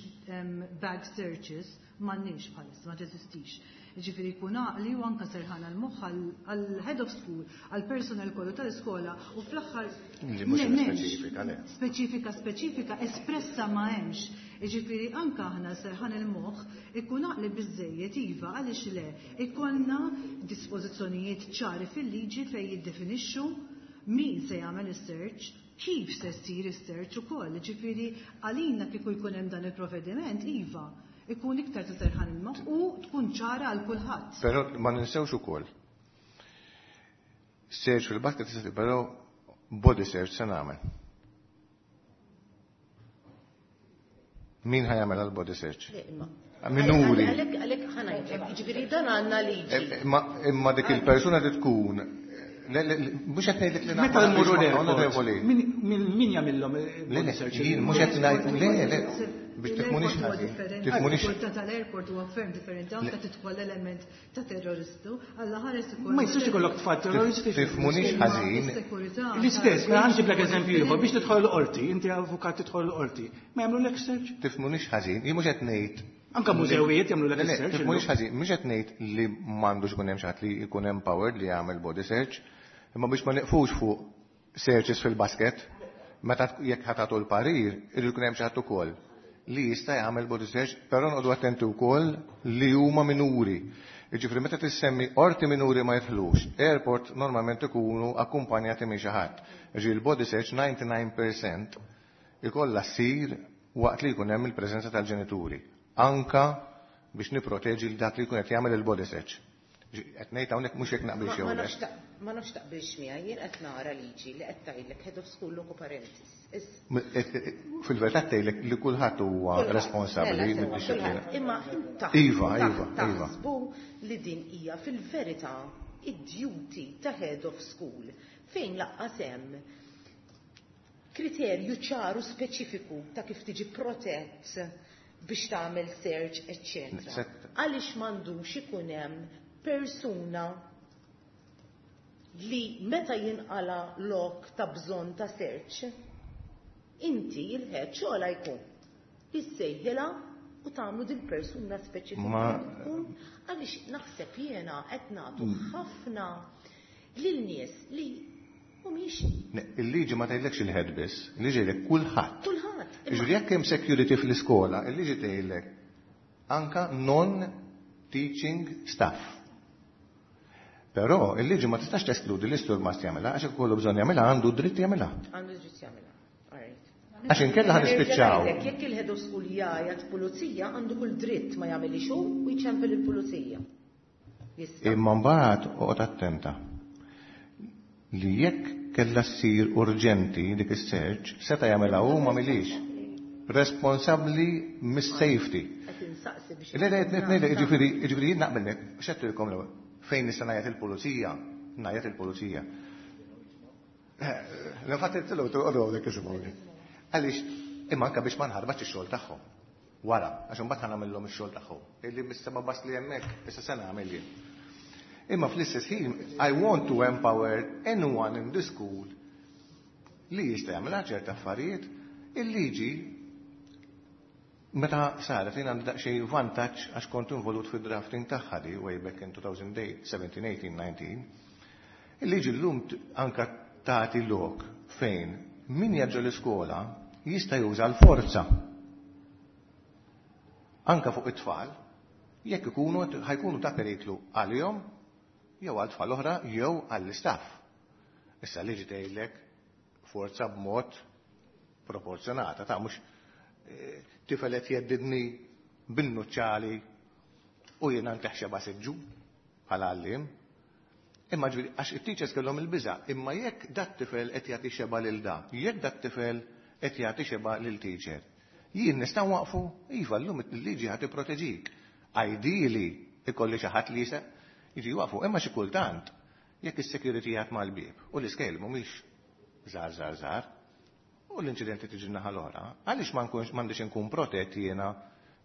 bag searches m'għandniex bħalissa, ma teżistix. Ġifieri jkun għaqli u anka serħan għal-moħħ għal-head of school, għal-personal kollu tal-iskola u fl-aħħar Li mhux Le, m'hemmx. speċifika, le. Speċifika, speċifika, espressa ma hemmx. Ġifieri anka aħna serħan il-moħħ ikun għaqli biżejjed iva għaliex le ikollna dispożizzjonijiet ċari fil-liġi fejn jiddefinixxu min se jagħmel is-search, kif se ssir is-search ukoll. Ġifieri għalina kieku jkun hemm dan il-provvediment iva, ikun iktar ta' serħan il-moħħ u tkun ċara għal kulħadd. Però ma ninsewx ukoll. Search fil-basket tista' però body search se nagħmel. Min ħa jagħmel għal body search? Le, imma. Minuri. Għalhekk għalhekk ħa ngħidlek, jiġifieri dan għandna liġi. Imma dik il-persuna li tkun Le, le, le, mhux qed ngħidlek li Meta naqbel mmorru onorevoli. l-airport, min jagħmilhom Le, body le, search? jien mhux qed ngħid, le, le, biex tifhmunix L-airport huwa ħażin. differenti, Tifhmunix il-sigurtà tal-airport huwa ferm differenti, anke tidħol element ta' terroristu, alla ħares ukoll. Ma jistax ikollok tfal terroristi. Tifhmunix ħażin. Is-sekurità L-istess, mela ħanġiblek eżempju ieħor biex differenti. tidħol l-qorti, inti avukat tidħol l-qorti, ma jagħmlulek search? Tifhmunix ħażin, jien mhux qed ngħid Anka mużewijiet jagħmlulek Le, le, search. tifhmunix ħażin, mhux qed ngħid li m'għandux ikun hemm xi ħadd li jkun empowered li jagħmel body search, imma biex ma nieqfux fuq searches fil-basket, meta jekk ħa tagħtu l-parir, irid ikun hemm xi ħadd ukoll li jista' jagħmel body search, però noqogħdu attenti wkoll li huma minuri. Jiġifieri meta tissemmi qorti minuri ma jidħlux, airport normalment ikunu akkumpanjati minn xi ħadd. Jiġifieri l-body search 99% ikollha ssir waqt li jkun hemm il-preżenza tal-ġenituri. Anka biex niproteġi l dak li jkun qed jagħmel il-body search. Qed ngħid hawnhekk mhux jekk naqbilx jew Ma le. nafx taqbilx miegħi, jien qed nara liġi li qed tgħidlek head of school loco parentis. Fil-verità tgħidlek li kulħadd huwa Kulħadd, responsabbli mela, sewwa, mid-dixxiplina. kulħadd. Imma Iva, iva, iva. taħsbu li din hija fil-verità id-duty ta' head of school fejn laqqas hemm kriterju ċaru speċifiku ta' kif tiġi protett biex tagħmel search, eccetera. Għaliex m'għandux ikun hemm persuna li meta jinqala lok ta' bżonn ta' search, inti il-head xogħla jkun issejħilha u tagħmlu din persuna speċifika tkun għaliex naħseb jiena qed nagħtu ħafna lil nies li mhumiex Ne, Il-liġi ma tgħidlekx il-head biss, il-liġi tgħidlek kulħadd. kulħadd. Jiġifieri jekk hemm security fl-iskola, il-liġi tgħidlek anka non-teaching staff. Però il-liġi ma tistax teskludi l-istur ma jagħmilha għax jekk ikollu bżonn jagħmilha għandu dritt jagħmilha. Għandu dritt jagħmilha. All right. Għax inkella ħa nispiċċaw. Nerġa' ngħidlek, Jekk il-head of school jgħajat pulizija għandu kull dritt ma jagħmilix hu u jċempel il-pulizija. Jista'. Imma mbagħad oqgħod attenta li jekk kellha ssir urġenti dik is-search seta' jagħmilha hu ma milix. Responsabbli mis-safety. Qed insaqsi biex Le, le, le, le, le, jiġifieri, jiġifieri jien naqbel x'għedtilkom l-ewwel. Fejn nista' ngħajjat il-pulizija, ngħajjat il-pulizija. L-infatti tilgħu toqgħodu hawnhekk isimgħuni. Għaliex imma anke biex ma nħarbax ix-xogħol tagħhom. Wara, għax imbagħad ħa nagħmilhom ix-xogħol tagħhom. Illi mis-sema bas li hemmhekk, issa se nagħmel jien. Imma fl-istess ħin, I want to empower anyone in the school li jista' jagħmilha ċerta affarijiet. Il-liġi meta saret jien għandi daqsxejn vantaġġ għax kont involut fid-drafting tagħha di way back in 2008, 17, 18, 19. Il-liġi llum anka tagħti lok fejn min jaġġa l-iskola jista' juża l-forza. Anka fuq it-tfal, jekk ikunu ħajkunu ta' periklu għalihom jew għal tfal oħra jew għall-istaff. Issa liġi tgħidlek forza b'mod proporzjonata, ta' mhux tifel qed jeddidni bin-nuċċali u jiena nteħxeba siġġu bħala għalliem. Imma ġifieri għax it-teachers kellhom il-biża', imma jekk dat tifel qed jagħti xeba lil da, jekk dat tifel qed jagħti xeba lil teacher. Jien nista' waqfu, iva llum il-liġi ħad tipproteġik. Ideally ikolli xi ħadd li jista' jiġi waqfu, imma xi kultant jekk is-security jgħat mal-bieb u l-iskejl mhumiex żgħar żgħar żgħar u l-inċidenti tiġi naħa l-oħra, għaliex ma nkunx m'għandix inkun protett jiena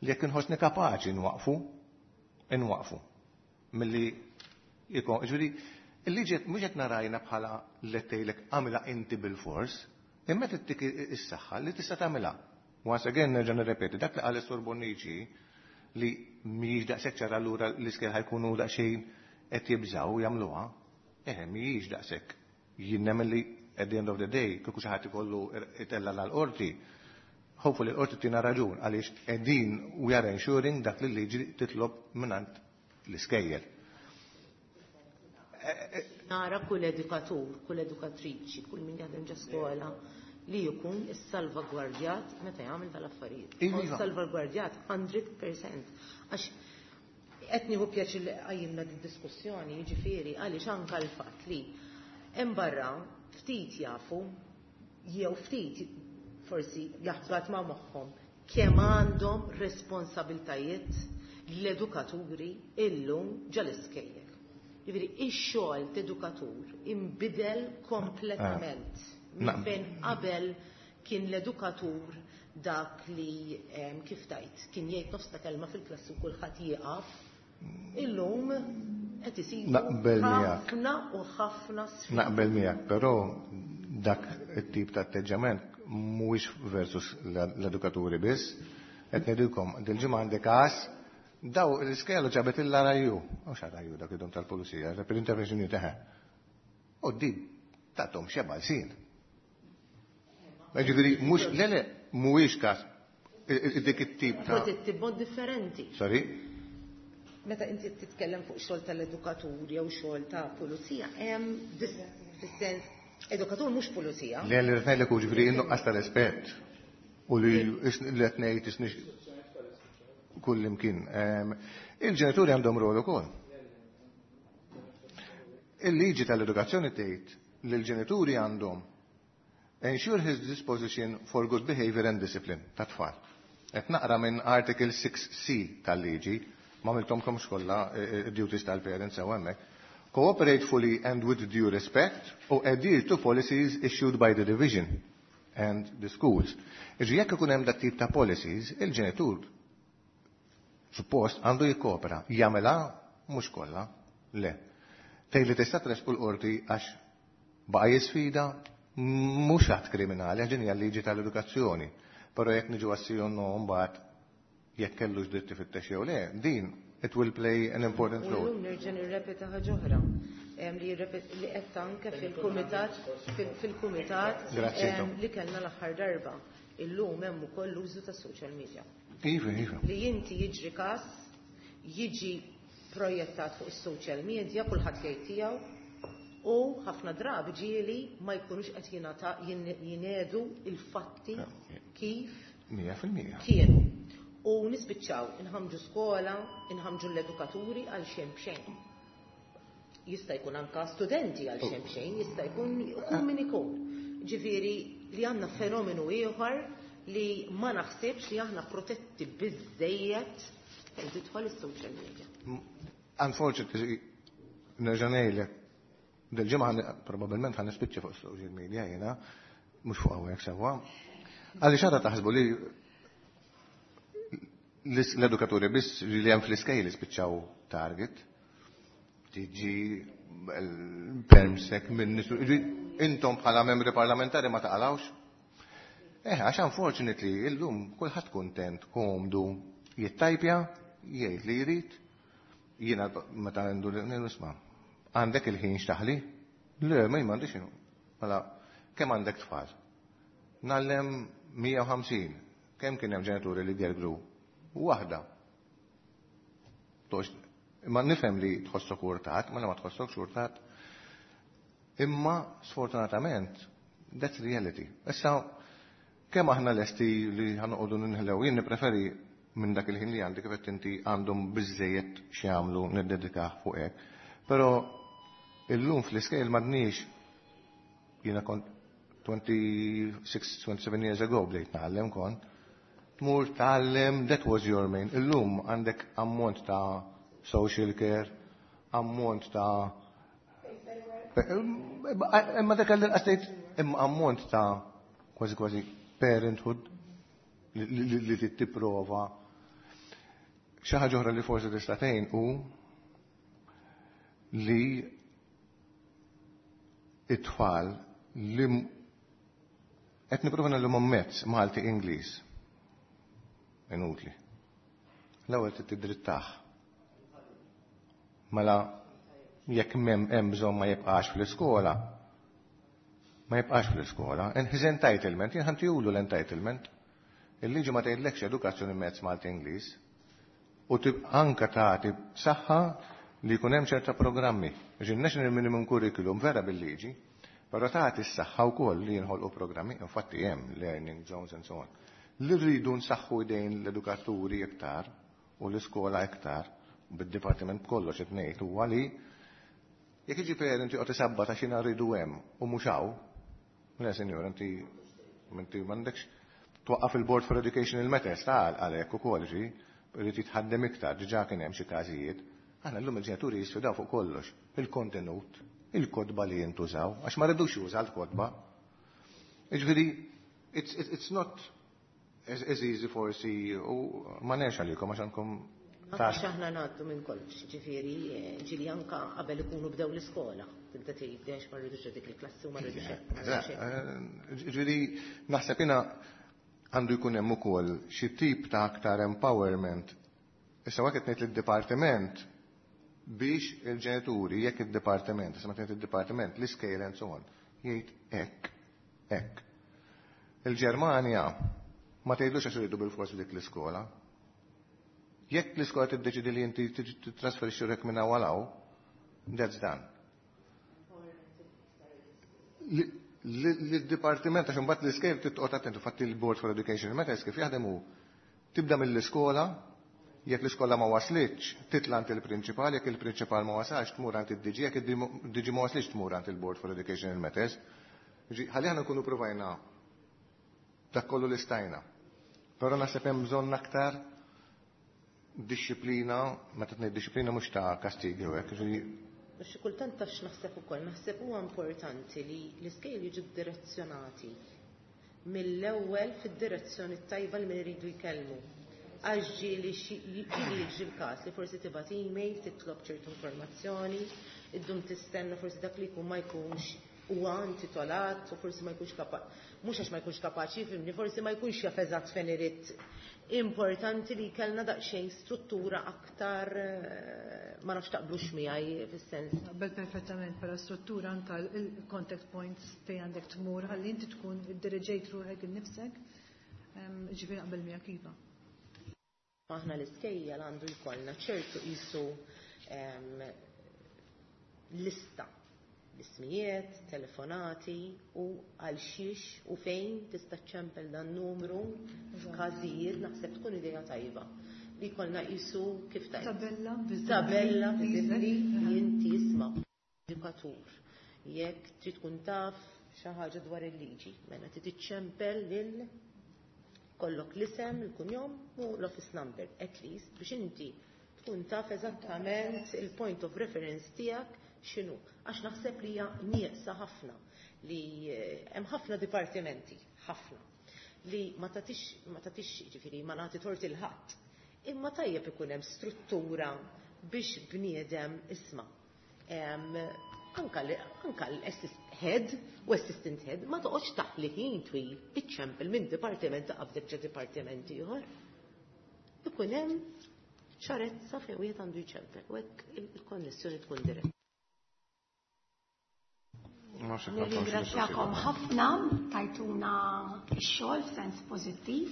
li jekk inħossni kapaċi nwaqfu, inwaqfu. Milli jkun, ġifieri, il-liġi mhux qed narajna bħala li tgħidlek għamilha inti bil-fors, imma tittik is-saħħa li tista' tagħmilha. Once again nerġa' nirrepeti, dak li qal is-Sur Bonnici li mhijiex daqshekk ċara allura l-iskejjel ħajkunu daqsxejn qed jibżgħu jagħmluha, eħe mhijiex daqshekk. Jien nemmen li at the end of the day, kieku xi ħadd ikollu itella' l-qorti, hopefully l-qorti tina raġun għaliex qegħdin we are ensuring dak li l-liġi titlob mingħand l-iskejjel. Nara kull edukatur, kull edukatriċi, kull min jaħdem ġo skola li jkun is-salvagwardjat meta jagħmel tal-affarijiet. Iva. Salvagwardjat 100%. Għax qed nieħu pjaċir li qajjimna din diskussjoni, jiġifieri għaliex anke l-fatt li hemm barra ftit jafu jew ftit forsi jaħbat ma' moħħhom Kemm għandhom responsabiltajiet l-edukaturi illum ġol-iskejjel. Jiġifieri ix-xogħol t'edukatur inbidel kompletament. Minn fejn qabel kien l-edukatur dak li, kif tgħid, kien jgħid nofs ta' kelma fil-klassi u kulħadd jieqaf, illum qed isibu Naqbel miegħek. ħafna u ħafna sfidi. Naqbel miegħek, però dak it-tip ta' atteġġament mhuwiex versus l-edukaturi biss. Qed ngħidilkom, dil-ġimgħa għandi każ daw l-iskejjel ġabet il-RIU. Mhux RIU dak idhom tal-pulizija, Rapid Intervention Unit eħe. U di tathom xeba lsien. Ġifieri mhux le mhuwiex każ dik it-tip ta' Protetti b'mod differenti. Sorry? Meta inti titkellem fuq xogħol tal-edukatur jew xogħol ta' pulizija, hemm fis-sens edukatur mhux pulizija. Le li rrid ngħidlek hu ġifieri in-nuqqas ta' rispett u li qed ngħid isni kull imkien. Il-ġenituri għandhom rol ukoll. Il-liġi tal-edukazzjoni tgħid li l-ġenituri għandhom ensure his disposition for good behavior and discipline ta' tfal. Qed naqra minn Article 6C tal-liġi, ma għamiltomkomx kollha duties tal-parents sew hemmhekk. Cooperate fully and with due respect u adhere to policies issued by the division and the schools. Iġi jekk ikun hemm dak tip ta' policies, il-ġenitur suppost għandu jikkopera, jagħmilha mhux kollha, le. Tgħid li tista' tressqu l-qorti għax baqa' jisfida mhux att kriminali, għax din hija l-liġi tal-edukazzjoni. Però jekk niġu għas-si no mbagħad jekk kellux dritt ifittex jew le, din it will play an important U role. llum nerġa' nirrepeta ħaġa oħra li li qed anke fil-kumitat Grazzi, Tom. li kellna l-aħħar darba. Illum hemm ukoll l-użu ta' social media. Iva, iva. Li inti jiġri każ, jiġi projettat fuq is-social media, kulħadd jgħid tiegħu, u ħafna drabi ġieli ma jkunux qed jingħedu il-fatti kif 100%. kienu. U nispiċċaw inħamġu skola, inħamġu l-edukaturi għal xejn b'xejn. Jista' jkun anka studenti għal xejn b'xejn, jista' jkun ikun min ikun. Ġifieri li għandna fenomenu ieħor li ma naħsibx li aħna protetti biżejjed fejn tidħol is-social media. Unfortunately, nerġa' ngħidlek, dil-ġimgħa probabbilment ħa nispiċċa fuq social media jiena, mhux fuq hawnhekk sewwa. Għaliex għadha taħsbu li l-edukaturi biss li hemm fl-iskejjel jispiċċaw target, tiġi permsek minn nisu, intom bħala membri parlamentari ma taqalawx? Għax unfortunately, illum kulħadd kuntent, komdu, jittajpja, jgħid li jrid, jiena meta għandu nisma', għandek il-ħin x'taħli? Le, ma m'għandix ħin. Mela, kemm għandek tfal? Ngħallem 150. Kemm kien hemm ġenituri li gergru? Waħda. Tox, imma nifhem li tħossok urtat, ma ma tħossokx urtat. Imma sfortunatament, that's reality. Issa, kemm aħna lesti li ħanoqogħdu ninħlew, jien nippreferi minn dak il-ħin li għandi kif qed inti għandhom biżejjed x'jagħmlu niddedikah fuq hekk. Però illum fl-iskejjel m'għadniex jiena kont 26, 27 years ago bdejt nagħallem kont. Tmur tgħallem, that was your main. Illum għandek ammont ta' social care, ammont ta' imma dak li qasdejt imma ammont ta' kważi kważi parenthood li tipprova. Xi ħaġa oħra li forsi tista' tgħin hu li it-tfal li qed nipprova nagħlhom mezz Malti Ingliż. Inutli. L-ewwel trid tiddrittah. Mela jekk hemm bżonn ma jibqax fl-iskola. Ma jibqax fl-iskola. And his entitlement, jien ħantihulu l-entitlement. Il-liġi ma tgħidlekx edukazzjoni mezz Malti Ingliż. U anka tagħti saħħa li jkun hemm ċerta programmi. Ġi National Minimum Curriculum vera bil-liġi, però tagħti s-saħħa wkoll li jinħolqu programmi, infatti hemm learning zones and so on. Li rridu nsaħħu idejn l-edukaturi iktar u l-iskola iktar, bid-dipartiment kollox qed ngħid huwa li jekk jiġi parent joqgħod isabba ta' xi rridu hemm u mhux hawn, le senjor, inti m'għandekx. Twaqqaf il-Board for Educational Matters ta' għalhekk ukoll ġi, irid jitħaddem iktar, diġà kien hemm xi każijiet. Aħna llum il-ġenituri jisfidaw fuq kollox, il-kontenut, il-kotba li jintużaw, għax ma rridux juża l-kotba. Jiġifieri, it's not as easy forsi, u ma nerx għalikom għax għandkom Għax aħna ngħaddu minn kollox, ġifieri ġieli anka qabel ikunu bdew l-iskola, tibda tgħid għax ma rridux dik il-klassi u ma rridux hekk. Ġifieri naħseb jiena għandu jkun hemm ukoll xi tip ta' aktar empowerment. Issa waqt ngħid lid-dipartiment biex il-ġenituri, jekk id-dipartiment, issa ma tgħid id-dipartiment, l-iskejjel and so on, jgħid hekk, hekk. Il-Ġermanja ma tgħidlux għax iridu bil-forsi dik l-iskola. Jekk l-iskola tiddeċidi li inti titrasferixxi ruħek minn hawn għal hawn, that's done. L-dipartiment għax imbagħad l-iskejjel titqgħod attent, infatti il-Board for Education Matters kif jaħdem hu tibda mill-iskola, jekk l-iskola ma waslitx, titla' għand il-prinċipal, jekk il-prinċipal ma wasalx tmur għand id-DG, jekk id-DG ma waslitx tmur għand il-Board for Educational Matters. Ħalli aħna nkunu provajna dak kollu li stajna. Però naħseb hemm bżonn aktar dixxiplina, meta tgħid dixxiplina mhux ta' kastigi u hekk, ġifieri Xi kultant taf x'naħseb ukoll, naħseb huwa importanti li l-iskejjel jiġu direzzjonati mill-ewwel fid-direzzjoni tajba li min iridu jkellmu. Għax ġieli ġieli jiġri l-każ li forsi tibgħat email, titlob ċertu informazzjoni, iddum tistenna forsi dak li jkun ma jkunx huwa intitolat u forsi ma jkunx kapaċi, mhux għax ma jkunx kapaċi jifhimni, forsi ma jkunx jaf eżatt fejn irid. Importanti li kellna daqsxejn struttura aktar, ma nafx taqblux miegħi fis-sens. Naqbel perfettament, però struttura anka il-contact points fejn għandek tmur ħalli inti tkun iddiriġejt ruħek innifsek, ġifieri naqbel miegħek iva. Aħna l-iskejjel għandu jkollna ċertu qisu lista l-ismijiet, telefonati u għal xiex u fejn tista' ċempel dan numru f'każijiet naħseb tkun idea tajba. Li jkollna qisu kif tajt. Tabella viżibbli. Tabella viżibbli li inti isma' edukatur. Jekk trid tkun taf xi ħaġa dwar il-liġi, mela trid iċċempel lil kollok l-isem, il-kunjom u l-office number, at least, biex inti tkun taf eżattament il-point of reference tiegħek x'inhu. Għax naħseb li hija nieqsa ħafna li hemm ħafna dipartimenti, ħafna, li ma tagħtix, ma tagħtix, ġifieri ma nagħti tort il ħadd. Imma tajjeb ikun hemm struttura biex bniedem isma'. Anka l-assist head u assistant head ma toqgħodx taħli ħin twil iċċempel minn dipartiment ta' qabdek ġa dipartiment ieħor. Ikun hemm ċarezza fejn wieħed għandu jċempel u hekk il-konnessjoni tkun diretta. Nirringrazzjakom ħafna tajtuna x-xogħol f'sens pożittiv.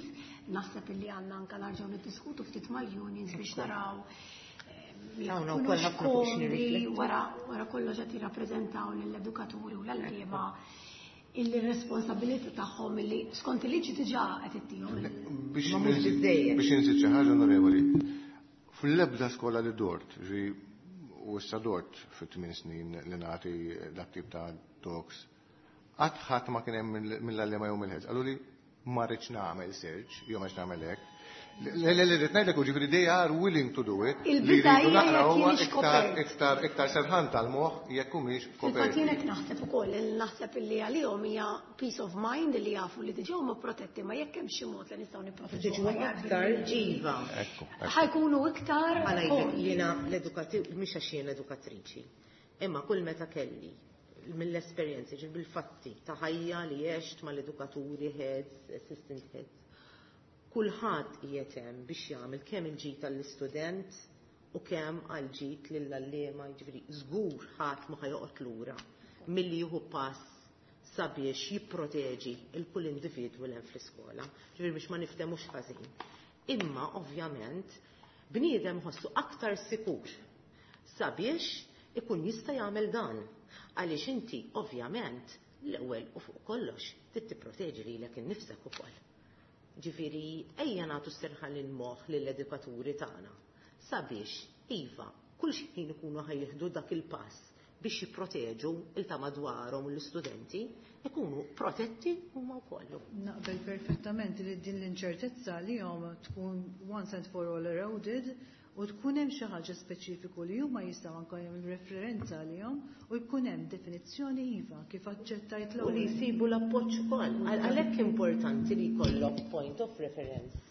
Naħseb illi għandna anke narġgħu niddiskutu ftit mal-unions biex naraw Hawn ukoll ħafna fuq x'nirriflettu. Wara kollox qed jirrappreżentaw lill-edukaturi u l-għalliema illi r-responsabilità tagħhom illi skont il-liġi diġà qed ittihom. Biex Ma mhux biżejjed. Biex inżid xi ħaġa, onorevoli, fl-ebda skola li dort, ġi u issa dort fit-8 snin li nagħti dak tip ta' talks, qatt ħadd ma kien hemm mill-għalliema jew mill-ħeġ. Qalu li ma rridx nagħmel search, jew ma rridx nagħmel hekk. Le, le, le, rrid ngħidlek, ġifieri they are willing to do it. Il-biża' Li jridu hija naqra jekk huwa jienx kopert. iktar serħan tal-moħħ jekk humiex Fil-fatt koperti. jien hekk naħseb ukoll, li naħseb illi għalihom hija peace of mind li jafu li diġà huma protetti, ma jekk hemm xi mod li nistgħu nipproteġuhom Diġà aħjar aktar bil-liġi. iva. Ekku, ekku. Ħajkunu iktar Għala jgħidlek, konxi. jiena l-edukativ, mhix għax jien edukatriċi, imma kull meta kelli mill-esperjenzi, ġil bil-fatti ta' ħajja li għext mal-edukaturi, heads, assistant heads, kulħadd qiegħed hemm biex jagħmel kemm il-ġid għall-istudent u kemm għall-ġid lill-għalliema, jiġifieri żgur ħadd ma ħajoqgħod lura milli jieħu pass sabiex jipproteġi il kull individwu li hemm fl-iskola, ġifieri biex ma niftemux ħażin. Imma ovvjament bniedem ħossu aktar sikur sabiex ikun jista' jagħmel dan. Għaliex inti ovvjament l-ewwel u fuq kollox trid tipproteġi lilek innifsek ukoll. Ġifieri ejja nagħtu serħan il-moħħ lill-edukaturi tagħna sabiex iva kull xi ħin ikunu ħajjieħdu dak il-pass biex jipproteġu il ta' madwarhom u l-istudenti ikunu protetti huma wkoll. Naqbel perfettament li din l-inċertezza li jom tkun once and for all eroded u tkun hemm xi ħaġa speċifiku li huma jistgħu anke jagħmlu referenza għalihom u jkun hemm definizzjoni iva kif aċċettajt U li l-ewwel. jsibu l-appoġġ ukoll. Għalhekk importanti li jkollok point of reference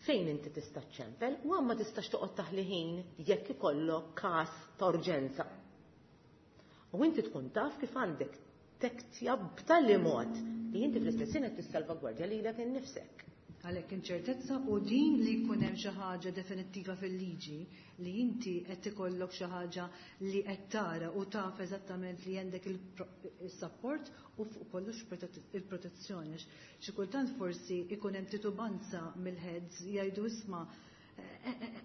fejn inti tista' ċempel u ma tistax toqgħod taħli ħin jekk ikollok każ ta' urġenza. U inti tkun taf kif għandek tektja b'tali mod li inti fl-istess ħin qed tissalvagwardja lilek innifsek. Għalhekk inċertezza u din li jkun hemm xi ħaġa definittiva fil-liġi li inti qed ikollok xi ħaġa li qed tara u taf eżattament li għandek il-support u fuq kollox il-protezzjoni. Xi kultant forsi ikun hemm titubanza mill-heads jgħidu isma'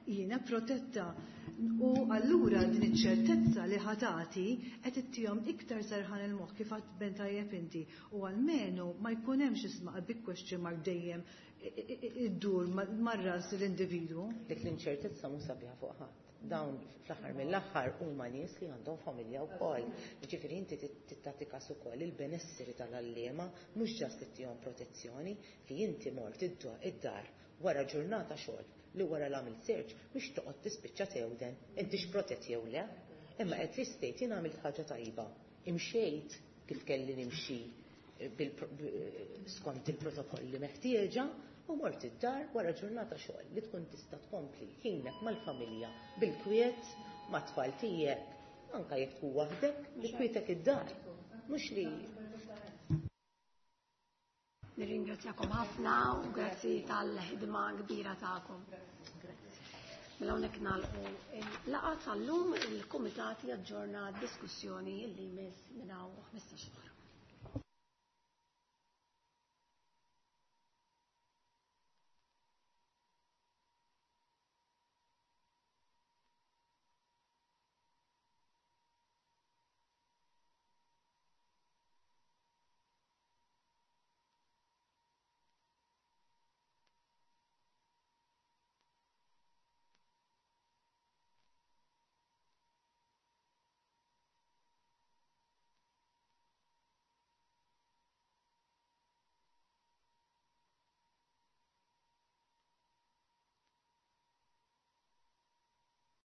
jiena protetta u allura din iċ-ċertezza li ħatati qed ittihom iktar serħan il-moħħ kif għad ben tajjeb inti u almenu ma jkun hemmx isma' a big question mark dejjem iddur mar-ras l-individwu. Dik l-inċertezza mhux sabiħa fuq ħadd. Dawn fl-aħħar mill-aħħar huma nies li għandhom familja wkoll. Jiġifieri inti tagħti każ ukoll il-benesseri tal-għalliema mhux ġast ittihom protezzjoni li inti mort id-dar wara ġurnata xogħol li wara l-għamil search mhux toqgħod tispiċċa tewden inti x'protett jew le. Imma at least tgħid jien għamilt ħaġa tajba. Imxejt kif kelli nimxi skont il-protokolli meħtieġa u mort id-dar wara ġurnata xogħol li tkun tista' tkompli ħinek mal-familja bil-kwiet mat-tfal tiegħek anke jekk tkun waħdek bi kwietek id-dar. Mhux li Nirringrazzjakom ħafna u grazzi tal-ħidma kbira tagħkom. Mela hawnhekk nagħlqu il-laqgħa tal-lum, il-kumitat jaġġorna d-diskussjoni li jmiss minn hawn 15 oħra.